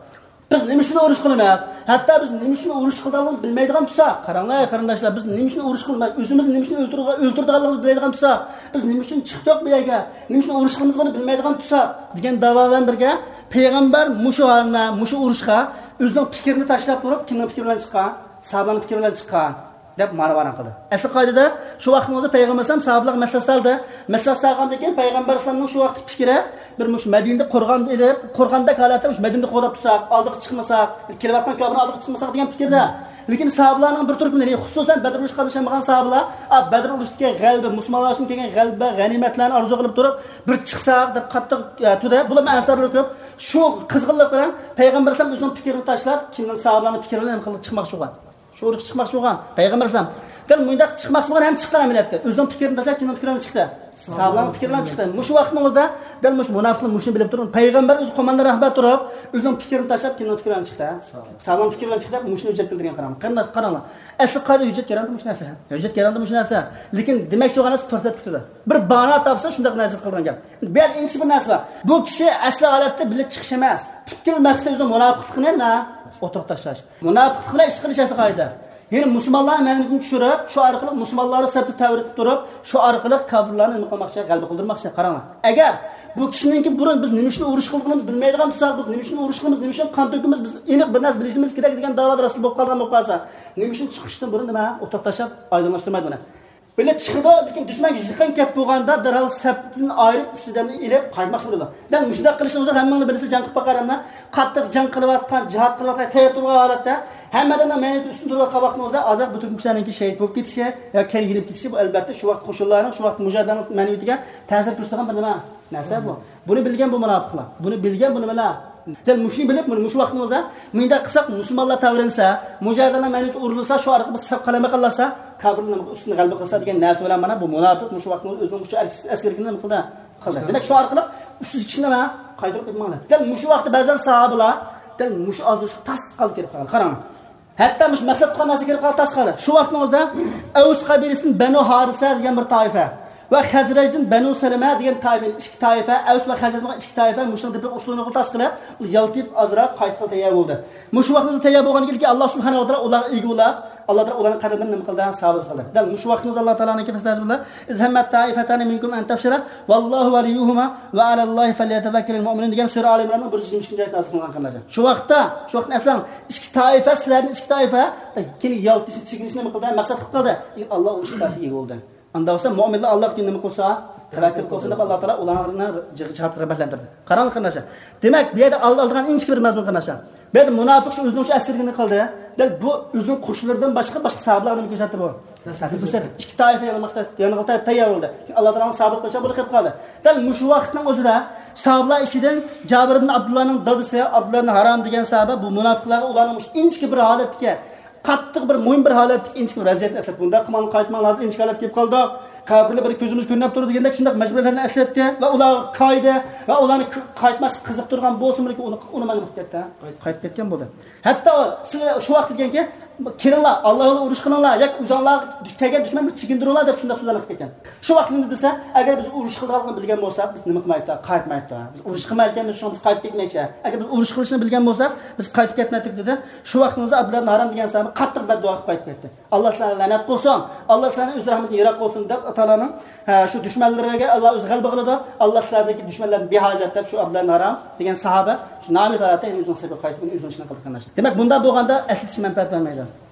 بىز نېمە ئۈچۈن ئۇرۇش قىلىمىز؟ ھەتتا بىز نېمە ئۈچۈن ئۇرۇش قىلىدىغانلىقىمىزنى بىلمەيدىغان تۇرساق، قاراڭلار قېرىنداشلار، بىز نېمە ئۈچۈن ئۇرۇش قىلىمىز؟ ئۆزىمىزنى نېمە ئۈچۈن ئۆلتۈرىدىغان-، ئۆلتۈرىدىغانلىقىمىزنى بىلمەيدىغان تۇرساق، بىز نېمە ئۈچۈن چىقتۇق بۇ يەرگە؟ نېمە ئۈچۈن ئۇرۇش قىلىمىزلىقىنى بىلمەيدىغان تۇرساق دېگەن داۋا بىلەن بىرگە، پەيغەمبەر مۇشۇ ھالدا، مۇشۇ ئۇرۇشقا ئۆزىنىڭ پىكرىنى تاشلاپ تۇرۇپ، كىمنىڭ پىكرى بىلەن چىققان؟ ساھابىلەرنىڭ پىكرى بىلەن چىققان دەپ مانا بايان قىلدى. ئەسلى قائىدىدە شۇ ۋاقىتنىڭ ئۆزىدە پەيغەمبەر ئەلەيھىسسالام ساھابىلەرگە مەسلىھەت سالدى. مەسلىھەت سالغاندىن كېيىن پەيغەمبەر ئەلەيھىسسالامنىڭ شۇ ۋاقىتتىكى پىكرى، بىر مۇشۇ مەدىنىدە قورغان ئېلىپ، قورغاندەك ھالەتتە مۇشۇ مەدىنىدە قوغداپ تۇرساق، ئالدىغا چىقمىساق، كېلىۋاتقان كاپىرنىڭ ئالدىغا چىقمىساق دېگەن پىكىردە. لېكىن ساھابىلەرنىڭ بىر تۈركۈملىرى، خۇسۇسەن بەدر ئۇرۇشىغا قاتناشالمىغان ساھابىلەر، ئا، بەدر ئۇرۇشىدىكى غەلىبە، مۇسۇلمانلار ئۈچۈن كەلگەن غەلىبە، غەنىيمەتلەرنى ئارزۇ قىلىپ تۇرۇپ، بىر چىقساق دەپ قاتتىق، ئە، تۇردى. بۇلارمۇ ئەنسارلار كۆپ. شۇ قىزغىنلىق بىلەن پەيغەمبەر ئەلەيھىسسالام ئۆزىنىڭ پىكرىنى تاشلاپ، كىمنىڭ ساھابىلەرنىڭ پىكرى بىلەن نېمە قىلدى؟ چىقماقچى بولغان. شۇ ئۇرۇشقا چىقماقچى بولغان پەيغەمبەر ئەلەيھىسسالام. دەل مۇنداق چىقماقچى بولغان ھەم چىققان ئەمەلىيەتتە. ئۆزىنىڭ پىكرىنى تاشلاپ، كىمنىڭ پىكرى بىلەن چىقتى؟ ساھابىلارنىڭ پىكرى بىلەن چىقتى. مۇشۇ ۋاقىتنىڭ ئۆزىدە دەل مۇشۇ مۇناپىقلار مۇشۇنى بىلىپ تۇرۇپ، پەيغەمبەر ئۆزى قوماندان رەھبەر تۇرۇپ، ئۆزىنىڭ پىكرىنى تاشلاپ، كىمنىڭ پىكرى بىلەن چىقتى؟ ساھابىلارنىڭ پىكرى بىلەن چىقتى، مۇشۇنى ھۆججەت كەلتۈرگەن. قاراڭ، قېرىنداش، قاراڭلار. ئەسلى قائىدە ھۆججەت كەلتۈرگەندە مۇشۇ نەرسە. ھۆججەت كەلتۈرگەندە مۇشۇ نەرسە. لېكىن دېمەكچى بولغان نەرسە پۇرسەت كۈتىدۇ. بىر بانا تاپسا شۇنداق نەرسە قىلغان گەپ. بۇ يەردە ئىنچىكە بىر نەرسە بار. بۇ كىشى ئەسلى ھالەتتە بىللە چىقىش ئەمەس. پۈتكۈل مەقسىتى ئۆزىنىڭ مۇناپىقلىقىنى نېمە؟ ئوتتۇرىغا تاشلاش. مۇناپىقلىق بىلەن ئىش قىلىش ئەسلى قائىدە. يەنى مۇسۇلمانلارنى مەنىدىن چۈشۈرۈپ، شۇ ئارقىلىق مۇسۇلمانلارنى سەپتە تەۋرىتىپ تۇرۇپ، شۇ ئارقىلىق كاپىرلارنى نېمە قىلماقچى؟ غەلىبە قىلدۇرماقچى. قاراڭلار. ئەگەر بۇ كىشىنىڭكى بۇرۇن بىز نېمە ئۈچۈن ئۇرۇش قىلغىنىمىزنى بىلمەيدىغان تۇرساق، بىز نېمە ئۈچۈن ئۇرۇش قىلىمىز، نېمە ئۈچۈن قان تۆكىمىز، بىز ئېنىق بىر نەرسە بىلىشىمىز كېرەك دېگەن داۋادا راستلا بولۇپ قالغان بولۇپ قالسا، نېمە ئۈچۈن چىقىشتىن بۇرۇن نېمە ئوتتۇرىغا تاشلاپ ئايدىڭلاشتۇرمايدۇ بۇنى؟ بىللە چىقىدۇ، لېكىن دۈشمەنگە يېقىن كەپ بولغاندا دەرھال سەپتىن ئايرىپ، ئۈچ ئادەمنى ئېلىپ قايتماقچى بولىدۇ. دەل مۇشۇنداق قىلىشنى ئۆزى ھەممىڭلار بىلىسىز، جەڭ قىلىپ باققانلارنى. قاتتىق جەڭ قىلىۋاتقان، جىھاد قىلىۋاتقان، تەييار تۇرغان ھالەتتە ھەممە ئادەمنىڭ مەينىتى ئۈستۈن تۇرۇۋاتقان ۋاقتىمىزدا ھازىر بۇ تۈركمەنلەرنىڭكى شېھىت بولۇپ كېتىشى ياكى كەينىگە يېنىپ كېتىشى، بۇ ئەلۋەتتە شۇ ۋاقىت قوشۇنلارنىڭ، شۇ ۋاقىت مۇجاھىدلارنىڭ مەنىۋىيىتىگە تەسىر كۆرسىتىدىغان بىر نېمە نەرسە بۇ. بۇنى بىلگەن بۇ مۇناپىقلار. بۇنى بىلگەن بۇ نېمىلەر؟ دەل مۇشۇنى بىلىپ، مۇنى مۇشۇ ۋاقتىمىزدا مۇنداق قىلساق، مۇسۇلمانلار تەۋرەنسە، مۇجاھىدلارنىڭ مەينىتى ئۇرۇلسا، شۇ ئارقىلىق بىز سەپ قالايمىقانلاشسا، كاپىرلار ئۈستىدىن غەلىبە قىلسا دېگەن نەرسە بىلەن مانا بۇ مۇناپىق مۇشۇ ۋاقتىمىزدا ئۆزىنىڭ مۇشۇ ئەسكىرىكىنى نېمە قىلدى؟ قىلدى. دېمەك، شۇ ئارقىلىق ئۈچ يۈز كىشىنى مانا قايتۇرۇپ ئېلىپ ماڭدى. دەل مۇشۇ ۋاقىتتا بەزەن ساھابىلار دەل مۇشۇ ئازدۇرۇشقا تاس قالدى، كىرىپ قالغان. قاراڭ. ھەتتا مۇشۇ مەقسەت قىلغان نەرسە كىرىپ قالدى، تاس قالدى. شۇ ۋاقىتنىڭ ئۆزىدە ئەۋس قەبىلىسىدىن بەنۇ ھارىسە دېگەن بىر تائىپە ۋە خەزرەجدىن بەنۇ سەلىمە دېگەن تائىپە، ئىككى تائىپە، ئەۋس ۋە خەزرەجنىڭ ئىككى تائىپە مۇشۇنىڭ تېپىق ئۇسۇلىنى تاس قىلىپ، يالتىيىپ ئازراق قايتقىلى تەييار بولدى. مۇشۇ ۋاقىتتا تەييار بولغاندىن كېيىن ئاللا سۇبھانەھۇ ۋە تائالا ئۇلارغا ئىگە بولاپ، ئاللا تائالا ئۇلارنىڭ قەدىمىنى نېمە قىلدى؟ سابىت قىلدى. دەل مۇشۇ ۋاقىتنىڭ ئۆزىدە ئاللا تائالانىڭكى فەسلى بىلەن، إذ همت طائفتان منكم أن تفشلا والله وليهما وعلى الله فليتوكل المؤمنون دېگەن سۈرە ئالى ئىمراننىڭ بىر يۈز يىگىرمە ئىككىنچى ئايەت نازىل قىلغان قېرىنداشلار. شۇ ۋاقىتتا، شۇ ۋاقىتتا ئەسلەڭ ئىككى تائىپە، سىلەردىن ئىككى تائىپە، كېيىن يالتىشىپ چېكىنىشنى نېمە قىلدى؟ مەقسەت قىلىپ قالدى. ئاللا ئۇ ئىككى تائىپىگە ئىگە بولدى. ئاندا بولسا مۆمىنلەر ئاللاغا نېمە قىلسا، تەۋەككۈل قىلسا دەپ ئاللا تائالا ئۇلارنى جىھادقا رىغبەتلەندۈردى. قاراڭلار قېرىنداشلار. دېمەك، بۇ يەردە ئال-، ئالىدىغان ئىنچىكە بىر مەزمۇن قېرىنداشلار. بۇ يەردە مۇناپىق شۇ ئۆزىنىڭ شۇ ئەسكىرىكىنى قىلدى. دەل بۇ ئۆزىنىڭ قوشۇنلىرىدىن باشقا، باشقا ساھابىلارغا نېمە كۆرسەتتى بۇ؟ تەسىر كۆرسەتتى. ئىككى تائىپە يېڭىلماقچى، يېڭىلغا تەييار بولدى. ئاللا تائالانىڭ سابىت قىلىشى بۇنى قىلىپ قالدى. دەل مۇشۇ ۋاقىتنىڭ ئۆزىدە ساھابىلار ئىچىدىن جابىر ئىبن ئابدۇللانىڭ دادىسى ئابدۇللا ئىبن ھارام دېگەن ساھابە بۇ مۇناپىقلارغا ئۇلارنىڭ مۇشۇ ئىنچىكە بىر ھالەتتىكى قاتتىق بىر مۇھىم بىر ھالەتتىكى ئىنچىكە بىر ۋەزىيەتنى ئەسلەپ، بۇنداق قىلماڭلار، قايتماڭلار، ھازىر ئىنچىكە ھالەتكە كېلىپ قالدۇق. كاپىرلار بىر كۆزىمىز كۆرۈنۈپ تۇرىدۇ دېگەندەك شۇنداق مەجبۇرىيەتلەرنى ئەسلەتتى ۋە ئۇلارغا كايدى ۋە ئۇلارنى ك-، قايتماسلىققا قىزىقتۇرغان بولسىمۇ، لېكىن ئۇنى، ئۇنى مانا قىلىپ كەتتى. قايتىپ كەتكەن بولدى. ھەتتا ئۇ، سىلەر شۇ ۋاقىت دېگەنكى، كېلىڭلار، ئاللا يولىدا ئۇرۇش قىلىڭلار ياكى ئۆزۈڭلارغا كەلگەن دۈشمەننى چېكىندۈرۈڭلار دەپ شۇنداق سۆزلەرنى قىلىپ كەتكەن. شۇ ۋاقىت نېمە دېسە، ئەگەر بىز ئۇرۇش قىلىدىغانلىقىنى بىلگەن بولساق، بىز نېمە قىلمايتتۇق؟ قايتمايتتۇق. بىز ئۇرۇش قىلمايدىكەنمىز، شۇڭا بىز قايتىپ كەتمەيچى. ئەگەر بىز ئۇرۇش قىلىشنى بىلگەن بولساق، بىز قايتىپ كەتمەيتتۇق دېدى. شۇ ۋاقتىڭىزدا ئابدۇللا ئىبن ھارام دېگەن ساھابە قاتتىق بەددۇئا قىلىپ قايتىپ كەتتى. ئاللا سىلەرنى لەنەت قىلسۇن، ئاللا سىلەرنى ئۆز رەھمىتىدىن يىراق قىلسۇن دەپ، ئاللا تائالانىڭ، ھە، شۇ دۈشمەنلىرىگە ئاللا ئۆزى غەلىبە قىلىدۇ، ئاللا سىلەردىكى دۈشمەنلەردىن بىھاجەت دەپ شۇ ئابدۇللا ئىبن ھارام دېگەن ساھابە شۇ نامى ھالەتتە ئۆزىنىڭ سېپىگە قايتىپ ئۆزىنىڭ ئىشىنى قىلدى قېرىنداشلار. دېمەك، بۇنداق بولغاندا ئەسلىتىش مەنپەئەت بەرمەيدۇ.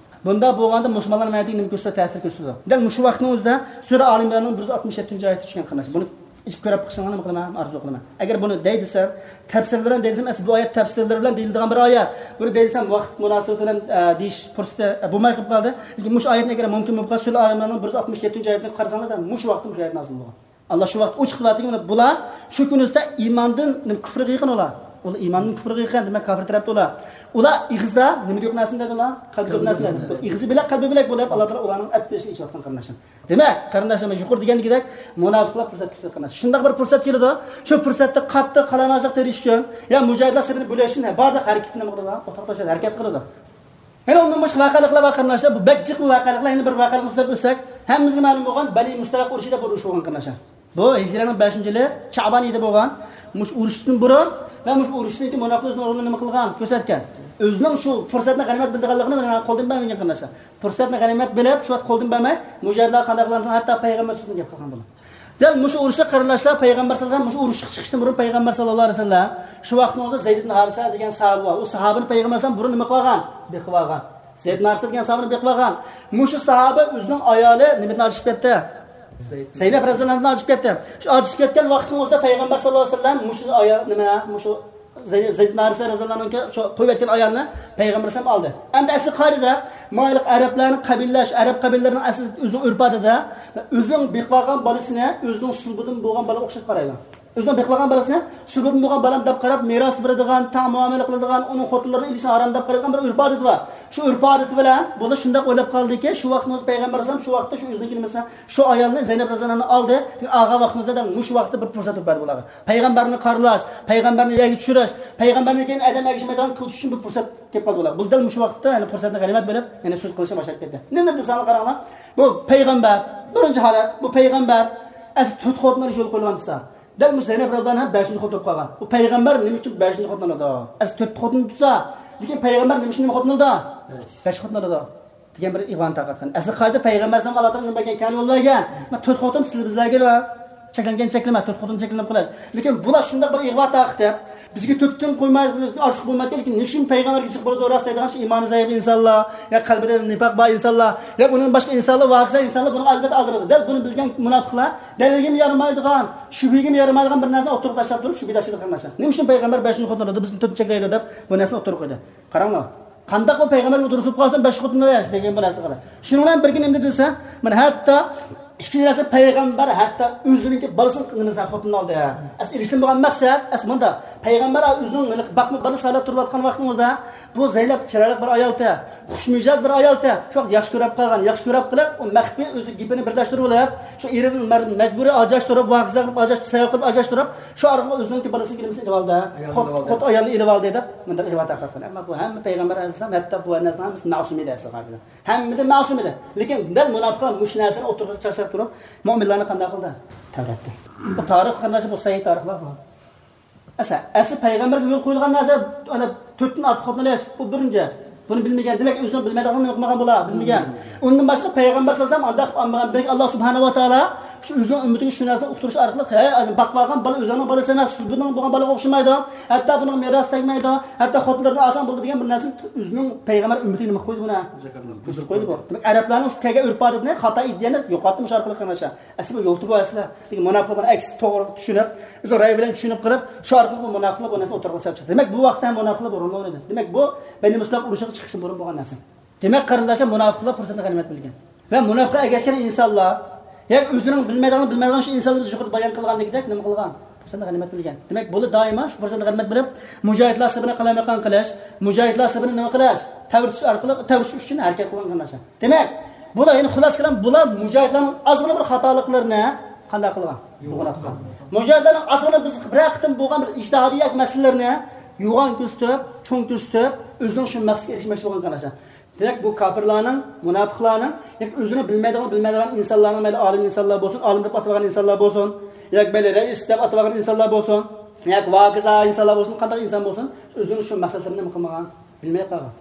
بۇنداق بولغاندا مۇسۇلمانلار مەنىتىگە نېمە كۆرسىتىدۇ؟ تەسىر كۆرسىتىدۇ. دەل مۇشۇ ۋاقىتنىڭ ئۆزىدە سۈرە ئالى ئىمراننىڭ بىر يۈز ئاتمىش يەتتىنچى ئايىتى چۈشكەن قېرىنداشلار. بۇنى ئىچىپ كۆرۈپ بېقىشىڭلارنى نېمە قىلىمەن؟ ئارزۇ قىلىمەن. ئەگەر بۇنى دەي دېسەم، تەپسىرلەر بىلەن دەي دېسەم، ئەسلى بۇ ئايەت تەپسىرلىرى بىلەن دېيىلىدىغان بىر ئايەت. بۇنى دەي دېسەم، ۋاقىت مۇناسىۋىتى بىلەن، ئە، دېيىش پۇرسىتى، ئە، بولماي قېلىپ قالدى. لېكىن مۇشۇ ئايەتنى ئەگەر مۇمكىن بولۇپ قالسا، سۈرە ئالى ئىمراننىڭ بىر يۈز ئاتمىش يەتتىنچى ئايىتىنى قارىساڭلار، دەل مۇشۇ ۋاقىتتا مۇشۇ ئايەت نازىل بولغان. ئاللا شۇ ۋاقىت ئوچۇق قىلىۋاتىدىكى، مانا بۇلار شۇ كۈنى ئۈستىدە ئىماندىن نېمە كۇفرغا يېقىن ئۇلار. ئۇلار ئىماندىن كۇفرغا يېقىن، دېمەك، كاپىر تەرەپتە ئۇلار. ئۇلار ئېغىزدا نېمىدە يوق نەرسىنى دەيدۇ ئۇلار؟ قەلبىدە يوق نەرسىنى دەيدۇ. ئېغىزى بىلەك، قەلبى بىلەك بولۇپ، ئاللا تائالا ئۇلارنىڭ ئەپ بېشىنى ئېچىۋاتقان قېرىنداشلار. دېمەك، قېرىنداشلار، مەن يۇقىرىدا دېگەندەك، مۇناپىقلار پۇرسەت كۈتىدۇ قېرىنداش. شۇنداق بىر پۇرسەت كېلىدۇ، شۇ پۇرسەتتە قاتتىق قالايمىقانچىلىق تېرىش ئۈچۈن، يا مۇجاھىدلار سېپىنى بۆلۈش ئۈچۈن، ھە، بارلىق ھەرىكىتىنى نېمە قىلىدۇ؟ ئوتتۇرىغا تاشلاپ ھەرىكەت قىلىدۇ. يەنە ئۇندىن باشقا ۋەقەلىقلار بار قېرىنداشلار. بۇ بەك جىق بۇ ۋەقەلىقلار. يەنە بىر ۋەقەلىقنى سۆزلەپ ئۆتسەك، ھەممىمىزگە مەلۇم بولغان بەنى مۇستەلىق ئۇرۇشى دەپ بىر ئۇرۇش بولغان قېرىنداشلار. بۇ ھىجرىيەنىڭ بەشىنچى يىلى شەئبان ئېيىدا بولغان. مۇشۇ ئۇرۇشتىن بۇرۇن ۋە مۇشۇ ئۇرۇشتىن كېيىن مۇناپىقلار ئۆزىنىڭ رولىنى نېمە قىلغان؟ كۆرسەتكەن. ئۆزىنىڭ شۇ پۇرسەتنى غەنىيمەت بىلىدىغانلىقىنى قولدىن بەرمىگەن قېرىنداشلار. پۇرسەتنى غەنىيمەت بىلىپ، شۇ ۋاقىت قولدىن بەرمەي، مۇجاھىدلارغا قانداق قىلغان دېسەڭ، ھەتتا پەيغەمبەر سۆزىنى گەپ قىلغان بۇلار. دەل مۇشۇ ئۇرۇشتا قېرىنداشلار، پەيغەمبەر سەللەللاھۇ ئەلەيھى ۋەسەللەم مۇشۇ ئۇرۇشقا چىقىشتىن بۇرۇن پەيغەمبەر سەللەللاھۇ ئەلەيھى ۋەسەللەم شۇ ۋاقىتنىڭ ئۆزىدە زەيد ئىبن ھارىسە دېگەن ساھابە بار. ئۇ ساھابىنى پەيغەمبەر سەللەللاھۇ ئەلەيھى ۋەسەللەم بۇرۇن نېمە قىلغان؟ بېقىۋالغان. زەيد ئىبن ھارىسە دېگەن ساھابىنى بېقىۋالغان. مۇشۇ ساھابە ئۆزىنىڭ ئايالى نېمىدىن ئاجرىشىپ كەتتى؟ زەينەپ رەزىياللاھۇ ئەنھادىن ئاجرىشىپ كەتتى. شۇ ئاجرىشىپ كەتكەن ۋاقىتنىڭ ئۆزىدە پەيغەمبەر سەللەللاھۇ ئەلەيھى ۋەسەللەم مۇشۇ ئايال، نېمە، مۇشۇ زەي-، زەيد ئىبن ھارىسە رەزىياللاھۇ ئەنھۇنىڭكى شۇ قويۇۋەتكەن ئايالنى پەيغەمبەر ئەلەيھىسسالام ئالدى. ئەمدى ئەسلى قائىدىدە مايلىق ئەرەبلەرنىڭ قەبىلىلەر، شۇ ئەرەب قەبىلىلىرىنىڭ ئەسلى ئۆزىنىڭ ئۆرپ-ئادىتىدە ئۆزىنىڭ بېقىۋالغان بالىسىنى ئۆزىنىڭ سۇلبىدىن بولغان بالىغا ئوخشاپ قارايدۇ. ئۆزىنىڭ بېقىۋالغان بالىسىنى سۈبۈتىدىن بولغان بالام دەپ قاراپ، مىراس بېرىدىغان، تەڭ مۇئامىلە قىلىدىغان، ئۇنىڭ خوتۇنلىرىنى ئېلىشنى ھارام دەپ قارايدىغان بىر ئۆرپ-ئادىتى بار. شۇ ئۆرپ-ئادىتى بىلەن بۇلار شۇنداق ئويلاپ قالدىكى، شۇ ۋاقىتنىڭ ئۆزىدە پەيغەمبەر ئەلەيھىسسالام شۇ ۋاقىتتا شۇ ئۆزىنىڭ كېلىمىسىنى، شۇ ئايالنى زەينەپ رەزىياللاھۇ ئەنھانى ئالدى. ئالغان ۋاقتىمىزدا دەل مۇشۇ ۋاقىتتا بىر پۇرسەت بولۇپ بەردى بۇلارغا. پەيغەمبەرنى قارىلاش، پەيغەمبەرنى يەرگە چۈشۈرۈش، پەيغەمبەرنى كېيىن ئادەم ئەگىشمەيدىغان قىلىش ئۈچۈن بىر پۇرسەت كېلىپ قالدى بۇلار. بۇ دەل مۇشۇ ۋاقىتتا، يەنى پۇرسەتنى غەنىيمەت بىلىپ، يەنە سۆز قىلىشنى باشلاپ كەتتى. نېمە دېسەڭلار قاراڭلار، بۇ پەيغەمبەر، بىرىنچى ھالەت، بۇ پەيغەمبەر ئەسلى تۆت خوتۇنلار ئىشى يولغا قويۇلغان دېسە، دەل مۇشۇ زەينەپ رەزىياللاھۇ ئەنھا بەشىنچى خوتۇن بولۇپ قالغان. بۇ پەيغەمبەر نېمە ئۈچۈن بەشىنچى خوتۇن ئالىدۇ؟ ئەسلى تۆت خوتۇن تۇتسا، لېكىن پەيغەمبەر نېمە ئۈچۈن نېمە خوتۇن ئالىدۇ؟ بەش خوتۇن ئالىدۇ دېگەن بىر ئىغۋانى تارقاتقان. ئەسلى قائىدە پەيغەمبەر ئەلەيھىسسالامغا ئاللا تائالا نېمە بەرگەن؟ كەڭ يول بەرگەن. مانا تۆت خوتۇن سىز بىزلەرگە چەكلەنگەن چەكلىمە، تۆت خوتۇن چەكلىمە قىلىش. لېكىن بۇلار شۇنداق بىر ئىغۋا تارقىتىپ، بىزگە تۆت خوتۇن قويماي، ئارتۇق بولمايدىكەن، لېكىن نېمە ئۈچۈن پەيغەمبەرگە جىق بولىدۇ راست دەيدىغان شۇ ئىمانى زەئىپ ئىنسانلار، يا قەلبىدە نىپاق بار ئىنسانلار، يا ئۇنىڭدىن باشقا ئىنسانلار، ۋاكىزا ئىنسانلار بۇنىڭغا ئەلۋەتتە ئالدىرايدۇ. دەل بۇنى بىلگەن مۇناپىقلار، دەلىلگىمۇ يارىمايدىغان، شۈبھىگىمۇ يارىمايدىغان بىر نەرسىنى ئوتتۇرىغا تاشلاپ تۇرۇپ، شۈبھە تاشلىدى قېرىنداشلار. نېمە ئۈچۈن پەيغەمبەر بەشىنچى خوتۇن ئالىدۇ، بىزنى تۆتىنچى چەكلەيدۇ دەپ بۇ نەرسىنى ئوتتۇرىغا قويدى. قاراڭلار، قانداق بۇ پەيغەمبەر بۇ دۇرۇس بولۇپ قالسۇن، بەش خوتۇن ئالىدۇ دېگەن بۇ نەرسە قاراڭ. شۇنىڭ بىلەن بىرگە نېمە دېدى دېسە، مانا ھەتتا ئىككىنچى نەرسە، پەيغەمبەر ھەتتا ئۆزىنىڭكى بالىسىنى نېمىسى خوتۇن ئالدى. ئەسلى ئېلىشتىن بولغان مەقسەت، ئەسلى مۇنداق، پەيغەمبەر ئۆزىنىڭ ھېلىقى باقما بالىسى ھالەت تۇرۇۋاتقان ۋاقتىمىزدا، بۇ زەينەپ چىرايلىق بىر ئايالتى، خۇشمىجاز بىر ئايالتى، شۇ ۋاقىت ياخشى كۆرۈپ قالغان، ياخشى كۆرۈپ قىلىپ، ئۇ مەخپىي ئۆزى گېپىنى بىرلەشتۈرۈپ ئېلىپ، شۇ ئېرىنى مەر-، مەجبۇرىي ئاجراشتۇرۇپ، ۋاكىزا قىلىپ ئاجراشتۇرۇپ، سەۋەب قىلىپ ئاجراشتۇرۇپ، شۇ ئارقىلىق ئۆزىنىڭكى بالىسىنى نېمىسىنى ئېلىۋالدى. ئايالنى خوت-، ئېلىۋالدى. خوت ئايالنى ئېلىۋالدى دەپ مۇنداق ئىغۋا تارقاتقان. ئەمما بۇ ھەممە پەيغەمبەر ئەلەيھىسسالام، ھەتتا بۇ نەرسىنىڭ ھەممىسى مەسۇم ئىدى ئەسلى قارىسىڭىز. ھەممىدىن مەسۇم ئىدى. لېكىن دەل مۇناپىقلار مۇشۇ نەرسىنى ئوتتۇرىغا چاچلاپ تۇرۇپ، مۆمىنلەرنى قانداق قىلدى؟ تەۋرەتتى. بۇ تارىخ قېرىنداشلار، بۇ سەھىھ تارىخلار بۇ. ئەسلى، ئەسلى پەيغەمبەرگە يول قويۇلغان نەرسە، ئەنە، تۆتتىن ئارتۇق خوتۇن ئېلىش، بۇ بىرىنچى. بۇنى بىلمىگەن، دېمەك، ئۆزىنىڭ بىلمەيدىغانلىقىنى نېمە قىلمىغان بۇلار؟ بىلمىگەن. ئۇندىن باشقا پەيغەمبەر سەللەللاھۇ ئەلەيھى ۋەسەللەم ئانداق قىلىپ ئالمىغان. بەلكى ئاللا سۇبھانەھۇ ۋە تائالا شۇ ئۆزىنىڭ ئۈممىتىگە شۇ نەرسىنى ئۇقتۇرۇش ئارقىلىق، ھەي، باقىۋالغان بالا ئۆزۈڭنىڭ بالىسى ئەمەس، بۇنىڭ بولغان بالىغا ئوخشىمايدۇ، ھەتتا بۇنىڭ مىراسى تەگمەيدۇ، ھەتتا خوتۇنلىرىدىن ئالساڭ بولىدۇ دېگەن بىر نەرسىنى ئۆزىنىڭ پەيغەمبەر ئۈممىتىگە نېمە قىلىپ قويدى بۇنى؟ كۆرسىتىپ قويدى بۇ. دېمەك، ئەرەبلەرنىڭ شۇ كەلگەن ئۆرپ-ئادىتىنى، خاتا ئىدىيەنى يوقاتتى مۇشۇ ئارقىلىق قېرىنداشلار. ئەسلى بۇ يول تۇتۇۋالسىلەر. لېكىن مۇناپىقلار بۇنى ئەكسىچە توغرا چۈشىنىپ، ئۆزىنىڭ رەيى بىلەن چۈشىنىپ قىلىپ، شۇ ئارقىلىق بۇ مۇناپىقلار بۇ نەرسىنى ئوتتۇرىغا سېلىپ چىقتى. دېمەك، بۇ ۋاقىتتا ھەم مۇناپىقلار بۇ رولنى ئوينىدى. دېمەك، بۇ بەنى مۇستەلىق ئۇرۇشىغا چىقىشتىن بۇرۇن بولغان نەرسە. دېمەك، قېرىنداشلار، مۇناپىقلار پۇرسەتنى غەنىيمەت بىلگەن. ۋە مۇناپىققا ئەگەشكەن ئىنسانلار، يەنى ئۆزىنىڭ بىلمەيدىغان، بىلمەيدىغان شۇ ئىنسانلار بىز يۇقىرىدا بايان قىلغاندىكىدەك نېمە قىلغان؟ پۇرسەتنى غەنىيمەت بىلگەن. دېمەك، بۇلار دائىما شۇ پۇرسەتنى غەنىيمەت بىلىپ، مۇجاھىدلار سېپىنى قالايمىقان قىلىش، مۇجاھىدلار سېپىنى نېمە قىلىش؟ تەۋرىتىش ئارقىلىق، تەۋرىتىش ئۈچۈن ھەرىكەت قىلغان قېرىنداشلار. دېمەك، بۇلار يەنە خۇلاسە كېلىپ، بۇلار مۇجاھىدلارنىڭ ئازغىنا بىر خاتالىقلىرىنى قانداق قىلغان؟ يوغان قىلغان. مۇجاھىدلارنىڭ ئازغىنا بىز بىرەر قېتىم بولغان بىر ئىجتىھادىي ياكى مەسىلىلەرنى يوغان كۆرسىتىپ، چوڭ كۆرسىتىپ، ئۆزىنىڭ شۇ مەقسىتىگە ئېرىشمەكچى بولغان قېرىنداشلار. دېمەك، بۇ كاپىرلارنىڭ، مۇناپىقلارنىڭ، ياكى ئۆزىنى بىلمەيدىغان، بىلمەيدىغان ئىنسانلارنىڭ، مەيلى ئالىم ئىنسانلار بولسۇن، ئالىم دەپ ئاتىۋالغان ئىنسانلار بولسۇن، ياكى مەيلى رەئىس دەپ ئاتىۋالغان ئىنسانلار بولسۇن، ياكى ۋاكىزا ئىنسانلار بولسۇن، قانداق ئىنسان بولسۇن، ئۆزىنىڭ شۇ مەقسەتلىرىنى نېمە قىلمىغان؟ بىلمەي قالغان.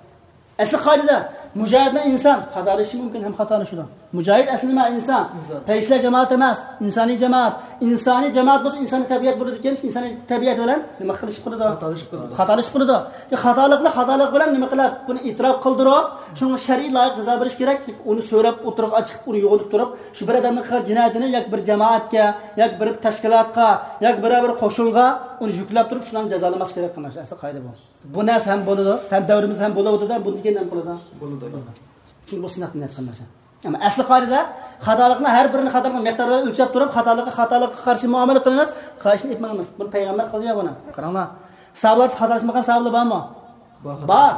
ئەسلى قائىدىدە، مۇجاھىدنىڭ ئىنسان خاتالىشى مۇمكىن ھەم خاتالىشىدۇ. مۇجاھىد ئەسلى نېمە؟ ئىنسان. ئىنسان. پەرىشتىلەر جامائىتى ئەمەس، ئىنسانىي جامائەت. ئىنسانىي جامائەت بولسا ئىنسانىي تەبىئەت بولىدىكەن، ئىنسانىي تەبىئەت بىلەن نېمە خاتالىشىپ قالىدۇ؟ خاتالىشىپ قالىدۇ. خاتالىشىپ قالىدۇ. يا خاتالىقنى خاتالىق بىلەن نېمە قىلىپ، بۇنى ئېتىراپ قىلدۇرۇپ، شۇنىڭغا شەرئىي لايىق جازا بېرىش كېرەك. ئۇنى سۆرەپ ئوتتۇرىغا ئېچىپ، ئۇنى يوغىنىتىپ تۇرۇپ، شۇ بىر ئادەمنىڭ قىلغان جىنايىتىنى ياكى بىر جامائەتكە، ياكى بىر تەشكىلاتقا، ياكى بىرەر بىر قوشۇنغا ئۇنى يۈكلەپ تۇرۇپ، شۇلارنى جازالىماسلىق كېرەك قېرىنداشلار. ئەسلى قائىدە بۇ. بۇ نەرسە ھەم بولىدۇ، ھەم دەۋرىمىزدە ھەم بولۇۋاتىدۇ، ھەم بۇندىن كېيىن ھەم بولىدۇ. بولىدۇ. چۈنكى بۇ سىناق نەرسە قېرىنداشلار. ئەمما ئەسلى قائىدىدە خاتالىقنى ھەر بىرىنى خاتالىقنى مىقدار بىلەن ئۆلچەپ تۇرۇپ، خاتالىققا خاتالىققا قارشى مۇئامىلە قىلىمىز، خاتالىقنى ئېيتمايمىز. بۇنى پەيغەمبەر قىلدى يا بۇنى. قاراڭلار. ساھابىلەر خاتالاشمىغان ساھابىلەر بارمۇ؟ بار. بار.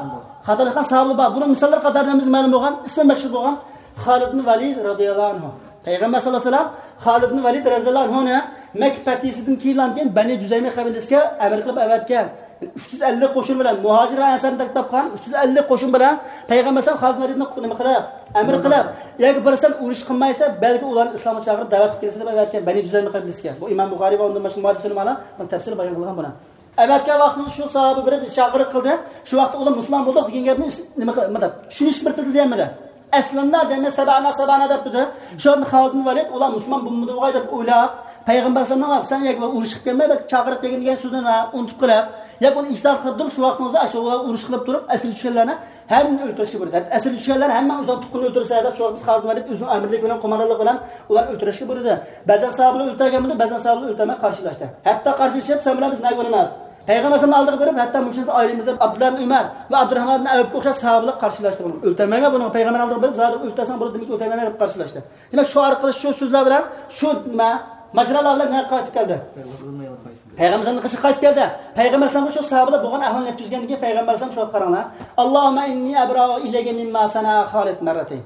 خاتالاشقان ساھابىلەر بار. بۇنىڭ مىساللىرى قاتارىدا ھەممىمىزگە مەلۇم بولغان، ئىسمى مەشھۇر بولغان خالىد ئىبن ۋەلىد رەزىياللاھۇ ئەنھۇ. پەيغەمبەر ساللاللاھۇ ئەلەيھى ۋەسەللەم خالىد ئىبن ۋەلىد رەزىياللاھۇ ئەنھۇنى مەككە پەتھىسىدىن كېيىنلا كېيىن بەنى جۇزەيمە قەبىلىسىگە ئەمىر قىلىپ ئەۋەتكەن. ئۈچ يۈز ئەللىك قوشۇن بىلەن، مۇھاجىر ئەنسارنى تەكلىپ قىلغان ئۈچ يۈز ئەللىك قوشۇن بىلەن پەيغەمبەر ئەلەيھىسسالام خالىد ئىبن ۋەلىدنى نېمە قىلىپ، ئەمىر قىلىپ، ياكى بىر سەن ئۇرۇش قىلمايسەن، بەلكى ئۇلارنى ئىسلامغا چاقىرىپ دەۋەت قىلىپ كېلىسەن دەپ ئەۋەتكەن بەنى جۇزەيمە قەبىلىسىگە. بۇ ئىمام بۇخارىي ۋە ئۇندىن باشقا مۇھەددىس ئۆلىمالار بۇنى تەپسىلىي بايان قىلغان بۇنى. ئەۋەتكەن ۋاقتىدا شۇ ساھابە بېرىپ چاقىرىق قىلدى. شۇ ۋاقىتتا ئۇلار مۇسۇلمان بولدۇق دېگەن گەپنى نېمە قىل-، مۇنداق چۈشىنىشكە بىر تىل دېيەلمىدى. ئەسلىمدە دېمەي، سەبەنا، سەبەنا دەپ تۇردى. شۇ ۋاقىتتا خالىد ئىبن ۋەلىد، ئۇلار مۇسۇلمان بولمىدى بۇغاي دەپ ئويلاپ، پەيغەمبەر ئەلەيھىسسالامغا، سەن يەنە ئۇرۇشقا كەلمەي، بەلكى چاقىرىق دېگەن، دېگەن سۆزنى ئۇنتۇپ قېلىپ، ياكى ئۇنى ئىجتىھات قىلىپ تۇرۇپ، شۇ ۋاقىتنىڭ ئۆزىدە ئاشۇ ئۇرۇش قىلىپ تۇرۇپ، ئەسىرگە چۈشكەنلەرنى ھەممىنى ئۆلتۈرۈشكە بۇيرۇدى. ئەسىرگە چۈشكەنلەرنى ھەممە ئۆزىنىڭ تۇغقىنىنى ئۆلتۈرسە دەپ، شۇ ۋاقىت خالىد ئىبن ۋەلىد ئۆزىنىڭ ئەمىرلىكى بىلەن، قوماندانلىقى بىلەن ئۇلارنى ئۆلتۈرۈشكە بۇيرۇدى. بەزەن ساھابىلەر ئۆلتۈرگەن بولدى، بەزەن ساھابىلەر ئۆلتۈرمەي قارشىلاشتى. ھەتتا قارشىلىشىپ، سەن بىلەن بىز نەگە بولىمىز؟ پەيغەمبەر ئەلەيھىسسالامنىڭ ئالدىغا بېرىپ، ھەتتا مۇشۇ ئايرىمىز دەپ، ئابدۇللا ئىبن ئۆمەر ۋە ئابدۇراھمان ئىبن ئەۋفقە ئوخشاش ساھابىلەر قارشىلاشتى بۇنى. ئۆلتۈرمەيمەن بۇنى، پەيغەمبەرنىڭ ئالدىغا بېرىپ، زادى ئۆلتۈرسەڭ بولىدۇ، دېمەكچى ئۆلتۈرمەيمەن دەپ قارشىلاشتى. دېمەك، شۇ ئارقىلىق شۇ سۆزلەر بىلەن شۇ نېمە، ماجىرالار بىلەن نەگە قايتىپ كەلدى؟ پەيغەمبەرنىڭ قېشىغا قايتىپ كەلدى. پەيغەمبەر ئەلەيھىسسالام شۇ ساھابىلەر بولغان ئەھۋالنى يەتكۈزگەندىن كېيىن پەيغەمبەر ئەلەيھىسسالام شۇ قاراڭلار. ئاللاھۇممە ئىننى ئەبرائۇ ئىلەيكە مىمما سەنە خالىد مەررەتەين.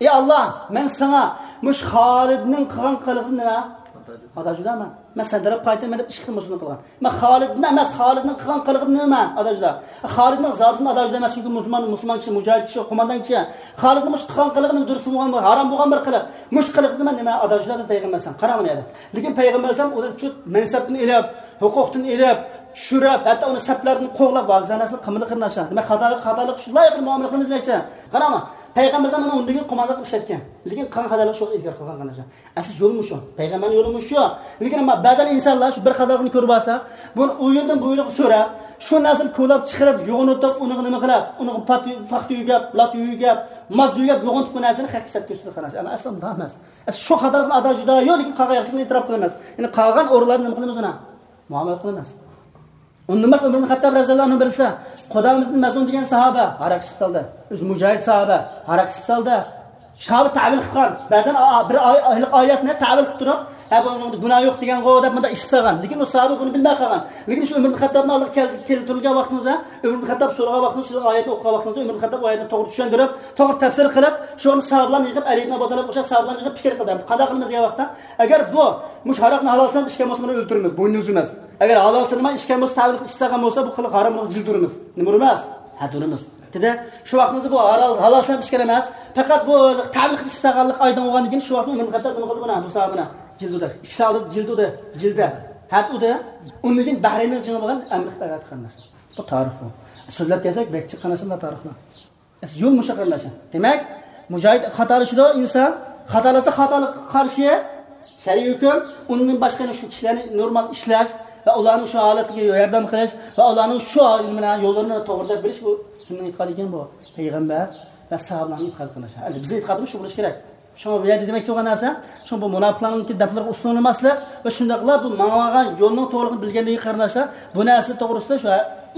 ئى ئاللا، مەن ساڭا مۇشۇ خالىدنىڭ قىلغان قىلىقىدىن نېمە؟ ئاتا جۇدامەن. مەن سەن تەرەپ قايتىمەن دەپ ئىككى خىل مۇسۇلمان قىلغان. مەن خالىدنى ئەمەس، خالىدنىڭ قىلغان قىلىقىدىن نېمە؟ ئاتا جۇدا. خالىدنىڭ زاتىدىن ئاتا جۇدا ئەمەس، چۈنكى مۇسۇلمان، مۇسۇلمان كىشى، مۇجاھىد كىشى، قوماندان كىشى. خالىدنىڭ مۇشۇ قىلغان قىلىقىنى دۇرۇس بولغان بىر، ھارام بولغان بىر قىلىق. مۇشۇ قىلىقىدىن مەن نېمە؟ ئاتا جۇدا دېدى پەيغەمبەر ئەلەيھىسسالام. قاراڭ مانا يەردە. لېكىن پەيغەمبەر ئەلەيھىسسالام ئۇنى شۇ مەنسەپتىن ئېلىپ، ھوقۇقتىن ئېلىپ، چۈشۈرۈپ، ھەتتا ئۇنى سەپلەردىن قوغلاپ، ۋاجىزانە نەرسىنى قىلمىدى قېرىنداشلار. دېمەك، خاتالىق، خاتالىق شۇنداق قىلىپ مۇئامىلە قىلىمىز دېمەكچى. قاراڭلار، پەيغەمبەر ئەلەيھىسسالام مانا ئۇندىن كېيىن قوماندانلىق ئىشلەتكەن. لېكىن قىلغان خاتالىقى شۇ ئىنكار قىلغان قېرىنداشلار. ئەسلى يول مۇشۇ. پەيغەمبەرنىڭ يولى مۇشۇ. لېكىن ئەمما بەزەن ئىنسانلار شۇ بىر خاتالىقنى كۆرۈپ ئالسا، بۇنى ئۇ يىلدىن بۇ يىلغا سۆرەپ، شۇ نەرسىنى كولاپ چىقىرىپ، يوغىنىتىپ، ئۇنىڭغا نېمە قىلىپ، ئۇنىڭغا پات-، پاختا يۆگەپ، لاتا يۆگەپ، ماز يۆگەپ، يوغىنىتىپ بۇ نەرسىنى خەققە سەت كۆرسىتىدۇ قېرىنداشلار. ئەمما ئەسلى ئۇنداق ئەمەس. ئەسلى شۇ خاتالىقنى ئادا جۇدا يوق، لېكىن قالغان ياخشىلىقنى ئېتىراپ قىلىمىز. يەنى قالغان ئورۇنلاردا نېمە قىلىمىز ئۇنى؟ مۇئامىلە قىلىمىز. ئۇندىن باشقا ئۆمەر ئىبن خەتتاب رەزىياللاھۇ ئەنھۇ بىرسى، قۇدامە ئىبن مەزئۇن دېگەن ساھابە ھاراق ئىچىپ سالدى. ئۆزى مۇجاھىد ساھابە ھاراق ئىچىپ سالدى. ساھابە تەۋىل قىلغان. بەزەن ئا-، بىر ئاي-، ئايلىق ئايەتنى تەۋىل قىلىپ تۇرۇپ، ھە، بۇنىڭدا گۇناھ يوق دېگەنغۇ دەپ مۇنداق ئىچىپ سالغان. لېكىن ئۇ ساھابە بۇنى بىلمەي قالغان. لېكىن شۇ ئۆمەر ئىبن خەتتابنىڭ ئالدىغا كەل-، كېلىپ تۇرغان ۋاقتىمىزدا، ئۆمەر ئىبن خەتتاب سورىغان ۋاقتىمىزدا، شۇ ئايەتنى ئوقۇغان ۋاقتىمىزدا، ئۆمەر ئىبن خەتتاب ئۇ ئايەتنى توغرا چۈشەندۈرۈپ، توغرا تەپسىر قىلىپ، شۇنى ساھابىلارنى يىغىپ، ئەلى ئىبن ئەبۇ تالىبقا ئوخشاش ساھابىلارنى يىغىپ پىكىر قىلدى. قانداق قىلىمىز دېگەن ۋاقىتتا، ئەگەر بۇ مۇشۇ ھاراقنى ھالال ساناپ ئىچكەن بولسا، بۇنى ئۆلتۈرىمىز، بوينىنى ئۈزىمىز. ئەگەر ھالال سانىماي ئىچكەن بولسا، تەۋىل قىلىپ ئىچسەغان بولسا، بۇ قىلىق ھارام بولسا، جىلدە ئۇرىمىز. نېمە ئۇرىمىز؟ ھەددە ئۇرىمىز. دېدى، شۇ ۋاقتىمىزدا بۇ ھالال، ھالال ساناپ ئىچكەن ئەمەس. پەقەت بۇ تەۋىل قىلىپ ئىچسەغانلىق ئايدىڭ بولغاندىن كېيىن، شۇ ۋاقىتتا ئۆمەر خەتتاب نېمە قىلدى بۇنى؟ بۇ ساھابىنى جىلدە ئۇردى. ئىككىسى ئالدى جىلدە ئۇردى. جىلدە. ھەددە ئۇردى. ئۇندىن كېيىن بەھرەيننىڭ جېڭى بولغان ئەمرى خىتايغا قېرىنداشلار. بۇ تارىخ بۇ. سۆزلەپ كەلسەك، بەك جىق قارىسىلا تارىخنى. يول مۇشۇ قېرىنداشلار. دېمەك، مۇجاھىد خاتالىشىدۇ ئىنسان. خاتالاشسا خاتالىققا قارشى شەرئىي ھۆكۈم. ئۇندىن باشقا يەنە شۇ كىشىلەرنى نورمال ئىشلەش ۋە ئۇلارنىڭ شۇ ھالەتىگە ياردەم قىلىش ۋە ئۇلارنىڭ شۇ يوللىرىنى توغرا دەپ بېرىش، بۇ كىمنىڭ ئېتىقادى ئىكەن بۇ؟ پەيغەمبەر ۋە ساھابىلارنىڭ ئېتىقادى قېرىنداشلار. ئەمدى بىزنىڭ ئېتىقادىمىز شۇ بولۇشى كېرەك. شۇڭا بۇ يەردە دېمەكچى بولغان نەرسە، شۇڭا بۇ مۇناپىقلارنىڭكى دەپلىرىگە ئۇسسۇللىنالماسلىق ۋە شۇنداقلا بۇ ماڭغان يولنىڭ توغرىلىقىنى بىلگەندىن كېيىن قېرىنداشلار، بۇ نەرسە توغرىسىدا شۇ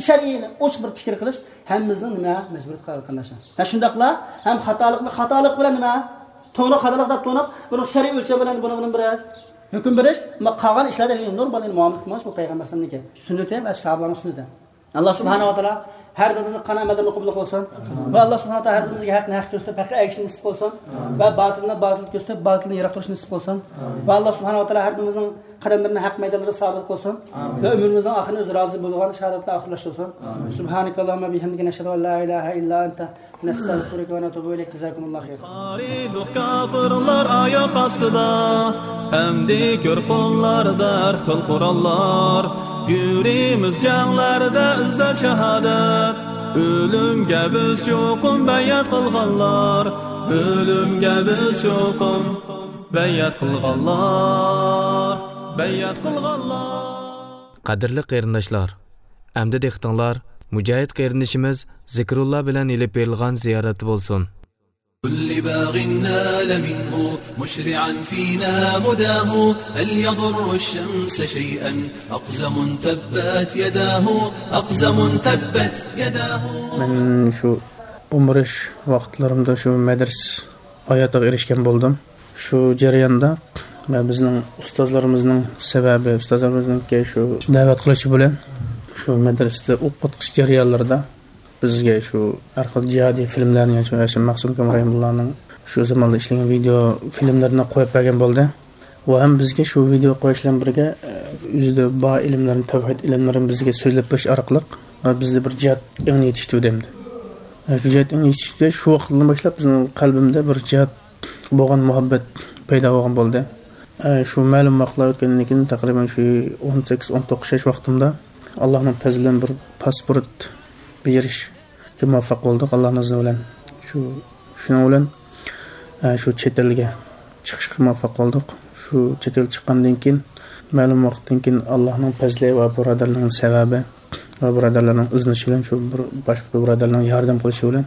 شەرئىي ئوچۇق بىر پىكىر قىلىش ھەممىمىزنىڭ نېمە مەجبۇرىيىتى قېرىنداشلار. ھە، شۇنداقلا ھەم خاتالىقنى خاتالىق بىلەن نېمە، توغرا خاتالىق دەپ تونۇپ، بۇنىڭ شەرئىي ئۆلچەم بىلەن بۇنى، بۇنى بىر ھۆكۈم بېرىش، ئەمما قالغان ئىشلاردا نورمال مۇئامىلە قىلماش بۇ پەيغەمبەر ئەلەيھىسسالامنىڭكى سۈننىتى ۋە ساھابىلارنىڭ سۈننىتى. ئاللا سۇبھانەھۇ ۋە تائالا ھەر بىرىمىزنىڭ قىلغان ئەمەللىرىنى قوبۇل قىلسۇن. ۋە ئاللا سۇبھانەھۇ ۋە تائالا ھەر بىرىمىزگە ھەقنى ھەق كۆرسىتىپ، ھەققە ئەگىشىشنى نېسىپ قىلسۇن. ۋە باتىلنى باتىل كۆرسىتىپ، باتىلنى يىراق تۇرۇشنى نېسىپ قىلسۇن. ۋە ئاللا سۇبھانەھۇ ۋە تائالا ھەر بىرىمىزنىڭ قەدەملىرىنى ھەق مەيدانلىرىدا سابىت قىلسۇن. ۋە ئۆمرىمىزنىڭ ئاخىرىنى ئۆزى رازى بولىدىغان شاھادەتلەر ئاخىرلاشتۇرسۇن. سۇبھانەكاللاھۇممە بىھەمدىكە، نەشھەدۇ ئەن لا ئىلاھە ئىللا ئەنتە، نەستەغفىرۇكە ۋە نەتۇبۇ ئىلەيك. جازاكۇمۇللاھۇ خەيرا. قارىدۇق كاپىرلار ئاياق ئاستىدا، ئەمدى كۆر قوللاردا ھەر خىل قوراللار. يۈرىمىز جەڭلەردە ئىزدەپ شاھادەت، ئۆلۈمگە بىز چوقۇم بەيئەت قىلغانلار، ئۆلۈمگە بىز چوقۇم بەيئەت قىلغانلار، بەيئەت قىلغانلار. قەدىرلىك قېرىنداشلار، ئەمدى دىققىتىڭلار مۇجاھىد قېرىندىشىمىز زىكرۇللا بىلەن ئېلىپ بېرىلغان زىيارەتتە بولسۇن. كل باغ نال منه مشرعا فينا مداه، هل يضر الشمس شيئا أقزم تبت يداه، أقزم تبت يداه. مەن شۇ ئۇمرىش ۋاقىتلىرىمدا شۇ مەدرىسە ھاياتىغا ئېرىشكەن بولدۇم. شۇ جەرياندا مەن بىزنىڭ ئۇستازلىرىمىزنىڭ سەۋەبى، ئۇستازلىرىمىزنىڭكى شۇ دەۋەت قىلىشى بىلەن شۇ مەدرىسىدە ئوقۇتقۇچى جەريانلىرىدا بىزگە شۇ ھەر خىل جىھادىي فىلىملەرنى، يەنى شۇ ھەشىم مەخسۇم كامران رەھىمۇللانىڭ شۇ زاماندا ئىشلىگەن ۋىدېو فىلىملىرىنى قويۇپ بەرگەن بولدى. ئۇ ھەم بىزگە شۇ ۋىدېو قويۇش بىلەن بىرگە، ئۆزىدە بار ئىلىملەرنى، تەۋھىد ئىلىملىرىنى بىزگە سۆزلەپ بېرىش ئارقىلىق، بىزدە بىر جىھاد ئېڭىنى يېتىشتۈردى ئەمدى. شۇ جىھاد ئېڭىنى يېتىشتۈردى، شۇ ۋاقىتتىن باشلاپ بىزنىڭ قەلبىمىزدە بىر جىھاد بولغان مۇھەببەت پەيدا بولغان بولدى. ئە، شۇ مەلۇم ۋاقىتلار ئۆتكەندىن كېيىن، تەقرىبەن شۇ ئون سەككىز، ئون توققۇز ياش ۋاقتىمدا، ئاللانىڭ پەزلى بىلەن بىر پاسپورت بېجىرىشكە مۇۋەپپەق بولدۇق، ئاللانىڭ ئىزنى بىلەن. شۇ، شۇنىڭ بىلەن، ئە، شۇ چەت ئەلگە چىقىشقا مۇۋەپپەق بولدۇق. شۇ چەت ئەلگە چىققاندىن كېيىن، مەلۇم ۋاقىتتىن كېيىن، ئاللانىڭ پەزلى ۋە بۇرادەرلىرىنىڭ سەۋەبى، ۋە بۇرادەرلەرنىڭ ئىزدىنىشى بىلەن، شۇ بىر باشقا بىر بۇرادەرلەرنىڭ ياردەم قىلىشى بىلەن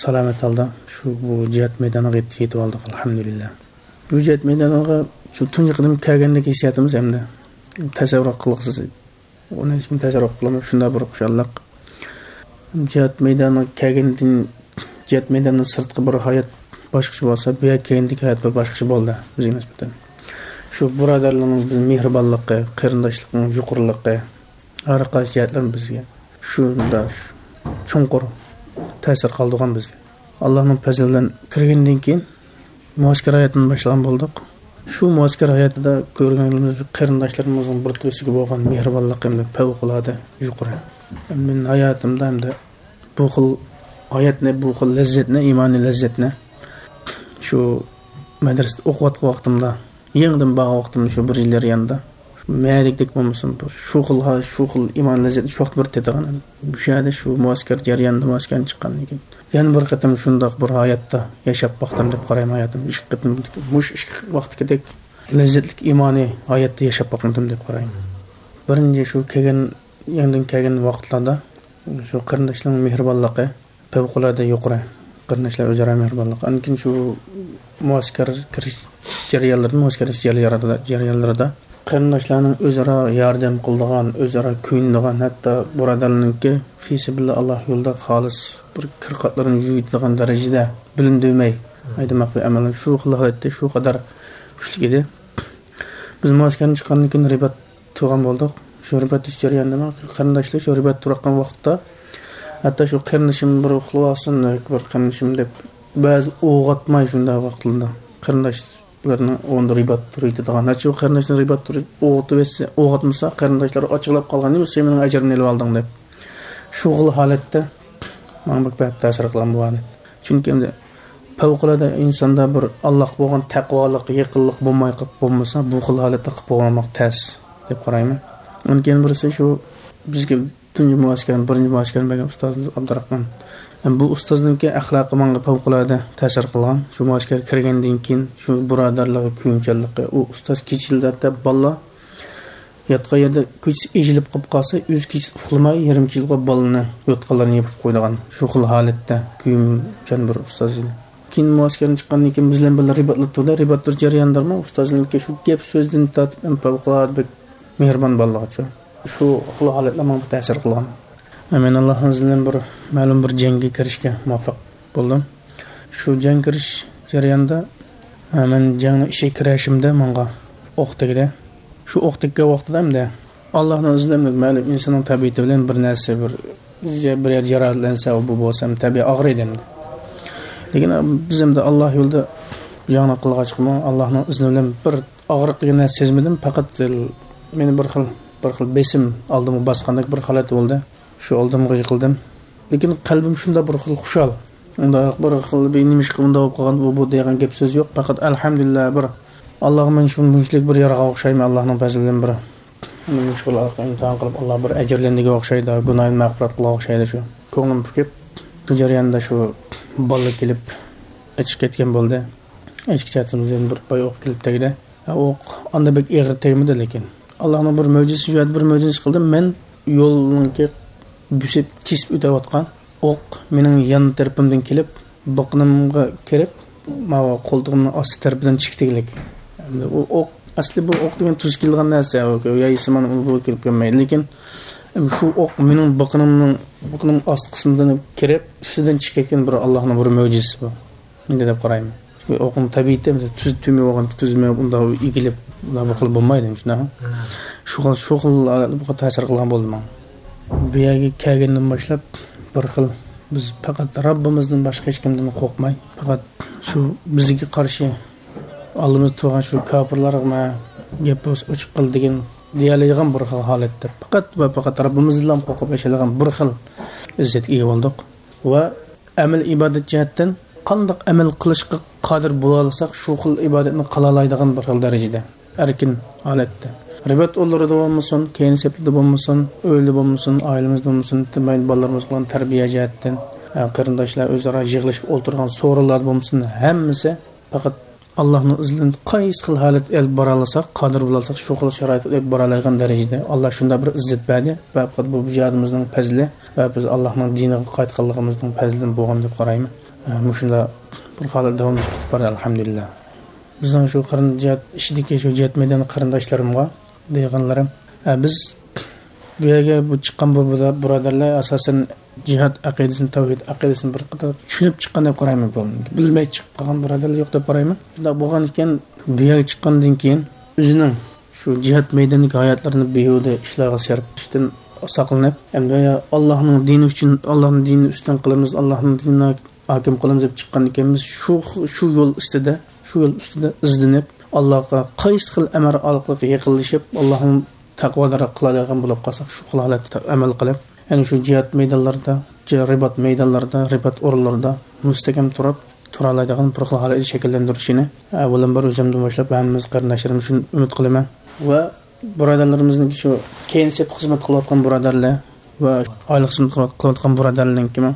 سالامەت ھالدا شۇ بۇ جىھاد مەيدانىغا يېتىپ، يېتىپ ئالدۇق، ئەلھەمدۇلىللا. بۇ جىھاد مەيدانىغا شۇ تۇنجى قېتىم كەلگەندىكى ھېسسىياتىمىز ئەمدى تەسەۋۋۇر قىلغۇسىز. ئۇنى ھېچكىم تەسەۋۋۇر قىلالمايدۇ، شۇنداق بىر خۇشاللىق. جىھاد مەيدانىغا كەلگەندىن، جىھاد مەيدانىدىن سىرتقى بىر ھايات باشقىچە بولسا، بۇ يەرگە كەلگەندىكى ھايات بىر باشقىچە بولدى بىزگە نىسبەتەن. شۇ بۇرادەرلىكنىڭ مېھرىبانلىقى، قېرىنداشلىقنىڭ يۇقىرىلىقى، ھەر قايسى جەھەتلەردىن بىزگە شۇنداق چوڭقۇر تەسىر قالدۇرغان بىزگە. ئاللانىڭ پەزلى بىلەن كىرگەندىن كېيىن مۇئەسكەر ھاياتىنى باشلىغان بولدۇق. شۇ مۇئەسكەر ھاياتىدا كۆرگەن قېرىنداشلىرىمىزنىڭ بىر-بىرسىگە بولغان مېھرىبانلىقى ھەم فەۋقۇلئاددە يۇقىرى. مەن ھاياتىمدا ھەمدە بۇ خىل ھاياتنى، بۇ خىل لەززەتنى، ئىمانىي لەززەتنى شۇ مەدرىسىدە ئوقۇۋاتقان ۋاقتىمدا، يېڭىدىن بارغان ۋاقتىمدا شۇ بىر يىل جەريانىدا مەدىكتەك بولمىسۇن، شۇ خىل ھا-، شۇ خىل ئىمان لەززەتنى شۇ ۋاقىت بىر تېتىغان. مۇشۇ يەردە شۇ مۇئەسكەر جەريانىدا، مۇئەسكەردىن چىققاندىن كېيىن يەنە بىر قېتىم شۇنداق بىر ھاياتتا ياشاپ باقتىم دەپ قارايمەن ھاياتىمدا. ئىككى قېتىم، مۇشۇ ئىككى ۋاقىتتىكىدەك لەززەتلىك ئىمانىي ھاياتتا ياشاپ باقمىدىم دەپ قارايمەن. بىرىنچى شۇ كەلگەن، يېڭىدىن كەلگەن ۋاقىتلاردا شۇ قېرىنداشلارنىڭ مېھرىبانلىقى، پەۋقۇلئاددە يۇقىرى. قېرىنداشلار ئۆزئارا مېھرىبانلىق. ئاندىن كېيىن شۇ مۇئەسكەر كىرىش جەريانلىرىدا، مۇئەسكەر جەريانلىرىدا، جەريانلىرىدا قېرىنداشلارنىڭ ئۆزئارا ياردەم قىلىدىغان، ئۆزئارا كۆيۈنىدىغان، ھەتتا بۇرادەرلەرنىڭكى فىسەبىللا ئاللا يولىدا خالىس بىر كىر-قاتلىرىنى يۇيىدىغان دەرىجىدە بىلىندۈرمەي، ئايدىماق بىر ئەمەل. شۇ خىل ھالەتتە شۇ قەدەر كۈچلۈك ئىدى. بىز مۇئەسكەردىن چىققاندىن كېيىن رىبات تۇرغان بولدۇق. شۇ رىبات تۇتۇش جەريانىدا قېرىنداشلار شۇ رىبات تۇرۇۋاتقان ۋاقىتتا، ھەتتا شۇ قېرىندىشىم بىر ئۇخلىۋالسۇن، بىر قېرىندىشىم دەپ، بەزى ئويغاتماي شۇنداق ۋاقىتلاردا قېرىنداشلارنىڭ ئورنىدا رىبات تۇرۇۋېتىدىغان. ھەتتا شۇ قېرىنداشنى رىبات تۇرۇپ ئويغىتىۋەتسە، ئويغاتمىسا، قېرىنداشلار ئاچچىقلاپ قالغان، نېمە سەن مېنىڭ ئەجرىمنى ئېلىۋالدىڭ دەپ. شۇ خىل ھالەتتە ماڭا بەك بەك تەسىر قىلغان بۇ ھالەت. چۈنكى ئەمدى پەۋقۇلئاددە ئىنساندا بىر ئاللاغا بولغان تەقۋالىق، يېقىنلىق بولماي قېلىپ بولمىسا، بۇ خىل ھالەتتە قېلىپ بولماق تەس دەپ قارايمەن. ئۇنىڭ كېيىن بىرسى شۇ بىزگە تۇنجى مۇئەسكەرنى، بىرىنچى مۇئەسكەرنى بەرگەن ئۇستازىمىز ئابدۇراخمان. بۇ ئۇستازنىڭكى ئەخلاقى ماڭا پەۋقۇلئاددە تەسىر قىلغان. شۇ مۇئەسكەرگە كىرگەندىن كېيىن شۇ بۇرادەرلىكى، كۆيۈمچانلىقى، ئۇ ئۇستاز كېچىلەردە بالىلار ياتقان يەردە كېچىسى ئېچىلىپ قېلىپ قالسا، ئۆزى كېچىسى ئۇخلىماي، يېرىم كېچىلىك بالىنى يوتقانلىرىنى يېپىپ قويىدىغان، شۇ خىل ھالەتتە كۆيۈمچان بىر ئۇستاز ئىدى. كېيىن مۇئەسكەردىن چىققاندىن كېيىن بىز بىلەن بىللە رىباتلىق تۇردى. رىبات تۇرۇش جەريانىدىمۇ ئۇستازنىڭكى شۇ گەپ سۆزىدىن تارتىپ، ئەم پەۋقۇلئاددە بەك مېھرىبان بالىلارغىچە. شۇ خىل ھالەتلەر ماڭا بەك تەسىر قىلغان. مەن ئاللاھنىڭ ئىزنى بىلەن بىر مەلۇم بىر جەڭگە كىرىشكە مۇۋەپپەق بولدۇم. شۇ جەڭ كىرىش جەريانىدا، ھە، مەن جەڭنىڭ ئىچىگە كىرەشىمدە ماڭا ئوق تەگدى. شۇ ئوق تەگكەن ۋاقتىدا ئەمدى ئاللاھنىڭ ئىزنى بىلەن مەلۇم ئىنساننىڭ تەبىئىتى بىلەن بىر نەرسە، بىر، بىر يەر جاراھەتلەنسە، ئۇ بۇ بولسا ئەمدى تەبىئىي ئاغرىيدۇ ئەمدى. لېكىن بىز ئەمدى ئاللاھ يولىدا جەڭنى قىلغاچقىمۇ ئاللاھنىڭ ئىزنى بىلەن بىر ئاغرىق دېگەن نەرسە سەزمىدىم. پەقەت مېنى بىر خىل، بىر خىل بېسىم ئالدىمغا باسقاندەك بىر ھالەت بولدى. شۇ ئالدىمغا يىقىلدىم. لېكىن قەلبىم شۇنداق بىر خىل خۇشال. ئۇنداق بىر خىل بىر نېمىشقا ئۇنداق بولۇپ قالغان، ئۇ بۇ دېگەن گەپ سۆز يوق. پەقەت ئەلھەمدۇلىللا، بىر ئاللاغا مەن شۇ مۇنچىلىك بىر يارغا ئوخشايمەن، ئاللاھنىڭ پەزلى بىلەن بىر مۇشۇ خىل ئىمتىھان قىلىپ، ئاللا بىر ئەجىرلەندىگەن ئوخشايدۇ، گۇناھىنى مەغپىرەت قىلغان ئوخشايدۇ شۇ. كۆڭلۈم پۈكۈپ، شۇ جەرياندا شۇ بالىلار كېلىپ ئېچىپ كەتكەن بولدى. ئېچىپ كەتكەن بىر پاي ئوق كېلىپ تەگدى. ئوق ئاندا بەك ئېغىر تەگمىدى، لېكىن ئاللاھنىڭ بىر مۆجىزىسى، شۇ يەردە بىر مۆجىزە قىلدى. مەن يولنىڭكى بۆسۈپ، كېسىپ ئۆتۈۋاتقان ئوق مېنىڭ يان تەرىپىمدىن كېلىپ، بىقىنىمغا كىرىپ، ماۋۇ قولتۇقۇمنىڭ ئاستى تەرىپىدىن چىقتىلىك. ئەمدى ئۇ ئوق، ئەسلى بۇ ئوق دېگەن تۈز كېلىدىغان نەرسە، يايسىمان ئۇ بۇ كېلىپ كەلمەيدۇ. لېكىن شۇ ئوق مېنىڭ بىقىنىمنىڭ، بىقىنىم ئاستى قىسمىدىن كىرىپ، ئۈستىدىن چىقىپ كەتكەن بىر ئاللاھنىڭ بىر مۆجىزىسى بۇ. مەن دەپ قارايمەن. ئوقنىڭ تەبىئىتى تۈز تۈمى بولغان، تۈز مېڭىپ ئۇنداق ئېگىلىپ، ئۇنداق بىر خىل بولمايدۇ، شۇنداقمۇ؟ شۇ خىل، شۇ خىل بۇ تەسىر قىلغان بولدى ماڭا. بۇ يەرگە كەلگەندىن باشلاپ بىر خىل بىز پەقەت رەببىمىزدىن باشقا ھېچكىمدىن قورقماي، پەقەت شۇ بىزگە قارشى ئالدىمىزدا تۇرغان شۇ كاپىرلارغىمۇ گەپ بولسا ئوچۇق قىل دېگەن دېيەلەيدىغان بىر خىل ھالەتتە پەقەت ۋە پەقەت رەببىمىزدىنلا قورقۇپ ياشايدىغان بىر خىل ئىززەتكە ئىگە بولدۇق. ۋە ئەمەل ئىبادەت جەھەتتىن قانداق ئەمەل قىلىشقا قادىر بولالىساق، شۇ خىل ئىبادەتنى قىلالايدىغان بىر خىل دەرىجىدە ئەركىن ھالەتتە. رىبات ئورۇنلىرىدا بولمىسۇن، كەينى سەپلىرىدە بولمىسۇن، ئۆيدە بولمىسۇن، ئائىلىمىزدە بولمىسۇن، بالىلىرىمىزغا بولغان تەربىيە جەھەتتىن، قېرىنداشلار ئۆزئارا يىغىلىشىپ ئولتۇرغان سورۇنلاردا بولمىسۇن، ھەممىسى پەقەت ئاللاھنىڭ ئىزنى بىلەن قايسى خىل ھالەت ئېلىپ بارالىساق، قادىر بولالىساق، شۇ خىل شارائىت ئېلىپ بارالايدىغان دەرىجىدە ئاللا شۇنداق بىر ئىززەت بەردى ۋە پەقەت بۇ جىھادىمىزنىڭ پەزلى ۋە بىز ئاللاھنىڭ دىنىغا قايتقانلىقىمىزنىڭ پەزلىدىن بولغان دەپ قارايمەن. ئە، مۇشۇنداق بىر ھالەت داۋاملىشىپ كېتىپ بارىدۇ، ئەلھەمدۇلىللا. بىزنىڭ شۇ قېرىن جىھاد ئىچىدىكى شۇ جىھاد مەيدانى قېرىنداشلىرىمغا دېگەنلىرىم، ئە، بىز بۇ يەرگە بۇ چىققان بۇ بۇرا-، بۇرادەرلەر ئاساسەن جىھاد ئەقىدىسىنى، تەۋھىد ئەقىدىسىنى بىر قەدەر چۈشىنىپ چىققان دەپ قارايمەن. بىلمەي چىقىپ قالغان بۇرادەرلەر يوق دەپ قارايمەن. شۇنداق بولغان ئىكەن، بۇ يەرگە چىققاندىن كېيىن ئۆزىنىڭ شۇ جىھاد مەيدانىدىكى ھاياتلىرىنى بىھۇدە ئىشلارغا سەرپ قىلىشتىن ساقلىنىپ، ئەمدى ئاللاھنىڭ دىنى ئۈچۈن، ئاللاھنىڭ دىنىنى ئۈستۈن قىلىمىز، ئاللاھنىڭ دىنىنى ھاكىم قىلىمىز دەپ چىققان ئىكەنمىز. شۇ، شۇ يول ئۈستىدە، شۇ يول ئۈستىدە ئىزدىنىپ، ئاللاغا قايسى خىل ئەمەل ئارقىلىق يېقىنلىشىپ، ئاللاھنىڭ تەقۋادارراق قىلالايدىغان بولۇپ قالساق، شۇ خىل ھالەتتە ئەمەل قىلىپ، يەنى شۇ جىھاد مەيدانلىرىدا، جى-، رىبات مەيدانلىرىدا، رىبات ئورۇنلىرىدا مۇستەھكەم تۇرۇپ، تۇرالايدىغان بىر خىل ھالەتنى شەكىللەندۈرۈشىنى، ئاۋۋالام بىر ئۆزۈمدىن باشلاپ ھەممىمىز قېرىنداشلىرىمىز شۇنى ئۈمىد قىلىمەن. ۋە بۇرادەرلىرىمىزنىڭكى شۇ كەينى سەپتە خىزمەت قىلىۋاتقان بۇرادەرلەر ۋە ئايلىق خىزمەت قىلىۋاتقان بۇرادەرلەرنىڭكىمۇ،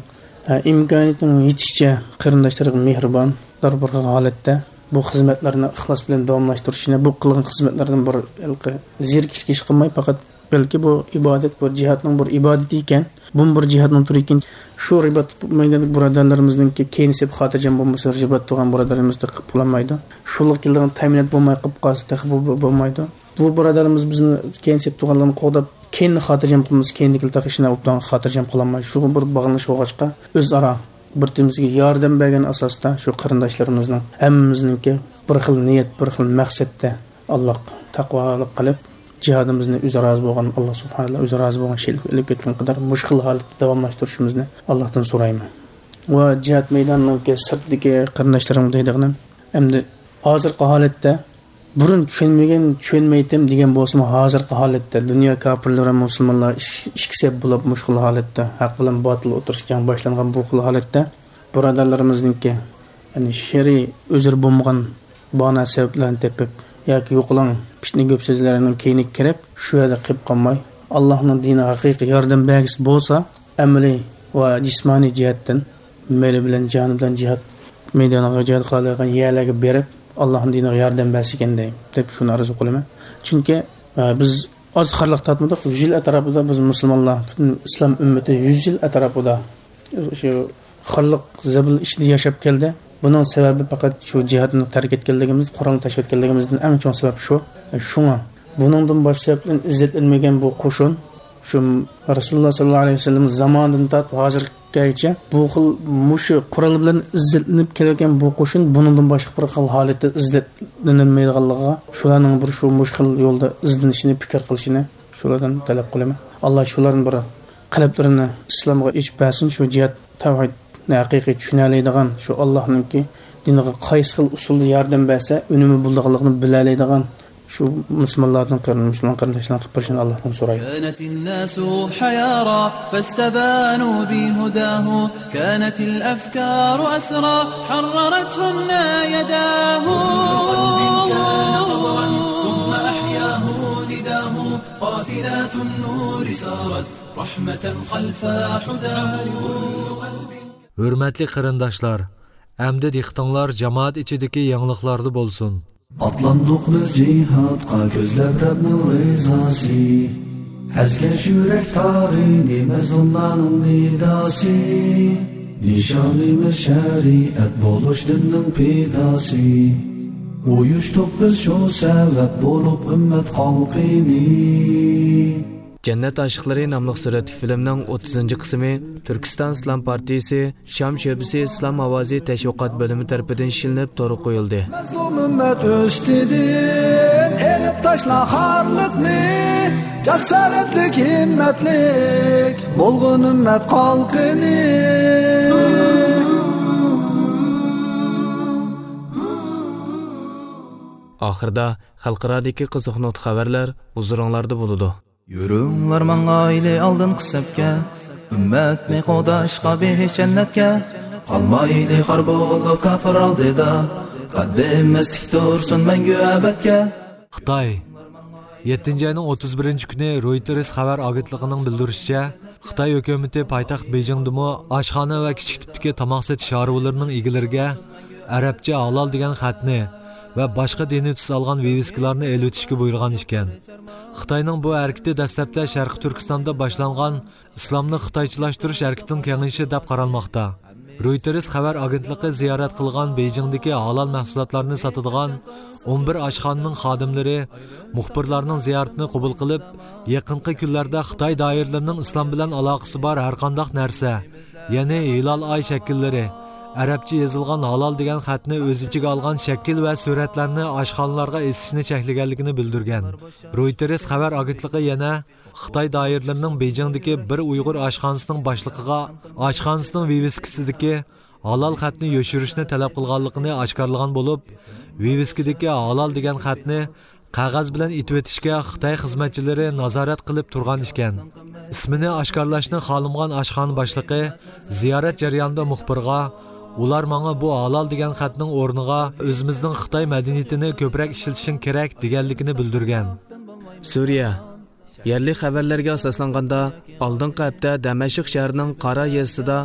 ئە، ئىمكانىيىتىنىڭ يېتىشىچە قېرىنداشلىرىغا مېھرىبان، دار بىر خىل ھالەتتە بۇ خىزمەتلەرنى ئىخلاس بىلەن داۋاملاشتۇرۇشىنى، بۇ قىلغان خىزمەتلەردىن بىر ھېلىقى زېرىكىشكە ئىش قىلماي، پەقەت بەلكى بۇ ئىبادەت، بۇ جىھادنىڭ بىر ئىبادىتى ئىكەن، بۇمۇ بىر جىھادنىڭ تۈرى ئىكەن. شۇ رىبات مەيدانىدىكى بۇرادەرلىرىمىزنىڭكى كەينى سەپ خاتىرجەم بولمىسا، رىبات تۇرغان بۇرادەرلىرىمىز تېخى قىلالمايدۇ. شۇلۇق كېلىدىغان تەمىنات بولماي قېلىپ قالسا، تېخى بۇ، بۇ بولمايدۇ. بۇ بۇرادەرلىرىمىز بىزنى كەينى سەپتە تۇرغانلارنى قوغداپ، كەينىدە خاتىرجەم قىلمىسا، كەينىدىكىلەر تېخى شۇنداق ئوبدان خاتىرجەم قىلالمايدۇ. شۇغا بىر باغلىنىش بولغاچقا، ئۆزئارا بىر-بىرىمىزگە ياردەم بەرگەن ئاساستا شۇ قېرىنداشلىرىمىزنىڭ ھەممىمىزنىڭكى بىر خىل نىيەت، بىر خىل مەقسەتتە ئاللاغا تەقۋالىق قىلىپ، جىھادىمىزنى ئۆزى رازى بولغان، ئاللا سۇبھانەللا ئۆزى رازى بولغان شەكىلگە ئېلىپ كەتكەن قەدەر مۇشۇ خىل ھالەتتە داۋاملاشتۇرۇشىمىزنى ئاللاھتىن سورايمەن. ۋە جىھاد مەيدانىنىڭكى سىرتىدىكى قېرىنداشلىرىمغا دەيدىغىنىم، ئەمدى ھازىرقى ھالەتتە بۇرۇن چۈشەنمىگەن، چۈشەنمەيتتىم دېگەن بولسىمۇ، ھازىرقى ھالەتتە دۇنيا كاپىرلىرى ۋە مۇسۇلمانلار ئىش-، ئىككى سەپ بولۇپ، مۇشۇ خىل ھالەتتە ھەق بىلەن باتىل ئوتتۇرىسىدا جەڭ باشلانغان بۇ خىل ھالەتتە، بۇرادەرلىرىمىزنىڭكى، يەنى شەرئىي ئۆزرە بولمىغان باھانە سەۋەبلەرنى تېپىپ ياكى يوقىلاڭ پىتنە گەپ سۆزلەرنىڭ كەينىگە كىرىپ، شۇ يەردە قېلىپ قالماي، ئاللاھنىڭ دىنىغا ھەقىقىي ياردەم بەرگۈسى بولسا، ئەمەلىي ۋە جىسمانىي جەھەتتىن مېلى بىلەن، جانى بىلەن جىھاد مەيدانىغا جىھاد قىلالايدىغان يەرلەرگە بېرىپ، ئاللاھنىڭ دىنىغا ياردەم بەرسىكەن دەي، دەپ شۇنى ئارزۇ قىلىمەن. چۈنكى، ئە، بىز ئاز خارلىق تارتمىدۇق. يۈز يىل ئەتراپىدا بىز مۇسۇلمانلار، پۈتۈن ئىسلام ئۈممىتى يۈز يىل ئەتراپىدا شۇ خارلىق زەبىن ئىچىدە ياشاپ كەلدى. بۇنىڭ سەۋەبى پەقەت شۇ جىھادنى تەرك ئەتكەنلىكىمىز، قورالنى تاشلىۋەتكەنلىكىمىزدىن ئەڭ چوڭ سەۋەب شۇ. شۇڭا بۇنىڭدىن باشقا سەۋەبتىن ئىززەتلەنمىگەن بۇ قوشۇن، شۇ رەسۇلۇللا ساللاللاھۇ ئەلەيھى ۋەسەللەم زامانىدىن تارتىپ ھازىرغىچە بۇ خىل مۇشۇ قورال بىلەن ئىززەتلىنىپ كېلىۋاتقان بۇ قوشۇن بۇنىڭدىن باشقا بىر خىل ھالەتتە ئىززەتلىنەلمەيدىغانلىقىغا، شۇلارنىڭ بىر شۇ مۇشۇ خىل يولدا ئىزدىنىشىنى، پىكىر قىلىشىنى شۇلاردىن تەلەپ قىلىمەن. ئاللا شۇلارنى بىر قەلبلىرىنى ئىسلامغا ئېچىپ بەرسۇن، شۇ جىھاد تەۋھىدنى ھەقىقىي چۈشىنەلەيدىغان، شۇ ئاللانىڭكى دىنىغا قايسى خىل ئۇسۇلدا ياردەم بەرسە ئۈنۈمى بولىدىغانلىقىنى بىلەلەيدىغان شۇ مۇسۇلمانلاردىن قېرىن-، مۇسۇلمان قېرىنداشلارنىڭ قىلىپ بېرىشىنى ئاللاھتىن سورايمەن. كانت الناس حيارى فاستبانوا بهداه، كانت الأفكار أسرى حررتهن يداه. كل قلب كان غبرا ثم أحياه نداه، قافلات النور سارت رحمة خلف حداه. كل قلب. ھۆرمەتلىك قېرىنداشلار، ئەمدى دىققىتىڭلار جامائەت ئىچىدىكى يېڭىلىقلاردا بولسۇن. ئاتلاندۇق بىز جىھادقا كۆزلەپ رەبنىڭ رىزاسى. ئەزگەش يۈرەك تارىنى مەزلۇملارنىڭ نىداسى. نىشانىمىز شەرىئەت بولۇش دىننىڭ پىداسى. ئۇيۇشتۇق بىز شۇ سەۋەب بولۇپ ئۈممەت خەلقىنى. جەننەت ئاشىقلىرى ناملىق سۈرەتلىك فىلىمنىڭ ئوتتۇزىنچى قىسمى تۈركىستان ئىسلام پارتىيىسى شام شۆبىسى ئىسلام ئاۋازى تەشۋىقات بۆلۈمى تەرىپىدىن ئىشلىنىپ تورغا قويۇلدى. مەزلۇم ئۈممەت ئۈستىدىن ئېلىپ تاشلا خارلىقنى، جاسارەتلىك، ھىممەتلىك بولغىن ئۈممەت خەلقىنى. ئاخىرىدا خەلقئارادىكى قىزىق نۇقتا خەۋەرلەر ھۇزۇرۇڭلاردا بولىدۇ. يۈرۈڭلار ماڭايلى ئالدىنقى سەپكە، ئۈممەتنى قوغداشقا بېھىشت جەننەتكە. قالمايلى خار بولۇپ كاپىر ئالدىدا، قەددىمىز تىك تۇرسۇن مەڭگۈ ئەبەدكە. خىتاي. يەتتىنچى ئاينىڭ ئوتتۇز بىرىنچى كۈنى رويتېرس خەۋەر ئاگېنتلىقىنىڭ بىلدۈرۈشىچە، خىتاي ھۆكۈمىتى پايتەخت بېيجىڭدىمۇ ئاشخانا ۋە كىچىك تىپتىكى تاماق سېتىش شارۋىلىرىنىڭ ئىگىلىرىگە ئەرەبچە ھالال دېگەن خەتنى ۋە باشقا دىنىي تۈس ئالغان ۋىۋىسكىلارنى ئېلىۋېتىشكە بۇيرۇغان ئىكەن. خىتاينىڭ بۇ ھەرىكىتى دەسلەپتە شەرقىي تۈركىستاندا باشلانغان ئىسلامنى خىتايچىلاشتۇرۇش ھەرىكىتىنىڭ كېڭىيىشى دەپ قارالماقتا. رويتېرس خەۋەر ئاگېنتلىقى زىيارەت قىلغان بېيجىڭدىكى ھالال مەھسۇلاتلارنى ساتىدىغان ئون بىر ئاشخانىنىڭ خادىملىرى مۇخبىرلارنىڭ زىيارىتىنى قوبۇل قىلىپ، يېقىنقى كۈنلەردە خىتاي دائىرىلىرىنىڭ ئىسلام بىلەن ئالاقىسى بار ھەرقانداق نەرسە، يەنى ھىلال ئاي شەكىللىرى، ئەرەبچە يېزىلغان ھالال دېگەن خەتنى ئۆز ئىچىگە ئالغان شەكىل ۋە سۈرەتلەرنى ئاشخانىلارغا ئېسىشنى چەكلىگەنلىكىنى بىلدۈرگەن. رويتېرس خەۋەر ئاگېنتلىقى يەنە خىتاي دائىرىلىرىنىڭ بېيجىڭدىكى بىر ئۇيغۇر ئاشخانىسىنىڭ باشلىقىغا ئاشخانىسىنىڭ ۋىۋىسكىسىدىكى ھالال خەتنى يوشۇرۇشنى تەلەپ قىلغانلىقىنى ئاشكارىلىغان بولۇپ، ۋىۋىسكىدىكى ھالال دېگەن خەتنى قەغەز بىلەن ئېتىۋېتىشكە خىتاي خىزمەتچىلىرى نازارەت قىلىپ تۇرغان ئىكەن. ئىسمىنى ئاشكارىلاشنى خالىمىغان ئاشخانا باشلىقى زىيارەت جەريانىدا مۇخبىرغا، ئۇلار ماڭا بۇ ھالال دېگەن خەتنىڭ ئورنىغا ئۆزىمىزنىڭ خىتاي مەدەنىيىتىنى كۆپرەك ئىشلىتىشىڭ كېرەك دېگەنلىكىنى بىلدۈرگەن. سۈرىيە. يەرلىك خەۋەرلەرگە ئاساسلانغاندا، ئالدىنقى ھەپتە دەمەشق شەھىرىنىڭ قارا يېزىسىدا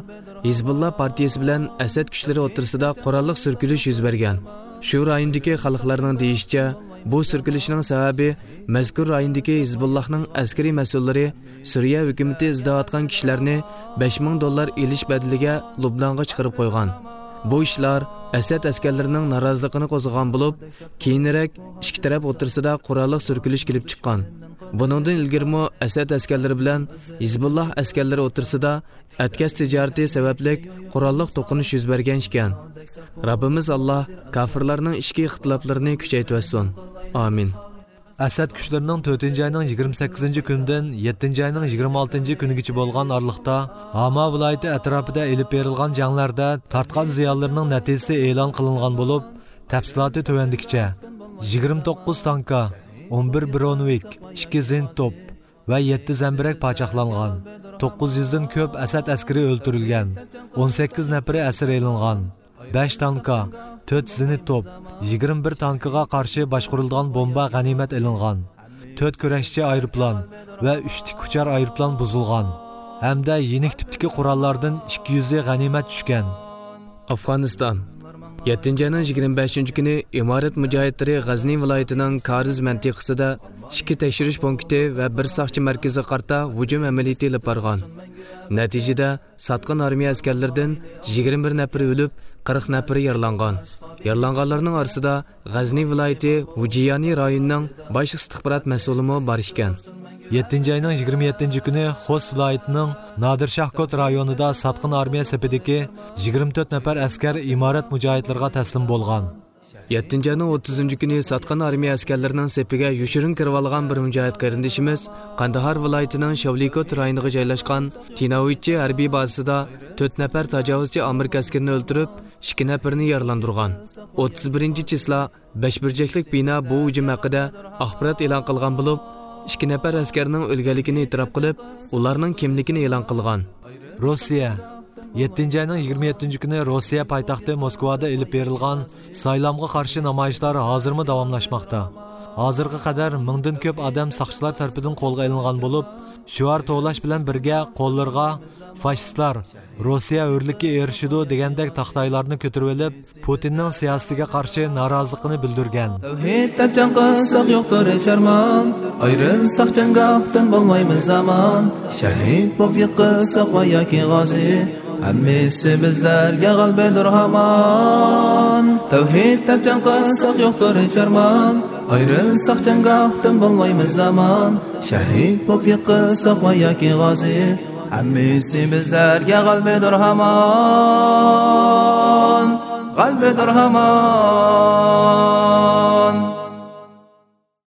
ھىزبۇللا پارتىيىسى بىلەن ئەسەد كۈچلىرى ئوتتۇرىسىدا قوراللىق سۈركىلىش يۈز بەرگەن. شۇ رايوندىكى خەلقلەرنىڭ دېيىشىچە، بۇ سۈركىلىشنىڭ سەۋەبى مەزكۇر رايوندىكى ھىزبۇللاھنىڭ ئەسكىرىي مەسئۇللىرى سۈرىيە ھۆكۈمىتى ئىزدەۋاتقان كىشىلەرنى بەش مىڭ دوللار ئېلىش بەدىلىگە لۇبنانغا چىقىرىپ قويغان. بۇ ئىشلار ئەسەد ئەسكەرلىرىنىڭ نارازىلىقىنى قوزغىغان بولۇپ، كېيىنرەك ئىككى تەرەپ ئوتتۇرىسىدا قوراللىق سۈركىلىش كېلىپ چىققان. بۇنىڭدىن ئىلگىرىمۇ ئەسەد ئەسكەرلىرى بىلەن ھىزبۇللاھ ئەسكەرلىرى ئوتتۇرىسىدا ئەتكەس تىجارىتى سەۋەبلىك قوراللىق توقۇنۇش يۈز بەرگەن ئىكەن. رەببىمىز ئاللاھ كاپىرلارنىڭ ئىچكى ئىختىلاپلىرىنى كۈچەيتىۋەتسۇن. ئامىن. ئەسەد كۈچلىرىنىڭ تۆتىنچى ئاينىڭ يىگىرمە سەككىزىنچى كۈنىدىن يەتتىنچى ئاينىڭ يىگىرمە ئالتىنچى كۈنىگىچە بولغان ئارىلىقتا ھاما ۋىلايىتى ئەتراپىدا ئېلىپ بېرىلغان جەڭلەردە تارتقان زىيانلىرىنىڭ نەتىجىسى ئېلان قىلىنغان بولۇپ، تەپسىلاتى تۆۋەندىكىچە: يىگىرمە توققۇز تانكا، ئون بىر برونۋىك، ئىككى زېنىت توپ ۋە يەتتە زەمبىرەك پاچاقلانغان، توققۇز يۈزدىن كۆپ ئەسەد ئەسكىرى ئۆلتۈرۈلگەن، ئون سەككىز نەپىرى ئەسىر ئېلىنغان، بەش تانكا، تۆت زېنىت توپ، يىگىرمە بىر تانكىغا قارشى باشقۇرۇلىدىغان بومبا غەنىيمەت ئېلىنغان، تۆت كۈرەشچى ئايروپىلان ۋە ئۈچ تىك ئۇچار ئايروپىلان بۇزۇلغان ھەمدە يېنىك تىپتىكى قوراللاردىن ئىككى يۈزى غەنىيمەت چۈشكەن. ئافغانىستان. يەتتىنچى ئاينىڭ يىگىرمە بەشىنچى كۈنى ئىمارەت مۇجاھىدلىرى غەزنى ۋىلايىتىنىڭ كارىز مەنتىقىسىدە ئىككى تەكشۈرۈش پونكىتى ۋە بىر ساقچى مەركىزىگە قارىتا ھۇجۇم ئەمەلىيىتى ئېلىپ بارغان. نەتىجىدە، ساتقىن ئارمىيە ئەسكەرلىرىدىن يىگىرمە بىر نەپىرى ئۆلۈپ، قىرىق نەپىرى يارىلانغان. يارىلانغانلارنىڭ ئارىسىدا غەزنى ۋىلايىتى ۋۇجىيانى رايونىنىڭ باش ئىستىخبارات مەسئۇلىمۇ بار ئىكەن. يەتتىنچى ئاينىڭ يىگىرمە يەتتىنچى كۈنى خوست ۋىلايىتىنىڭ نادىر شاھ كوت رايونىدا ساتقىن ئارمىيە سېپىدىكى يىگىرمە تۆت نەپەر ئەسكەر ئىمارەت مۇجاھىدلىرىغا تەسلىم بولغان. يەتتىنچى ئاينىڭ ئوتتۇزىنچى كۈنى ساتقىن ئارمىيە ئەسكەرلىرىنىڭ سېپىگە يوشۇرۇن كىرىۋالغان بىر مۇجاھىد قېرىندىشىمىز قانداھار ۋىلايىتىنىڭ شاۋلىكوت رايونىغا جايلاشقان تىناۋىچچى ھەربىي بازىسىدا تۆت نەپەر تاجاۋۇزچى ئامېرىكا ئەسكىرىنى ئۆلتۈرۈپ، ئىككى نەپىرىنى يارىلاندۇرغان. ئوتتۇز بىرىنچى چىسلا بەش بۇرجەكلىك بىنا بۇ ھۇجۇم ھەققىدە ئاخبارات ئېلان قىلغان بولۇپ، ئىككى نەپەر ئەسكەرنىڭ ئۆلگەنلىكىنى ئېتىراپ قىلىپ، ئۇلارنىڭ كىملىكىنى ئېلان قىلغان. روسىيە. يەتتىنچى ئاينىڭ يىگىرمە يەتتىنچى كۈنى روسىيە پايتەختى موسكۋادا ئېلىپ بېرىلغان سايلامغا قارشى نامايىشلار ھازىرمۇ داۋاملاشماقتا. ھازىرغا قەدەر مىڭدىن كۆپ ئادەم ساقچىلار تەرىپىدىن قولغا ئېلىنغان بولۇپ، شوئار توۋلاش بىلەن بىرگە قوللىرىغا «فاشىستلار، روسىيە ھۆرلۈككە ئېرىشىدۇ» دېگەندەك تاختايلارنى كۆتۈرۈۋېلىپ، پۇتىننىڭ سىياسىتىگە قارشى نارازىلىقىنى بىلدۈرگەن. تەۋھىد دەپ جەڭ قىلساق يوقتۇر ھېچ ئارمان، ئايرىلساق جەڭگاھتىن بولمايمىز ئامان. شەھىد بولۇپ يىقىلساق ۋە ياكى غازى، ھەممىسى بىزلەرگە غەلىبىدۇر ھامان. تەۋھىد دەپ جەڭ قىلساق يوقتۇر ھېچ ئارمان، ئايرىلساق جەڭگاھتىن بولمايمىز ئامان. شەھىد بولۇپ يىقىلساق ۋە ياكى غازى، ھەممىسى بىزلەرگە غەلىبىدۇر ھامان، غەلىبىدۇر ھامان.